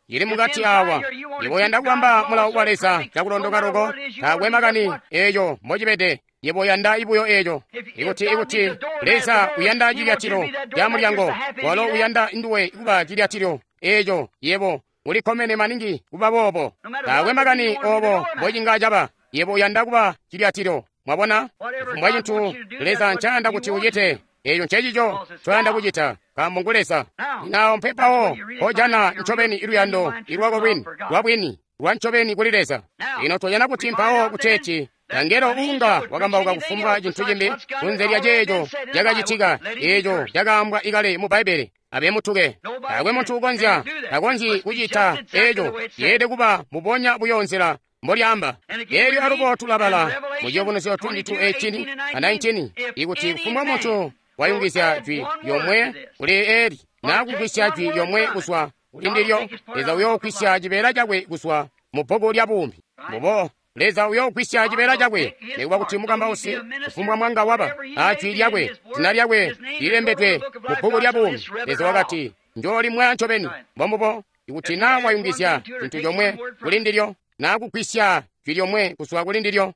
Ili mukati awa. Iwe uyanda kubamba mulawo wa Leza cakulondoka loko, taakwe makani eco mbocibede. Yebo uyanda ibuyo eco. Ikuti ikuti Leza uyanda cilyatilo ca mulyango, walo uyanda nduwe kuba cilyatilo eco, yebo ulikkomene maningi kuba boobo. Taakwe makani obo mbocinga caba. Yebo uyanda kuba cilyatilo. Mwabona? Kufumbwa cintu Leza ncayanda kuti ucite, eco ncecico ncoyanda kucita, nkaambo ngu Leza. Lino mpepawo mpojana ncobeni luyando lwako lwini, lwabwini, lwa ncobeni kuli Leza. Lino tojana kuti mpawo kuteeti angelo uunga wakambauka kufumbwa cintu cimbi kunze lya ceeco cakacitika, eeco cakaambwa ikale mu Bbaibbele, abe mutuke. Taakwe muntu ukonzya, takonzyi kucita eeco. Yeelede kuba mbubonya buyo nzila mbolyaamba. Eelyo alubo tulabala mu Ciyubunuzyo twenty-two eighteen a nineteen, ikuti kufumbwa muntu wayungizya jwi lyomwe kuli eli, naa kugwisya jwi lyomwe kuzwa kuli ndilyo, Leza uyoogwisya cibeela cakwe kuzwa mu bbuku lya buumi. Mbubo Leza uyoogwisya cibeela cakwe, nikuba kuti mukambausi kufumbwa mwanga waba a jwi lyakwe, zina lyakwe lilembedwe mu bbuku lya buumi. Leza wakati, njoolimwaya ncobeni. Mbombubo, ikuti naa wayungizya cintu comwe kuli ndilyo, naa kugwisya jwi lyomwe kuzwa kuli ndilyo.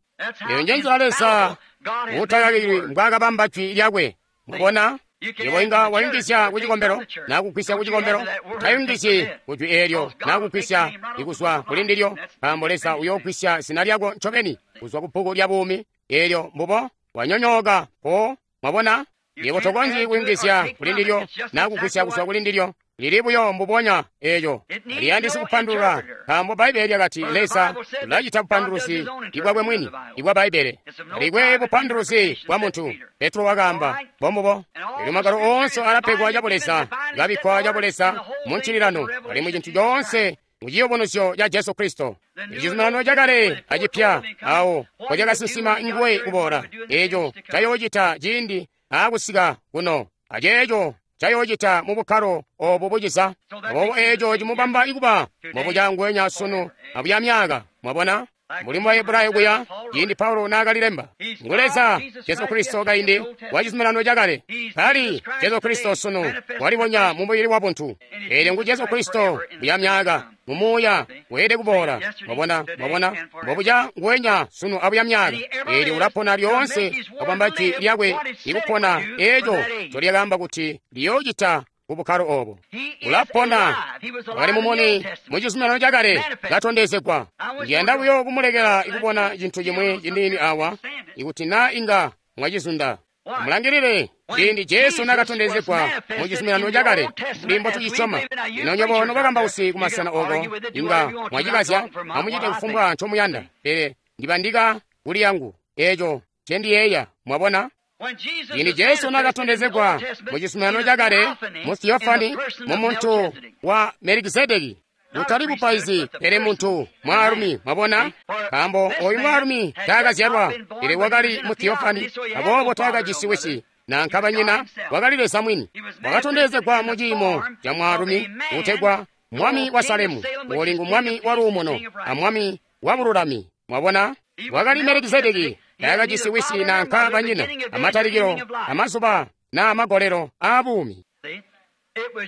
Eyo nje nzila Leza utakakilwi mbwaakabamba jwi lyakwe. Mwabona? Yebo inga wayungizya ku cikombelo, naa kugwisya ku cikombelo, tayungizyi ku jwi eelyo, naa kugwisya ikuzwa kuli ndilyo, nkaambo Leza uyoogwisya zina lyako ncobeni kuzwa ku bbuku lya buumi. Eelyo mbubo wanyonyooka po. Mwabona? Yebo tokonzyi kuyungizya kuli ndilyo, naa kugwisya kuzwa kuli ndilyo. Lili buyo mbubonya eeco. Liyandisi kupandulula, nkaambo Bbaibbele lyakati Leza ulacita bupanduluzi ibwakwe mwini ibwa Bbaibbele. Talikwe bupanduluzi bwa muntu. Petro wakaamba, mbombubo. Elyo magwalo oonse alapegwa cabuleza, kabikkwa cabuleza mu ncililano, alimwi cintu coonse mu ciyubunuzyo ca Jesu Kristo. Icizuminano cakale acipya awo mpocakasinsima nguwe kuboola, eeco cayoocita ciindi aakusika kuno, aceeco cayoocita mu bukkalo obu buciza. Aboobo eeco cimubamba ikuba mbubuca sunu abuya myaka. Mwabona? Mbuli mu Bahebrayo kuya, ciindi Paulo naakalilemba, ngu Leza Jesu Kristo kaindi wa cizuminano cakale. Kali Jesu Kristo sunu walibonya mu mubili wa buntu. Eelyo ngu Jesu Kristo buya myaka, mu muuya weelede kuboola. Mwabona? Mwabona? Mbobuca nguwenya sunu abuya myaka. Eelyo ulapona lyoonse akubamba jwi lyakwe ikupona eeco ncolyakaamba kuti liyoocita ku bukkalo obo. Ulapona. Wakali mumuni mu cizuminano cakale katondezegwa. Ndiyanda buyo kumulekela ikubona cintu cimwi ciniini awa, ikuti naa inga mwacizunda. Mulangilile ciindi Jesu nakatondezegwa mu cizuminano cakale, mbuli mbotucisyoma. Lino nywebo nobakambausi kumasena oko inga mwacikazya, amucite kufumbwa ncomuyanda, pele ndibandika kuli yangu eeco ncendiyeeya. Mwabona? Ciindi Jesu nakatondezegwa mu cizuminano cakale mu Theofani, mu muntu wa Melikizedeki, kutali bupaizi, pele muntu mwaalumi. Mwabona? Nkaambo oyu mwaalumi taakazyalwa, pele wakali mu Theofani, aboobo taakajisi wisi nanka banyina, wakali Leza mwini. Wakatondezegwa mu ciimo ca mwaalumi uutegwa Mwami wa Salemu, uuli ngu Mwami wa luumuno a Mwami wa bululami. Mwabona? Wakali Melikizedeki, taakajisi wisi nanka banyina, amatalikilo, amazuba na amagolelo aabuumi.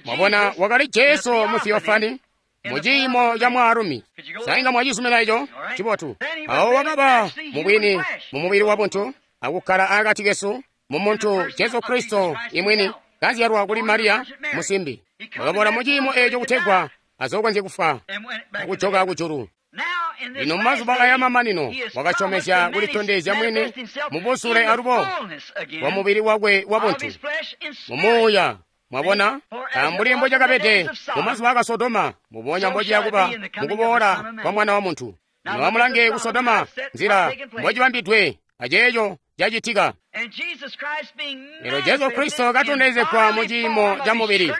Mwabona, wakali Jesu mu Theofani, mu ciimo ca mwaalumi. Sainga mwacizumina eco? Cibotu. Awo wakaba mubwini mu mubili wa buntu, akukkala akati kesu mu muntu Jesu Kristo imwini, kazyalwa kuli Mariya musimbi. Wakaboola mu ciimo eco kutegwa azokonzye kufwa akujoka kujulu. Lino mumazuba aya mamanino wakasyomezya kulitondezya mwini mubusule alubo bwa mubili wakwe wa buntu mu muuya. Mwabona? Mbuli mbocakabede mumazuba aka Sodoma, mbubonya mbociya kuba mukuboola kwa Mwana wa Muntu. Lino amulange ku Sodoma, nzila mbocibambidwe aceeco cacitika. Lero Jesu Kristo katondezegwa mu ciimo ca mubili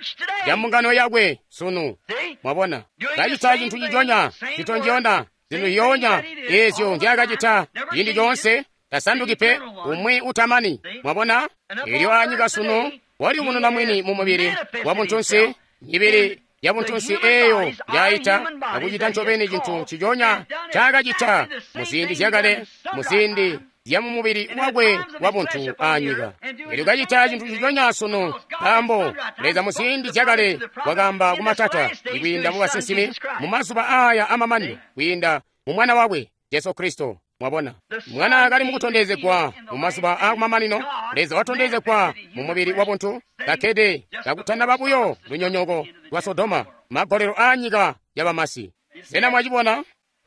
ca mbungano yakwe sunu. Mwabona? Kacita cintu ciconya, citonjona, zintu ziyoonya eezyo nzyaakacita ciindi coonse, tasanduki pe, umwi utamani. Mwabona? Eelyo anyika sunu waliyubununa mwini mu mubili wa buntunsi, mibili ya buntunsi eeyo njaayita akucita ncobeni cintu ciconya ncaakacita mu ziindi zyakale, mu ziindi zya mu mubili wakwe wa buntu anyika. Eelyo kacita cintu ciconya sunu, nkaambo Leza mu ziindi zyakale wakaamba kumatata ikwiinda mu basinsimi mu mazuba aaya amamanino kwiinda mu Mwana wakwe Jesu Kristo. Mwabona, Mwana kali mukutondezegwa mu mazuba aakumamanino, Leza watondezegwa mu mubili wa buntu, kakkede kakutanaba buyo lunyonyoko lwa Sodoma, magolelo aanyika yabamasi. Sena mwacibona?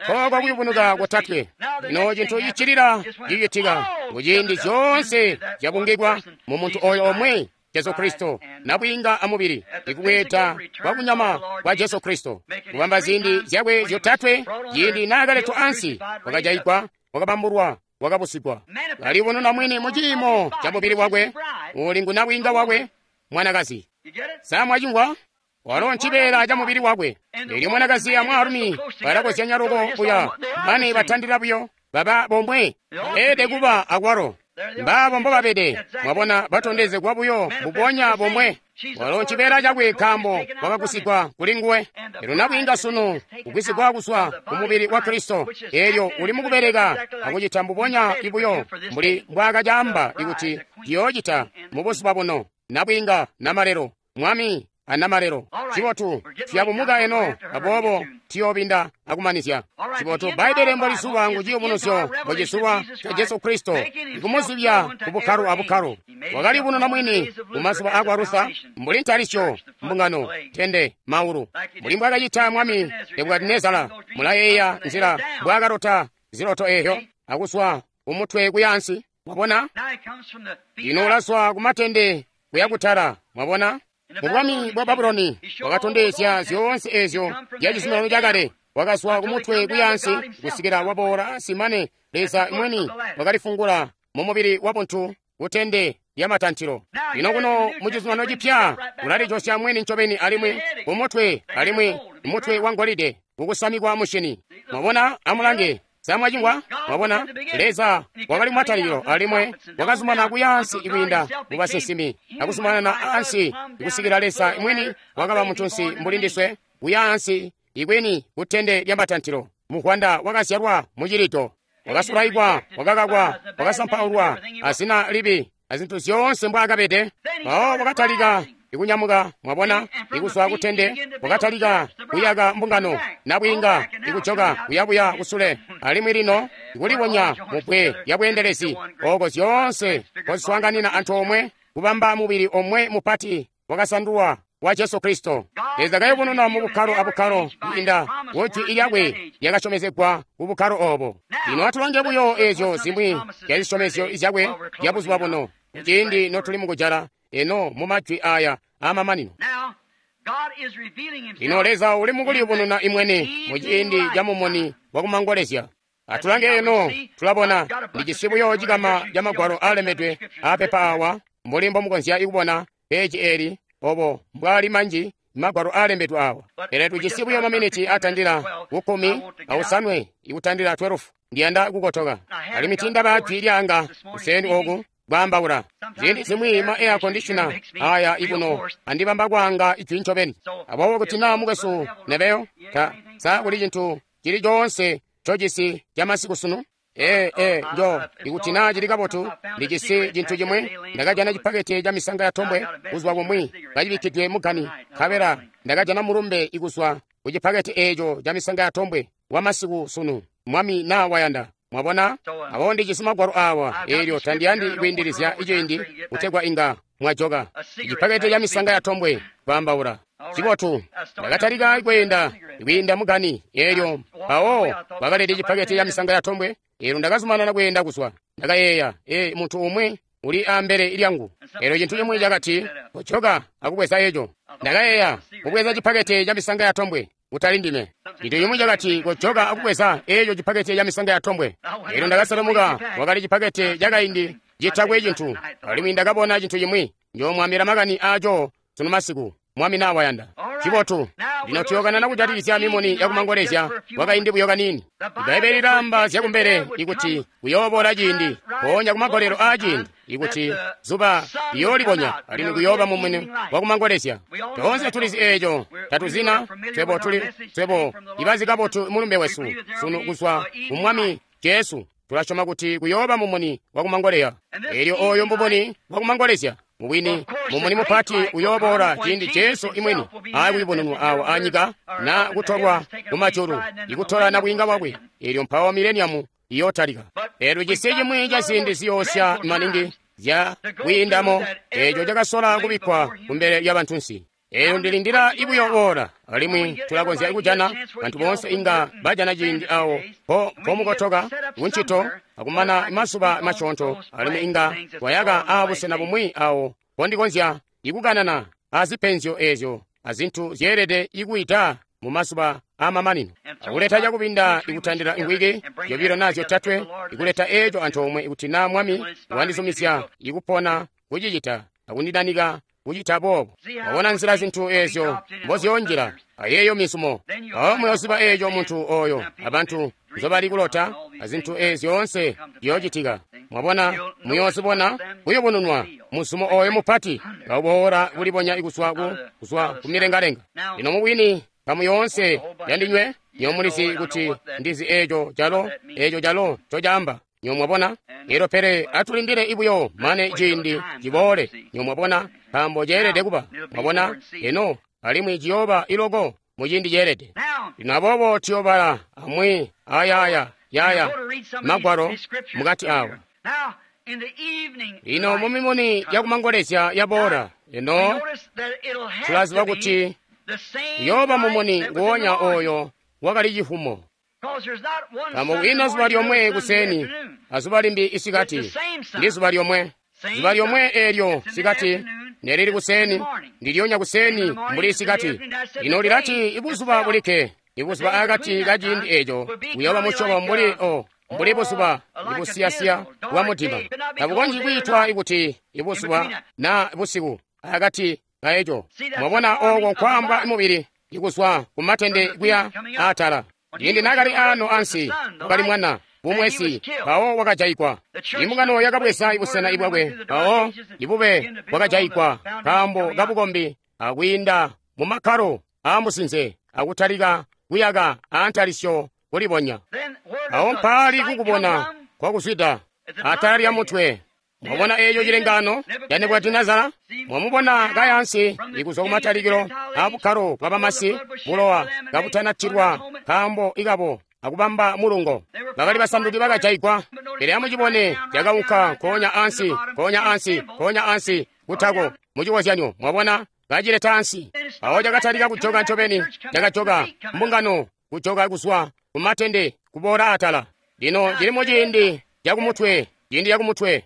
Kooko kuyubunuka kotatwe. Lino cintu ciccilila cicitika kuciindi zyoonse zyabungikwa mu muntu oyo omwe, Jesu Kristo, nabwiinga amubili, ikubweeda kwa kunyama kwa Jesu Kristo, kubamba ziindi zyakwe zyotatwe. Ciindi naakaletwa ansi, wakajayigwa, wakabambulwa, wakabusigwa. Kalibonena mwini mu ciimo ca mubili wakwe, uli ngu nabwiinga wakwe, mwanakazi. Sa mwacimvwa? Walo ncibeela ca mubili wakwe. Elyo mwanakazi a mwaalumi balakozyanya loko buya, mane batandila buyo baba bomwe. Beelede kuba akwalo. Mbaabo mbobabede, mwabona, batondezegwa buyo mbubonya bomwe. Walo ncibeela cakwe nkaambo wakagusigwa kuli nguwe. Elyo nabwiinga sunu kugwisigwa kuzwa ku mubili wa Kristo, elyo uli mukubeleka akucita mbubonya ibuyo mbuli mbwaakacaamba ikuti ciyoocita mu buzuba buno. Nabwiinga namalelo, mwami anamalelo. Cibotu tuyabumuka eno, aboobo tuyoobinda akumanizya. Cibotu Bbaibbele mbolizuba ngu ciyubunuzyo mbocizulwa ca Jesu Kristo, ikumuzibya ku bukkalo abukkalo. Wakalibununa mwini mu mazuba akwa Luther mbuli ntalisyo, mbungano, tende, maulu, mbuli mbwaakacita mwami Nebukadinezara. Mulayeeya nzila mbwaakalota ziloto eeyo akuswa kumutwe kuyaansi. Mwabona, lino ulaswa kumatende kuya kutala. Mwabona, mu bwami bwa Babuloni wakatondezya zyoonse ezyo zya cizuminano cakale. Wakazwa kumutwe kuyaansi kusikila waboola ansi mane Leza mwini wakalifungula mu mubili wa buntu kutende lya matantilo. Lino kuno mu cizuminano cipya ulalijosya mwini ncobeni alimwi kumutwe, alimwi mutwe wa ngolide kukusamikwa mushini. Mwabona, amulange. Sa mwacimvwa? Mwabona, Leza wakali kumatalikilo alimwi wakazumanana kuyaansi ikwiinda mu basinsimi akuzumanana ansi ikusikila Leza mwini wakaba muntunsi mbuli ndiswe, kuyaansi ikwini kutende lya matantilo. Muvwanda wakazyalwa mucilito, wakasulaikwa, wakakakwa, wakasampaulwa azina libi azintu zyoonse mbwaakabede. Mpawo wakatalika ikunyamuka, mwabona, ikuzwa kutende wakatalika kuyaka mbungano, nabwiinga ikujoka kuyabuya kusule, alimwi lino ikulibonya mubbwe lya bweendelezi ooko zyoonse koziswaanganina antoomwe kubamba mubili omwe mupati wakasandulwa wa Jesu Kristo. Leza kayubununa mu bukkalo abukkalo kwiinda ku jwi lyakwe lyakasyomezegwa ku bukkalo obo. Lino atulange buyo ezyo zimwi zya zisyomezyo zyakwe zya buzuba buno, kuciindi notuli mukujala eno mu majwi aya aamamanino. Lino Leza uli mukuliyubununa imwene mu ciindi ca mumuni wakumangolezya. Atulange eno, tulabona ndijisi buyo cikama ca magwalo aalembedwe aapepa awa, mbuli mbomukonzya kubona peji eli obo mbwaali manji magwalo aalembedwe awa. Pele tujisi buyo maminiti atandila kukkumi ausanwe ikutandila twelve. Ndiyanda kukotoka alimwi tiindaba jwi lyanga kuseni oku kwaambaula. Ziindi zimwi ma air conditioner aya ikuno andibamba kwaanga ijwi ncobeni. Aboobo kuti naa mukwesu nebeyo ta sa kuli cintu cili coonse ncojisi ca masiku sunu? Ee, ee, njo ikuti naa cili kabotu, ndijisi cintu cimwi. Ndakajana cipakete ca misanga ya tombwe kuzwa kumwi kacibikkidwe mugani, nkabela ndakajana mulumbe ikuzwa ku cipakete eeco ca misanga ya tombwe wa masiku sunu, mwami naa wayanda. Mwabona, aboobo ndijisi magwalo awa, eelyo tandiyandi kwiindilizya iciindi kutegwa inga mwajoka. Icipakete ca misanga ya tombwe kwaambaula. Cibotu, ndakatalika kweenda kwiinda mugani, eelyo mpawo bakaleta cipakete ca misanga ya tombwe. Eelyo ndakazumanana kweenda kuzwa. Ndakayeeya, ee, muntu umwi uli ambele lyangu. Eelyo cintu cimwi cakati, kojoka akubweza eco. Ndakayeeya, kubweza cipakete ca misanga ya tombwe, kutali ndime. Cintu cimwi cakati, kojoka akubweza eco cipakete ca misanga ya tombwe. Eelyo ndakaselemuka, wakali cipakete cakaindi citakwe cintu, alimwi ndakabona cintu cimwi. Njoomwaambila makani aaco sunu masiku, mwami naa wayanda. Cibotu, lino tuyokanana kujatikizya mimuni yakumangolezya wakaindi buyo kaniini. Ibbaibbele lilaamba zyakumbele ikuti kuyooboola ciindi, mpoonya kumagolelo aaciindi ikuti zuba liyoolibonya alimwi kuyooba mumuni wakumangolezya. Toonse tulizi eeco, tatuzina twebo tuli twebo ibazi kabotu mulumbe wesu sunu kuzwa ku Mwami Jesu. Tulasyoma kuti kuyooba mumuni wakumangolezya. Eelyo ooyo mumuni wakumangolezya mubwini, mumuni mupati uyooboola ciindi Jesu imwini aakuyubununwa awa anyika na kutolwa kumajulu ikutola nabwiinga bwakwe. Eelyo mpawo mileniamu iyootalika. Eelyo cisi cimwi ca ziindi ziyoosya maningi zya kwiindamo eeco cakasola kubikkwa kumbele lya bantunsi. Eyo ndilindila ibuyo oora, alimwi tulakonzya kujana bantu boonse inga bajana ciindi awo po pomukotoka kuncito akumana mazuba masyoonto, alimwi inga twayaka aabusena bumwi awo pondikonzya ikukanana azipenzyo eezyo azintu zyeelede ikuita mu mazuba aamamanino, akuleta cakubinda ikutandila ingwiki zyobilo naa zyotatwe, ikuleta eeco antoomwe ikuti naa Mwami wandizumizya ikupona kucicita akundidanika kucita boobo. Wabona nzila zintu eezyo mboziyoonjila ayeeyo mizumo, mpawo muyooziba eeco muntu oyo abantu nzobali kulota azintu eezi zyoonse ziyoocitika. Mwabona, muyoozibona kuyubununwa muzumo oyo mupati kauboola kulibonya kuzwa ku kuzwa kumilengalenga. Lino mubwini kamu yoonse yandinywe nyo mulizi kuti ndizi eeco calo eeco calo ncocaamba. Nyo mwabona? Elo pele atulindile ibuyo mane ciindi ciboole. Nyo mwabona, nkaambo ceelede kuba. Mwabona? Eno alimwi ciyooba iloko mu ciindi ceelede. Lino aboobo tuyoobala amwi ayaaya yaya magwalo mukati awa. Lino mumimuni yakumangolezya yaboola, eno tulaziba kuti uyooba mumuni nguwonya oyo wakali cifumo. Nkaambo kwiina zuba lyomwe kuseni azuba limbi isikati, ndi zuba lyomwe. Zuba lyomwe eelyo sikati nelili kuseni, ndilyonya kuseni mbuli isikati. Lino lilati ibuzuba bulikke, ibuzuba akati ka ciindi eeco buyooba musyobo mbuli o mbuli buzuba ibusiyasiya bwa mudima. Tabukonzyi kwiitwa ikuti ibuzuba naa busiku akati kaeco. Mwabona ooko nkwaambwa mubili ikuzwa kumatende kuya atala. Ciindi naakali aano ansi, wakali mwana bumwesi, mpawo wakajayigwa. Imbungano yakabweza ibusena ibwakwe, mpawo ibube bwakajayigwa nkaambo kabukombi akwiinda mu makkalo aamusinze akutalika kuyaka aantalisyo kulibonya. Awo mpaali kukubona kwakuzwida atala lya mutwe. Mwabona eeco cilengaano ca Nebukadinezara? Mwamubona kayansi ikuzwa kumatalikilo aabukkalo bwa bamasi, bulowa kabutanatilwa nkaambo ikabo akubamba mulungo. Bakali basanduki bakajayigwa. Pele amucibone cakaunka nkoonya ansi, nkoonya ansi, nkoonya ansi kutako. Mucikozyanyo, mwabona kacileta ansi. Awo cakatalika kujoka ncobeni, cakajoka mbungano kujoka kuzwa kumatende kuboola atala. Lino cili muciindi cakumutwe, ciindi cakumutwe.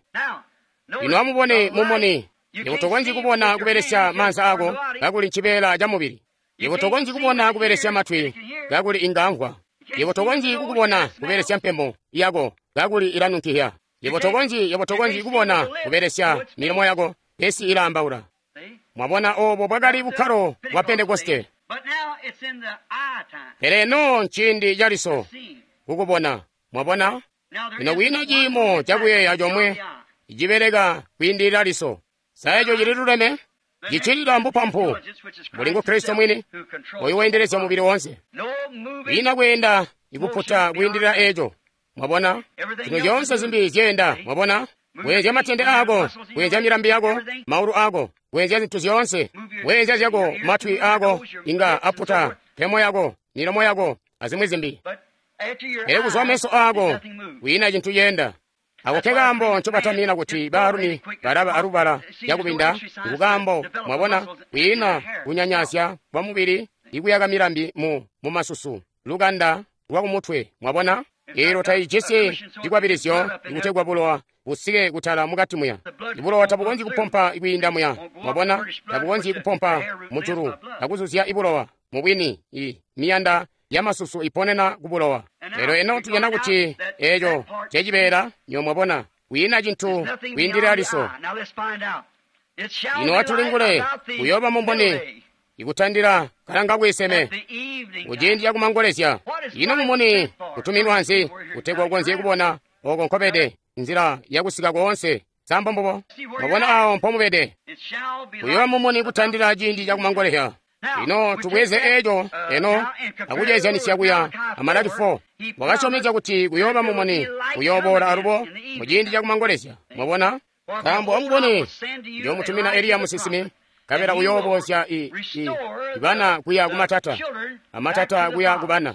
Lino amubone mumuni. Yebo tokonzyi kubona kubelesya maanza ako kakuli ncibeela ca mubili. Yebo tokonzyi kubona kubelesya matwi kakuli inga amvwa. Yebo tokonzyi kukubona kubelesya mpemo yako kakuli ilanunkihya. Yebo tokonzyi, yebo tokonzyi kubona kubelesya milomo yako pesi ilaambaula. Mwabona oobo bwakali bukkalo bwa Pentekoste. Pele eno nciindi caliso kukubona. Mwabona? Lino kwiina ciimo cakuyeeya comwe cibeleka kwiindilila liso. Sa eco cililuleme? Cicilila mbupampu mbuli ngu Kristo mwini oyo weendelezya mubili woonse. Kwiina kweenda ikuputa kwiindilila eco. Mwabona? Zino zyoonse zimbi zyeenda. Mwabona? Weenzya matende aako, weenzya milambi yako, maulu aako, weenzya zintu zyoonse, weenzya zyako, matwi aako inga aputa, mpemo yako, milomo yako, azimwi zimbi. Pele kuzwa meso aako kwiina cintu ceenda. Ako ke kaambo ncobatamina kuti baalumi balaba alubala yakubinda, nkukaambo mwabona kwiina kunyanyasya kwa mubili ikuyaka milambi mu mumasusu lukanda lwa kumutwe. Mwabona? Elo taijisi cikwabilizyo ikutegwa bulowa busike kutala mukati muya. Ibulowa tabukonzyi kupompa kwiinda muya. Mwabona? Tabukonzyi kupompa mujulu akuzuzya ibulowa. Mubwini i miyanda yamasusu iponena kubulowa. Lero eno tujana kuti eco cecibeela nyo mwabona kwiina cintu kwiindilila liso. Lino atulingule kuyooba mumboni ikutandila kalanga kwiseme kuciindi cakumangolezya. Ino mumuni kutuminwa nzi kutegwa ukonzye kubona oko nkobede nzila yakusika koonse? Sambo mbubo mwabona awo mpomubede. Kuyooba mumuni kutandila ciindi cakumangolezya. Lino tubweze eco eno akuceezyanisya kuya amalaki four. Wakasyomezya kuti kuyooba mumuni kuyooboola alubo muciindi cakumangolezya. Mwabona? Nkaambo amubone, ndiyoomutumina Eliya musinsimi, nkabela uyoobozya i, i, ibana kuya kumatata, amatata kuya kubana.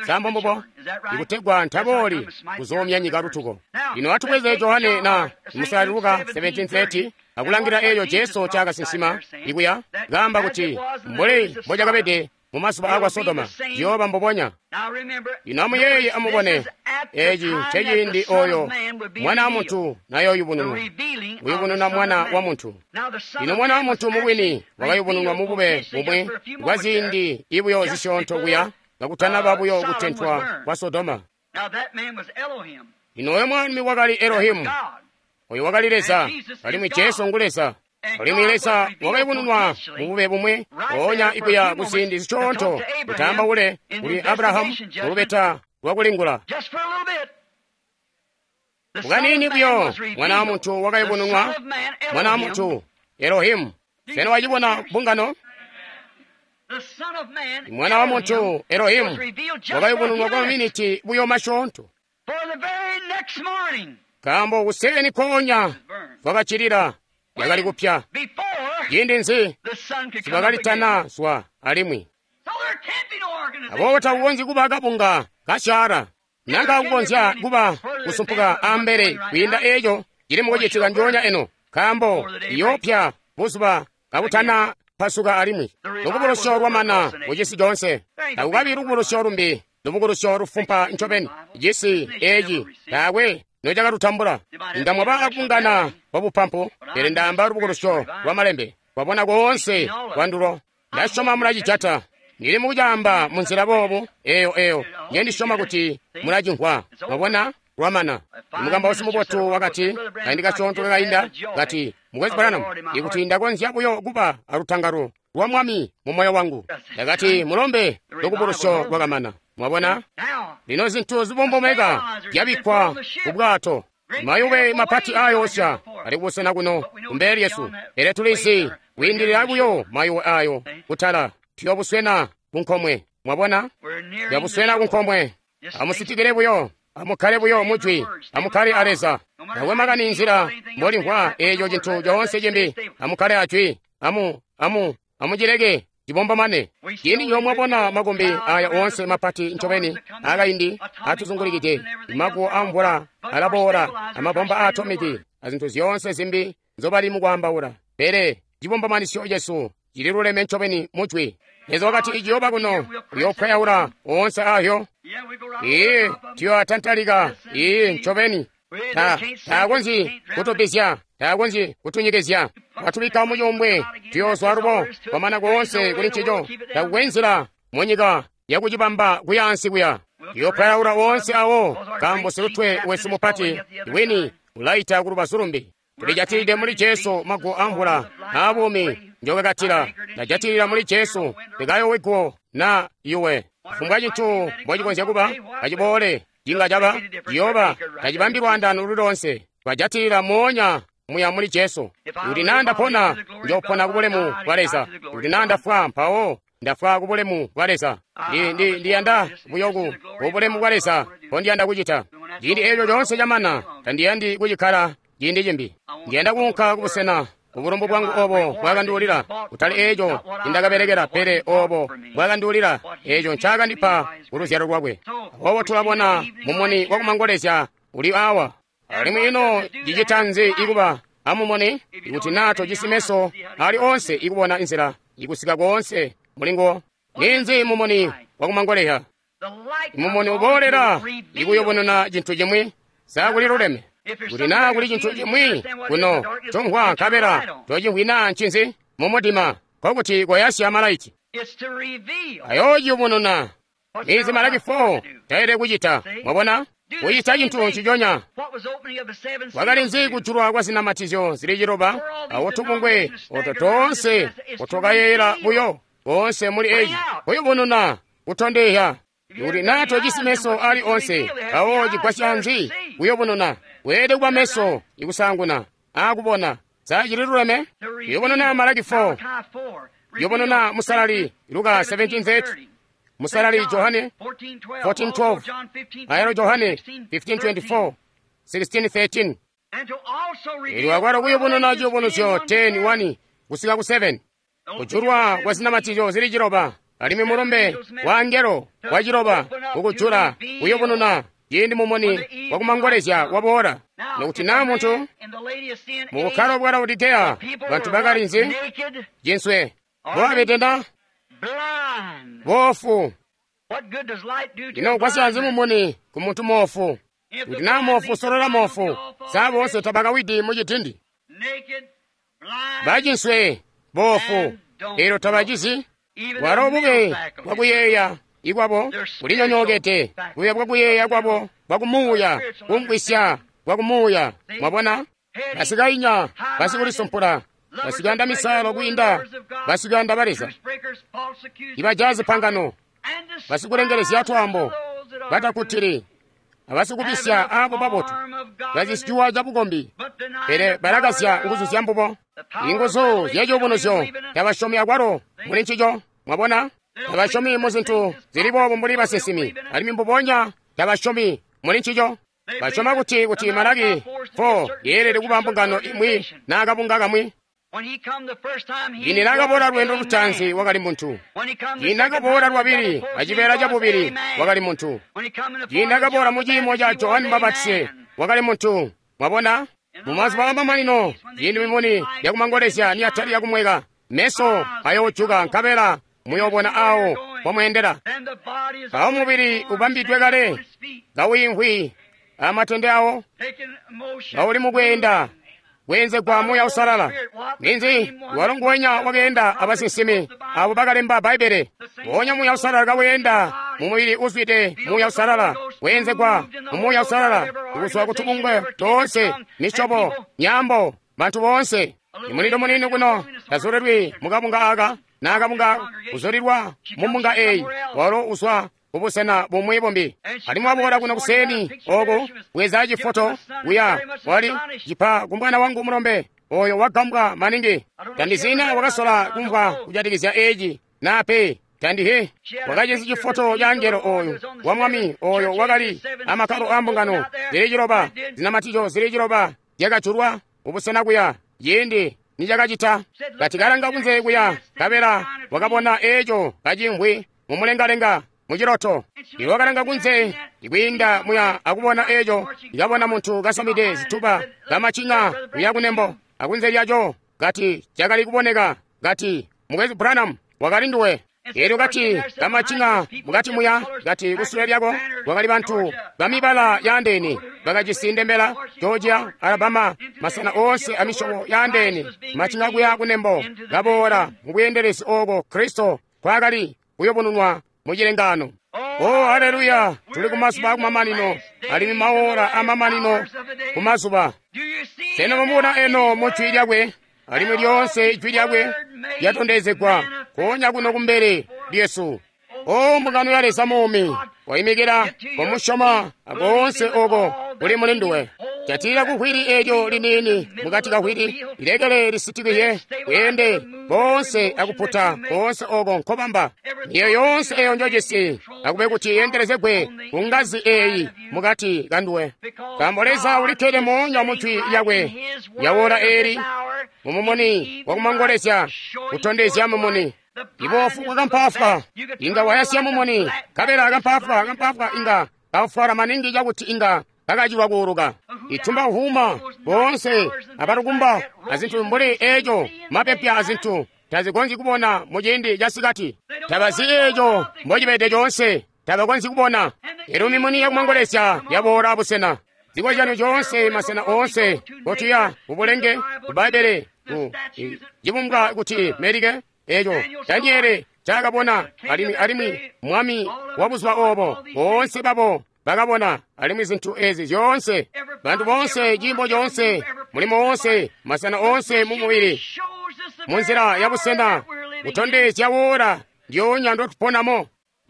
Sa mbombubo? Ikutegwa ntabooli kuzoomya nyika lutuko. Lino atubweze Johane na Musalali Luka seventeen thirty akulangila eeyo Jesu cakasinsima ikuya kaamba kuti mbuli mbocakabede mu mazuba akwa Sodoma ciyooba mbubonya. Lino amuyeeye amubone eeci nceciindi oyo Mwana wa Muntu nayooyubununwa, kuyubununa Mwana wa Muntu. Lino Mwana wa Muntu mubwini wakayubununwa mubube bumwi bwa ziindi ibuyo zisyoonto kuya kakutanaba buyo kutentwa kwa Sodoma. Lino oyo mwami wakali Elohimu, oyo wakali Leza, alimwi Jesu ngu Leza. Alimwi Leza wakayubununwa mubube bumwi oonya ikuya kuziindi zisyoonto kutaambaule kuli Abrahamu mulubeta lwakulingula. Kukaniini buyo Mwana wa Muntu wakayubununwa, Mwana wa Muntu Elohimu. Sena wacibona mbungano? Mwana wa Muntu Elohimu wakayubununwa kwa maminiti buyo masyoonto. Nkaambo kuseeni koonya kwakacilila yakali kupya. Ciindi nzi sibakalitana zwa alimwi. Aboobo takukonzyi kuba kabunga kasyaala nanka kukonzya kuba kusumpuka ambele kwiinda eeco cili mukucitika njoonya eno, nkaambo iyoopya buzuba kabutana pasuka alimwi. Lukubulusyo lwamana kucisi coonse. Takukabi lukubulusyo lumbi, lubukulusyo lufumpa ncobeni. Cisi eeci taakwe nocakalutambula. Inga mwaba akungana kwa bupampu, pele ndaamba lubukulusyo lwa malembe. Kwabona koonse kwandulo. Ndasyoma mulacijata. Ndili mukucaamba munzila boobu eyo eyo njendisyoma kuti mulacimvwa. Mwabona? Lwamana. Mukambausi mubotu wakati kaindi kasyoonto kakainda kati, Mukwesu Branham, ikuti ndakonzya buyo kuba alutangalo lwa Mwami mu moyo wangu. Ndakati, mulombe, lukubulusyo lwakamana. Mwabona? Lino zintu zibombomeka zyabikkwa ku bwato. Mayuwe mapati ayoosya ali kubusena kuno kumbele lyesu, pele tulizi kwiindilila buyo mayuwe ayo kutala tuyobuswena kunkomwe. Mwabona? Tuyobuswena kunkomwe. Amusitikile buyo, amukkale buyo mujwi, amukkale a Leza. Taakwe makani nzila mbolimvwa eeco cintu coonse cimbi, amukkale ajwi, amu amu amucileke cibombomane. Ciindi nyoomwabona makumbi aya oonse mapati ncobeni akaindi atuzungulikide, maguwo amvula alaboola, amabomba aatomiki, azintu zyoonse zimbi nzobali mukwaambaula, pele cibombomanisyo cesu cililuleme ncobeni mujwi. Leza wakati iciyooba kuno uyoopwayaula oonse ayo. Iye tuyoatantalika. Iye ncobeni. Ta taakonzyi kutubizya, taakonzyi kutunyikizya. Watubikka mucuumbwe, tuyoozwa alubo kwamana koonse kuli ncico. Takukwe nzila munyika yakucibamba kuyaansi kuya. Tuyoopwayaula oonse awo, nkaambo silutwe wesu mupati wini ulaita kulubazu lumbi. Tulijatilide muli Jesu maguwo amvula aabuumi njokakatila. Ndajatilila muli Jesu ndikayowegwo na yuwe. Kufumbwa cintu mbocikonzya kuba, kaciboole, cinga caba, ciyooba, tacibambi lwaandaano luli loonse. Twajatilila moonya muya muli Jesu. Kuti naa ndapona, njoopona kubulemu bwa Leza. Kuti naa ndafwa, mpawo ndafwa kubulemu bwa Leza. Ndiyanda buyo ku kubulemu bwa Leza mbondiyanda kucita. Ciindi eeco coonse camana, tandiyandi kucikkala ciindi cimbi. Ndiyanda kuunka kubusena ubulumbu bwangu obo bwakanduulila, kutali eeco ncindakabelekela, pele obo bwakanduulila, eeco ncaakandipa kuluzyalo lwakwe. Aboobo tulabona mumuni wakumangolezya uli awa. Alimwi ino cicita nzi ikuba amumuni ikuti naa tojisi meso ali onse ikubona inzila ikusika koonse mulinguwo? Ninzi mumuni wakumangolezya? Mumuni uboolela ikuyubununa cintu cimwi. Sa kuli luleme? Kuti naa kuli cintu cimwi kuno comvwa nkabela tocimvwi naa ncinzi mumudima, nkokuti koyasya malaiti. Ayoociyubununa. Ninzi Malaki four taelede kucita? Mwabona? Kucita cintu nciconya. Kwakali nzi kujulwa kwa zinamatizyo zili ciloba awo tubungwe oto toonse otwakayeeyela buyo koonse muli eeci kuyubununa kutondezya. Kuti naa tojisi meso ali onse, awo cigwasya nzi kuyubununa? Weelede kuba meso ikusaanguna aakubona. Sa cililuleme? Yubununa Malaki four, yubununa Musalali Luka seventeen thirty, Musalali Johane fourteen twelve, ayalo Johane fifteen twenty-four, sixteen thirteen. Ili wakwalo kuyubununa ciyubunuzyo ten one kusika ku seven. Kujulwa kwa zinamatizyo zili ciloba Alimwi mulumbe wa angelo waciloba kukujula kuyubununa ciindi mumuni wakumangolezya waboola. Nokuti naa muntu mu bukkalo bwa Laodikeya bantu bakali nzi? Jinswe bobabede na boofu. Ino ugwasya nzi mumuni ku muntu moofu? Kuti naa moofu usolola moofu, saa boonse tabakawidi mu cidindi? Bajinswe boofu, eelyo tabacizi. Bwalo bube bwakuyeeya ikwabo bulinyonyookede, bube bwakuyeeya kwabo bwakumuuya, kumvwisya bwakumuuya. Mwabona? Basikainya, basikulisumpula, basikuyanda misalo kwiinda basikuyanda ba Leza, ibajazi pangano, basikulengelezya twaambo, batakutili, abasikubisya aabo babotu, bazisicuwa cabukombi, pele balakazya nguzu zya mbubo. Inguzu zyaciyubunuzyo tabasyomi akwalo muli ncico. Mwabona? Tabasyomi mu zintu zili boobu mbuli basinsimi, alimwi mbubonya tabasyomi muli ncico. Basyoma kuti kuti Malaki four yeelede kuba mbungano imwi naa kabunga kamwi. Ciindi naakaboola lweendo lutaanzi wakali muntu. Ciindi naakaboola lwabili acibeela cabubili wakali muntu. Ciindi naakaboola mu ciimo ca Johane Mubapatizi wakali muntu. Mwabona? Mumazuba amamanino ciindi mimuni yakumangolezya niyatali yakumweka, meso ayoojuka nkabela muyoobona awo pomweendela. Mpawo mubili ubambidwe kale kawiimvwi amatende awo, kauli mukweenda kweenzegwa Muuya Uusalala. Ninzi? Walo nguwenya wakeenda abasinsimi abo bakalemba Bbaibbele. Nguonya Muuya Uusalala kaweenda mumubili uzwide Muuya Uusalala, weenzegwa mu Muuya Uusalala, kuzwa kutubungwe toonse, misyobo, nyambo, bantu boonse. Imulindo munini kuno tazulilwi mukabunga aka naa kabunga kuzulilwa mu mbunga eyi, walo uzwa kubusena bumwi bumbi. Alimwi waboola kuno kuseni oku bweza cifoto kuya wali cipa ku mwana wangu mulombe oyo wagambwa maningi. Tandizina wakasola kumvwa kujatikizya eci naa pe. Tandihe wakajisi cifoto ca angelo oyu wa mwami oyo wakali amakkalo a mbungano zili ciloba, zinamatico zili ciloba zyakajulwa kubusena kuya ciindi nicakacita. Kati kalanga kunze kuya nkabela wakabona eco kacimvwi mumulengalenga muciloto. Iwe wakalanga kunze ikwiinda muya akubona eco, ikabona muntu kasamide zituba kamacinya kuya kunembo akunze lyaco kati cakali kuboneka kati Mukwesu Branham wakali nduwe. Eelyo kati kamacinya mukati muya kati kusule lyako kwakali bantu bamibala yaandeene bakajisi ndembela Georgia, Alabama, masena oonse amisyobo yaandeene macinya kuya kunembo kaboola mubweendelezi ooko Kristo kwakali kuyubununwa mucilengano. Oh, haleluya! Tuli kumazuba akumamanino, alimwi maora amamanino kumazuba. Sena mumubona eno mu jwi lyakwe, alimwi lyoonse ijwi lyakwe lyatondezegwa koonya kuno kumbele lyesu. O mbungano ya Leza muumi, koimikila komusyoma akoonse oko kuli muli nduwe. Jatila kuhwili eelyo liniini mukati kahwili, lilekele lisitikile kweende boonse akuputa koonse oko nkobamba. Miyo yoonse eyo njojisi akube kuti yendelezegwe ku ngazi eyi mukati kanduwe. Nkaambo Leza ulikkede moonya mu jwi lyakwe lyawola eeli mumumuni wakumangolezya kutondezya mumuni. Ibofu bwakampafwa inga wayasya mumuni, nkabela akampafwa kampafwa inga kafwala maningi cakuti inga kakacilwa kuuluka. Itumba uhuma boonse abalukumba azintu mbuli eco mapepya azintu tazikonzyi kubona muciindi casikati. Tabazi eco mbocibede coonse, tabakonzyi kubona. Elyo mimuni yakumangolezya yaboola abusena. Zikozyanyo coonse masena oonse kotuya kubulenge ku Bbaibbele ku cibumbwa kuti melike eco Daniele cakabona alimwi alimwi mwami wa buzuba obo boonse babo bakabona alimwi zintu ezi zyoonse bantu boonse ciimbo coonse mulimo woonse masena oonse mu mubili munzila ya busena kutondezya wola ndyoonya ndotuponamo.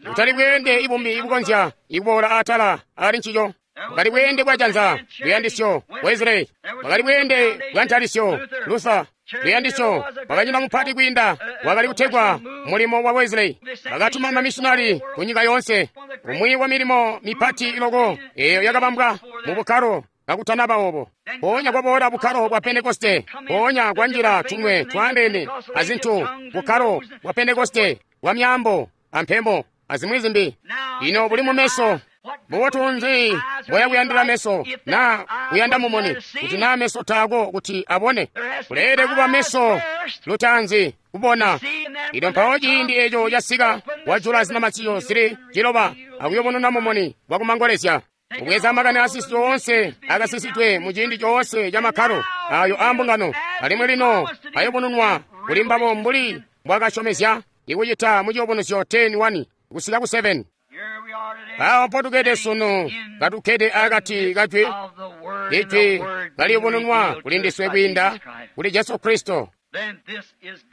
Kutali bweende ibumbi ibukonzya ikuboola atala ali ncico. Bwakali bweende bwa janza luyandisyo Wesley, bwakali bweende bwa ntalisyo Luther, luyandisyo bwakanyina mupati kwiinda wakali kutegwa mulimo wa Wesley. Bakatuma mamissionari ku nyika yoonse. Umwi wa milimo mipati iloko eyo yakabambwa mu bukkalo kakutanaba obo. Mpoonya kwaboola bukkalo bwa Pentekoste, mpoonya kwanjila tumwe twaandeene azintu bukkalo bwa Pentekoste bwa myaambo ampemo azimwi zimbi. Ino buli mumeso bubotu nzi boya kuyandila meso na kuyanda mumuni kuti na meso taako kuti abone? Kuleelede kuba meso lutaanzi kubona. Ino mpawo ciindi eco casika, wajula zinamatizyo zili ciloba akuyobonona mumuni wakumangolezya. Kubweza makani asisidwe oonse akasisidwe mu ciindi coonse ca makkalo ayo aambungano, alimwi lino ayobononwa kuli mbabo mbuli mbwakasyomezya ikucita mu ciyubunuzyo ten one kusika ku seven. Awo mpotukkede sunu, katukkede akati kajwi, ijwi kaliyubununwa kuli ndiswe kwiinda kuli Jesu Kristo.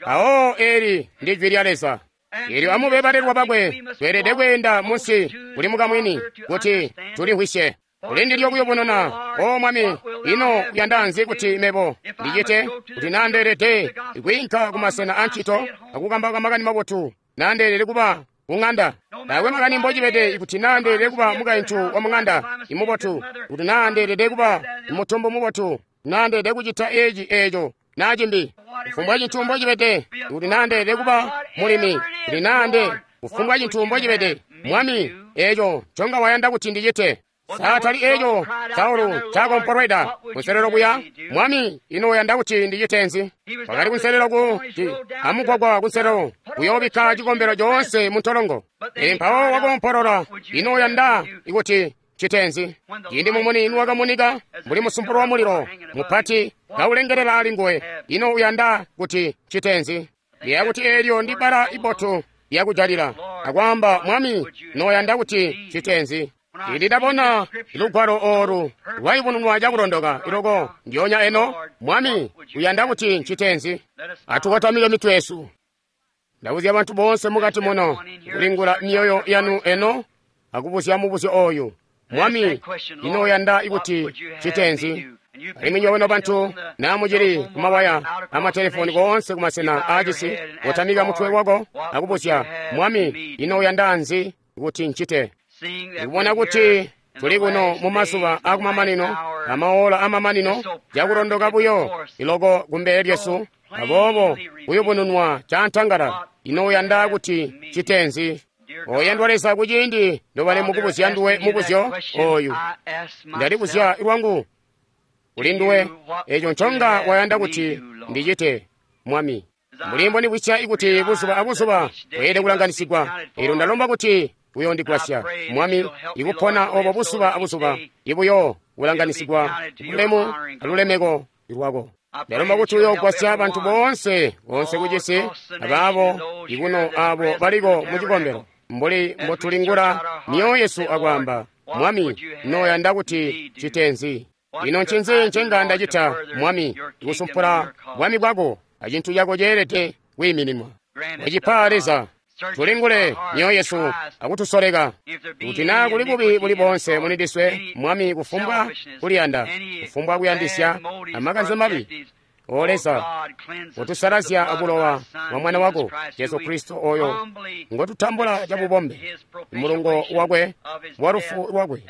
Awo eli ndi jwi lya Leza. Elyo amube balelwa bakwe, tweelede kweenda munsi kuli mukamwini kuti tulimvwisye. Kuli ndilyo kuyubununa, O Mwami, ino uyanda nzi kuti mebo ndicite kuti nandeelede kwiinka kumasena ancito akukambauka makani mabotu, nandeelede kuba kung'anda? Taakwe makani mbocibede ikuti nandeelede kuba mukaintu wa mung'anda imubotu, kuti nandeelede kuba mutumbu mubotu, nandeelede kucita eci eco na cimbi. Kufumbwa cintu mbocibede, kuti nandeelede kuba mulimi, kuti nande kufumbwa cintu mbocibede, Mwami, eco nconga wayanda kuti ndicite. Saatali eco Saulu cakompolweda kunselelo kuya, Mwami, ino uyanda kuti ndicite nzi? Wakali kunselelo kuti amugwagwa kunselelo kuyoobikka cikombelo coonse mu ntolongo. Pele mpawo wakompolola, ino uyanda kuti ncite nzi? Ciindi mumuni niwakamunika mbuli musumpulo wa mulilo mupati kaulengelela ali nguwe, ino uyanda kuti ncite nzi? Ndiyeeya kuti eelyo ndi bbala ibotu lyakujalila akwaamba, Mwami, noyanda kuti ncite nzi? Ciindi ndabona lugwalo oolu lwayubununwa cakulondoka iloko ndyoonya eno, Mwami, uyanda kuti ncite nzi? Atukotamike mitwe yesu. Ndabuzya bantu boonse mukati muno kulingula myoyo yanu eno akubuzya mubuzyo oyu, Mwami, ino uyanda kuti ncite nzi? Alimwi nywebo nobantu namucili kumawaya amatelefoni koonse kumasena aacisi, kotamika mutwe wako akubuzya, Mwami, ino uyanda nzi kuti ncite? Ndikubona kuti tuli kuno mu mazuba akumamanino, amaola amamanino, cakulondoka buyo iloko kumbele lyesu, aboobo kuyubununwa cantangala. Ino uyanda kuti ncite nzi? Oyandwa Leza, kuciindi ndobali mukubuzya nduwe mubuzyo oyu, ndalibuzya lwangu kuli nduwe eco nconga wayanda kuti ndicite, Mwami. Mbuli mbondibwisya ikuti buzuba abuzuba bweelede kulanganisigwa, elyo ndalomba kuti uyondigwasya, Mwami, ikupona obo buzuba abuzuba ibuyo kulanganisigwa bulemu alulemeko lwako. Ndalomba kuti uyogwasya bantu boonse boonse kucisi abaabo ikuno abo baliko mu cikombelo, mbuli mbotulingula myoyo yesu akwaamba, Mwami, noyanda kuti ncite nzi? Ino ncinzi ncenga ndacita, Mwami, ikusumpula bwami bwako acintu cako ceelede kwiimininwa? Wacipa Leza, tulingule myoyo yesu akutusoleka kuti naa kuli bubi buli boonse muli ndiswe, Mwami, kufumbwa kuliyanda, kufumbwa kuyandisya amakanze mabi. O Leza, kotusalazya abulowa bwa Mwana wako Jesu Kristo oyo ngotutambula cabubombe, mulungo wakwe wa lufu lwakwe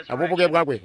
abubuke bwakwe.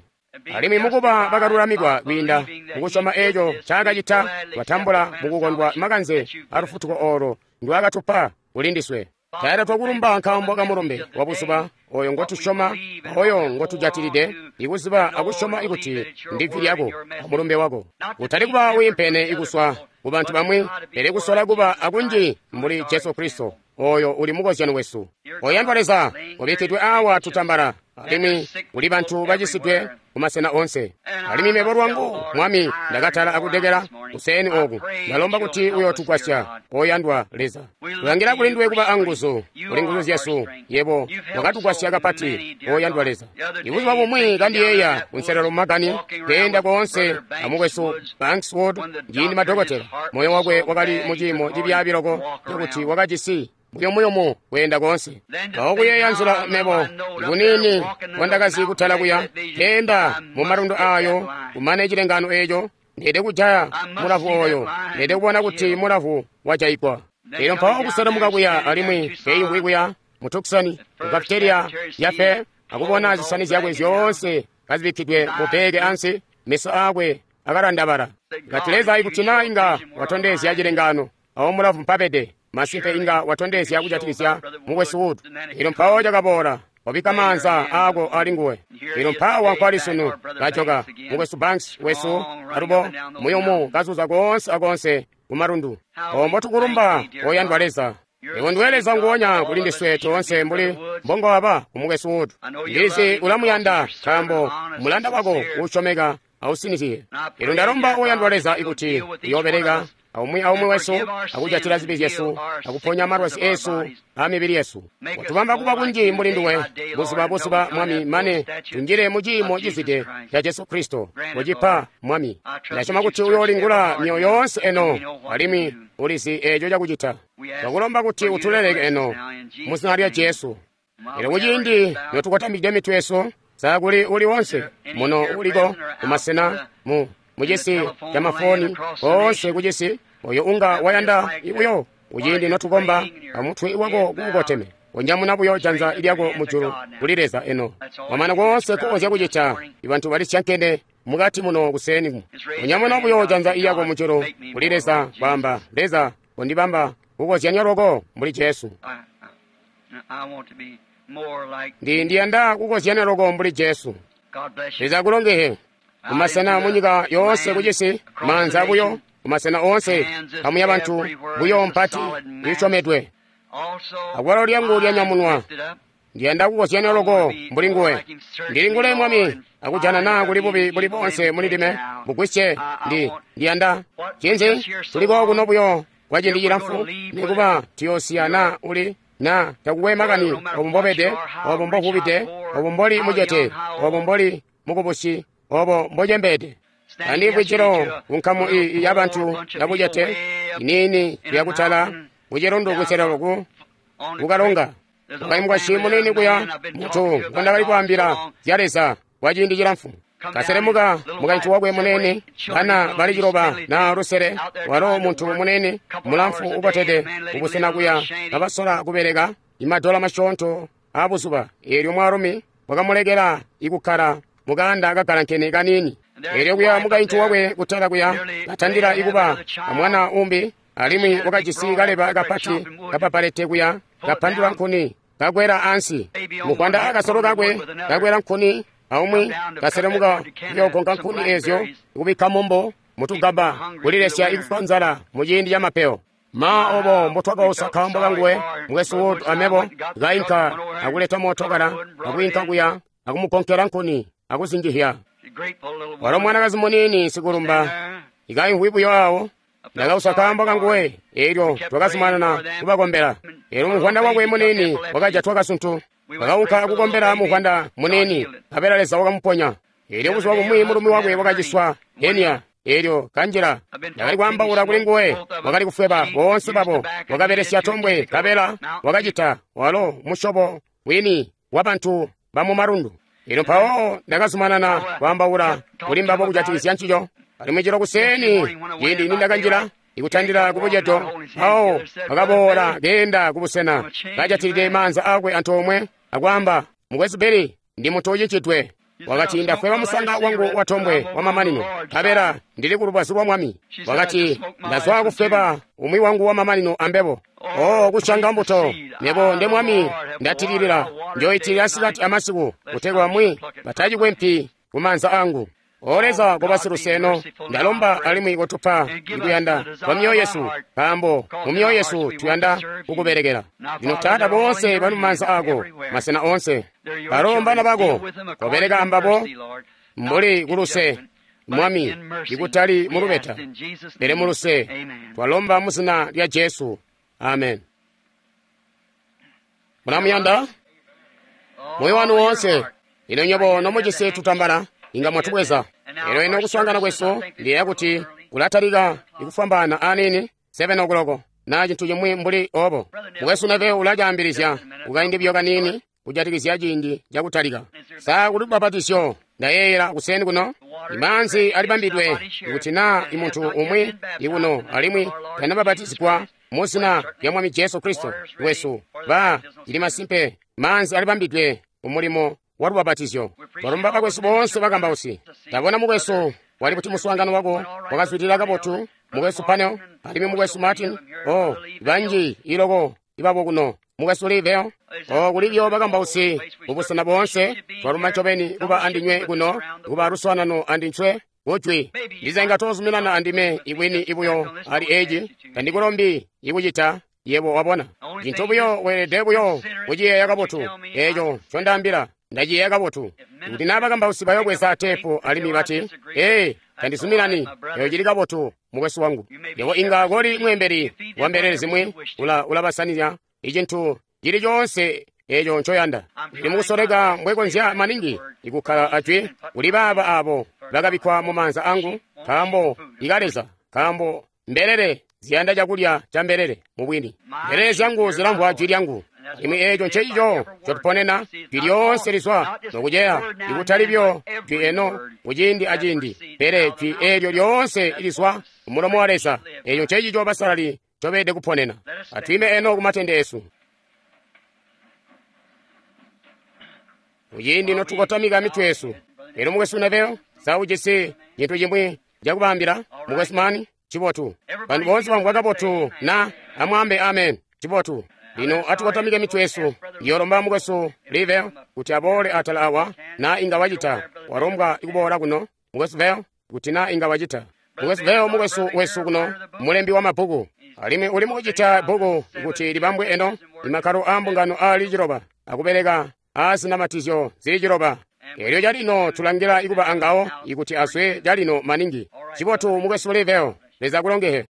Alimwi mukuba bakalulamikwa kwiinda mukusyoma eco ncaakacita, twatambula mukukondwa makanze alufutuko oolo ndwaakatupa kuli ndiswe. Taata, twakulumba nkaambo kamulumbe wa buzuba oyo ngotusyoma, oyo ngotujatilide, ikuziba akusyoma ikuti ndi jwi lyako amulumbe wako. Utali kuba wiimpene ikuswa ku bantu bamwi, pele kusola kuba akunji mbuli Jesu Kristo, oyo uli mukozyano wesu. Oyandwa Leza, ubikkidwe awa tutambala, alimwi kuli bantu bacisidwe kumasena onse. Alimwi mebo lwangu, Mwami, ndakatala akudekela kuseeni oku. Ndalomba kuti uyotugwasya, oyandwa Leza. Tulangila kuli nduwe kuba anguzu, kuli nguzu zyesu. Yebo wakatugwasya kapati, oyandwa Leza. Ibuzuba bumwi kandiyeeya kunselelo mumakani, keenda koonse amukwesu Banks Wood, ciindi madokotela, moyo wakwe wakali muciimo cibyaabi loko cakuti wakajisi buyumuyumu kweenda koonse. Mpawo kuyeeya nzila mebo kuniini mbondakazi kutala kuya, keenda mu malundu ayo, kumane cilengano eco, ndeede kujaya mulavu oyo, ndeede kubona kuti mulavu wajayigwa. Elyo mpawo kuselemuka kuya alimwi keimvwi kuya mu Tucson, ku cafeteria ya Fair, akubona zisani zyakwe zyoonse kazibikkidwe mu bbeeke ansi, meso aakwe akalandabala. Kati, Leza, ikuti na inga watondezya cilengano awo mulavu mpabede, Masimpe inga watondezya kujatikizya Mukwesu Wood. Elyo mpawo cakaboola, wabikka maanza aako ali nguwe. Elyo mpawa nkwali sunu, kajoka Mukwesu Banks wesu alubo muyumu kazuza koonse akoonse kumalundu. Ombo tukulumba, oyandwa Leza. Iwe ndiwe Leza nguonya kuli ndiswe toonse mbuli mbongowaba ku Mukwesu Wood. Ndizi ulamuyanda nkaambo mulanda wako uusyomeka ausinizye. Elyo ndalomba oyandwa Leza ikuti uyoobeleka aumwi aumwi wesu akujatila zibi zyesu akuponya malwazi esu a mibili yesu. Watubamba kuba kunji mbuli nduwe buzuba buzuba, Mwami, mane tunjile mu ciimo cizwide ca Jesu Kristo. Ucipa, Mwami. Ndasyoma kuti uyoolingula myoyo yoonse eno, alimwi ulizi eeco cakucita. Twakulomba kuti utuleleke eno mu zina lya Jesu. Elyo kuciindi notukotamide mitwe yesu, sa kuli uli wonse muno uliko kumasena mu mucisi ca mafoni koonse kucisi oyo unga wayanda ibuyo kuciindi notukomba amutwe wako kuukoteme, onyamuna buyo janza lyako mujulu kuli Leza eno. Wamana koonse kukonzya kucita, ibantu balisyankene mukati muno kuseni. Onyamuna buyo janza lyako mujulu kuli Leza, kwaamba, Leza, kondibamba kukozyanya loko mbuli Jesu. Ndi ndiyanda kukozyanya loko mbuli Jesu. Leza akulongehe. Kumasena munyika yoonse kucisi, maanza buyo, kumasena oonse, kamuya bantu buyo mpati iisyomedwe. Akwalo lyangu lyanyamunwa, ndiyanda kukozyanya loko mbuli nguwe. Ndilingule, Mwami, akujana naa kuli bubi buli bonse muli ndime, bugwisye. Ndi ndiyanda cinzi tuliko kuno buyo kwa ciindi cilamfu, nikuba tuyoosiya naa uli na takukwe makani obo mbobede, obo mbovubide, obo mboli mucete, obo mboli mukubusi, obo mbocembeede. Andimvwi cilo kunkamu iyi yabantu yabucete iniini yakutala kucilundu kuselelo kukalonga ukaimukwashi munini kuya mutu ngondakali kwaambila zya Leza kwa ciindi cilamfu. Kaselemuka mukaintu wakwe munene, bana bali ciloba na lusele, walo muntu munene mulamfu ukotede kubusena kuya kabasola kubeleka imadola masyoonto abuzuba. Eelyo mwaalumi wakamulekela ikukkala mukanda kagalankene kaniini. Eelyo kuya mukaintu wakwe kutala kuya katandila ikuba amwana umbi, alimwi wakajisi kaleba kapati kapapalete kuya kapandula nkuni kakwela ansi. Mukwanda akasolo kakwe kakwela nkuni aumwi kaselemuka kuyogonka nkuni ezyo kubikka mumbo mutugaba kulilesya ikufwa nzala muciindi ca mapeyo. Ma obo mbotwakausa kaambo kanguwe Mukwesu Wood amebo kainka akuleta mootokala akwiinka kuya akumugonkela nkuni akuzinjihya. Walo mwanakazi muniini sikulumba ikaimvwi buyo awo. Ndakausa kaambo kanguwe, eelyo twakazumanana kubakombela. Eelyo muvwanda wakwe muniini wakajatwa kasuntu, wakaunka akukombela muvwanda muniini, nkabela Leza wakamuponya. Eelyo buzuba bumwi mulumi wakwe wakaciswa henia, eelyo kanjila. Ndakali kwaambaula kuli nguwe, wakali kufweba boonse babo, wakabelesya tombwe, nkabela wakacita walo musyobo wini wabantu bamumalundu. Eelyo mpawo ndakazumanana kwaambaula kuli mbabo kujatikizya ncico. Alimwi cilo kuseeni ciindi nindakanjila ikutandila kubucedo, mpawo wakaboola keenda kubusena kajatilide maanza akwe antoomwe akwaamba, Mukwesu Billy, ndi muntu ucicidwe. Wakati, ndafweba musanga wangu wa tombwe wa mamanino, nkabela ndili ku lubazu lwa Mwami. Wakati, ndazwa kufweba umwi wangu wa mamanino ambebo. O kusyanga mbuto, nebo nde Mwami ndatililila, njoitilila sikati amasiku, kutegwa bamwi batacikwe mpi kumaanza angu. O Leza koba siluseno, ndalomba alimwi kotupa ikuyanda kwa myoyo yesu, nkaambo mu myoyo yesu tuyanda kukubelekela. Lino Taata, boonse bali mumaanza ako, masena onse, balo mbana bako, kobeleka ambabo mbuli kuluse, Mwami, ikutali mulubeta, pele muluse. Twalomba mu zina lya Jesu. Amen. Mulamuyanda moyo wanu wonse. Ino nywebo nomujisi tutambala inga mwatubweza. Elo ino kuswaangana kwesu ndiyeeya kuti kulatalika ikufwambaana aniini seven o'clock na cintu cimwi mbuli obo. Mukwesu Neve ulacaambilizya kukaindi buyo kaniini kujatikizya ciindi cakutalika. Sa kuli lubbapatizyo ndayeeyela kuseni kuno? Imaanzi alibambidwe ikuti naa imuntu umwi ikuno alimwi tanabapatizigwa mu zina lya Mwami Jesu Kristo wesu, ba cili masimpe maanzi alibambidwe umulimo wa lubbapatizyo. Twalomba bakwesu boonse bakambausi. Ndabona mukwesu wali kuti muswaangano wako wakazwidilila kabotu Mukwesu Panel, alimwi Mukwesu Martin, oh, banji iloko ibabo kuno. Mukwesu Lee Vayle, oh, kulibyo bakambausi mubusena boonse, twaluma ncobeni kuba andinywe kuno, kuba luswaanano andinywe kujwi. Ndiza inga tozuminana andime ibwini ibuyo ali eci, tandikulombi ikucita, yebo wabona. Cintu buyo weelede buyo kuciyeeya kabotu, eco ncondaambila, ndaciyeeya kabotu. Kuti naa bakambausi bayobweza teepu alimwi bati, ee, tandizuminani, eyo cili kabotu, mukwesu wangu. Yebo inga koli mweembeli wa mbelele zimwi, ula, ulabasanizya icintu cili coonse eco ncoyanda. Ndi mukusoleka mbwekonzya maningi ikukkala ajwi kuli baaba abo bakabikkwa mu maanza angu, nkaambo ika Leza, nkaambo mbelele ziyanda cakulya ca mbelele mubwini. Mbelele zyangu zilamvwa jwi lyangu, alimwi eco ncencico ncotuponena, jwi lyoonse lizwa nokuceya, ikutali byo jwi eno kuciindi aciindi, pele jwi eelyo lyoonse lizwa kumulomo wa Leza. Eco ncencico basalali ncobeelede kuponena. Atwiime eno kumatende esu. Kuciindi notukotamika mitwe yesu. Elyo Mukwesu Neville, sa ujisi cintu cimwi cakubaambila? Mukwesu Mani, cibotu. Bantu boonse bamvwa kabotu na amwaambe amen. Cibotu. Lino atukotamike mitwe yesu. Ndiyolomba Mukwesu Lee Vayle kuti aboole atala awa, na inga wacita. Walombwa ikuboola kuno. Mukwesu Vayle, kuti na inga wacita. Mukwesu Vayle, mukwesu wesu kuno, mulembi wa mabbuku. Alimwi uli mukucita bbuku kuti libambwe eno, imakkalo aa mbungano aali ciloba, akubeleka aazinamatizyo zili ciloba. Elyo calino tulangila ikuba angawo ikuti aswe calino maningi. Cibotu, Mukwesu Lee Vayle, Leza akulongehe.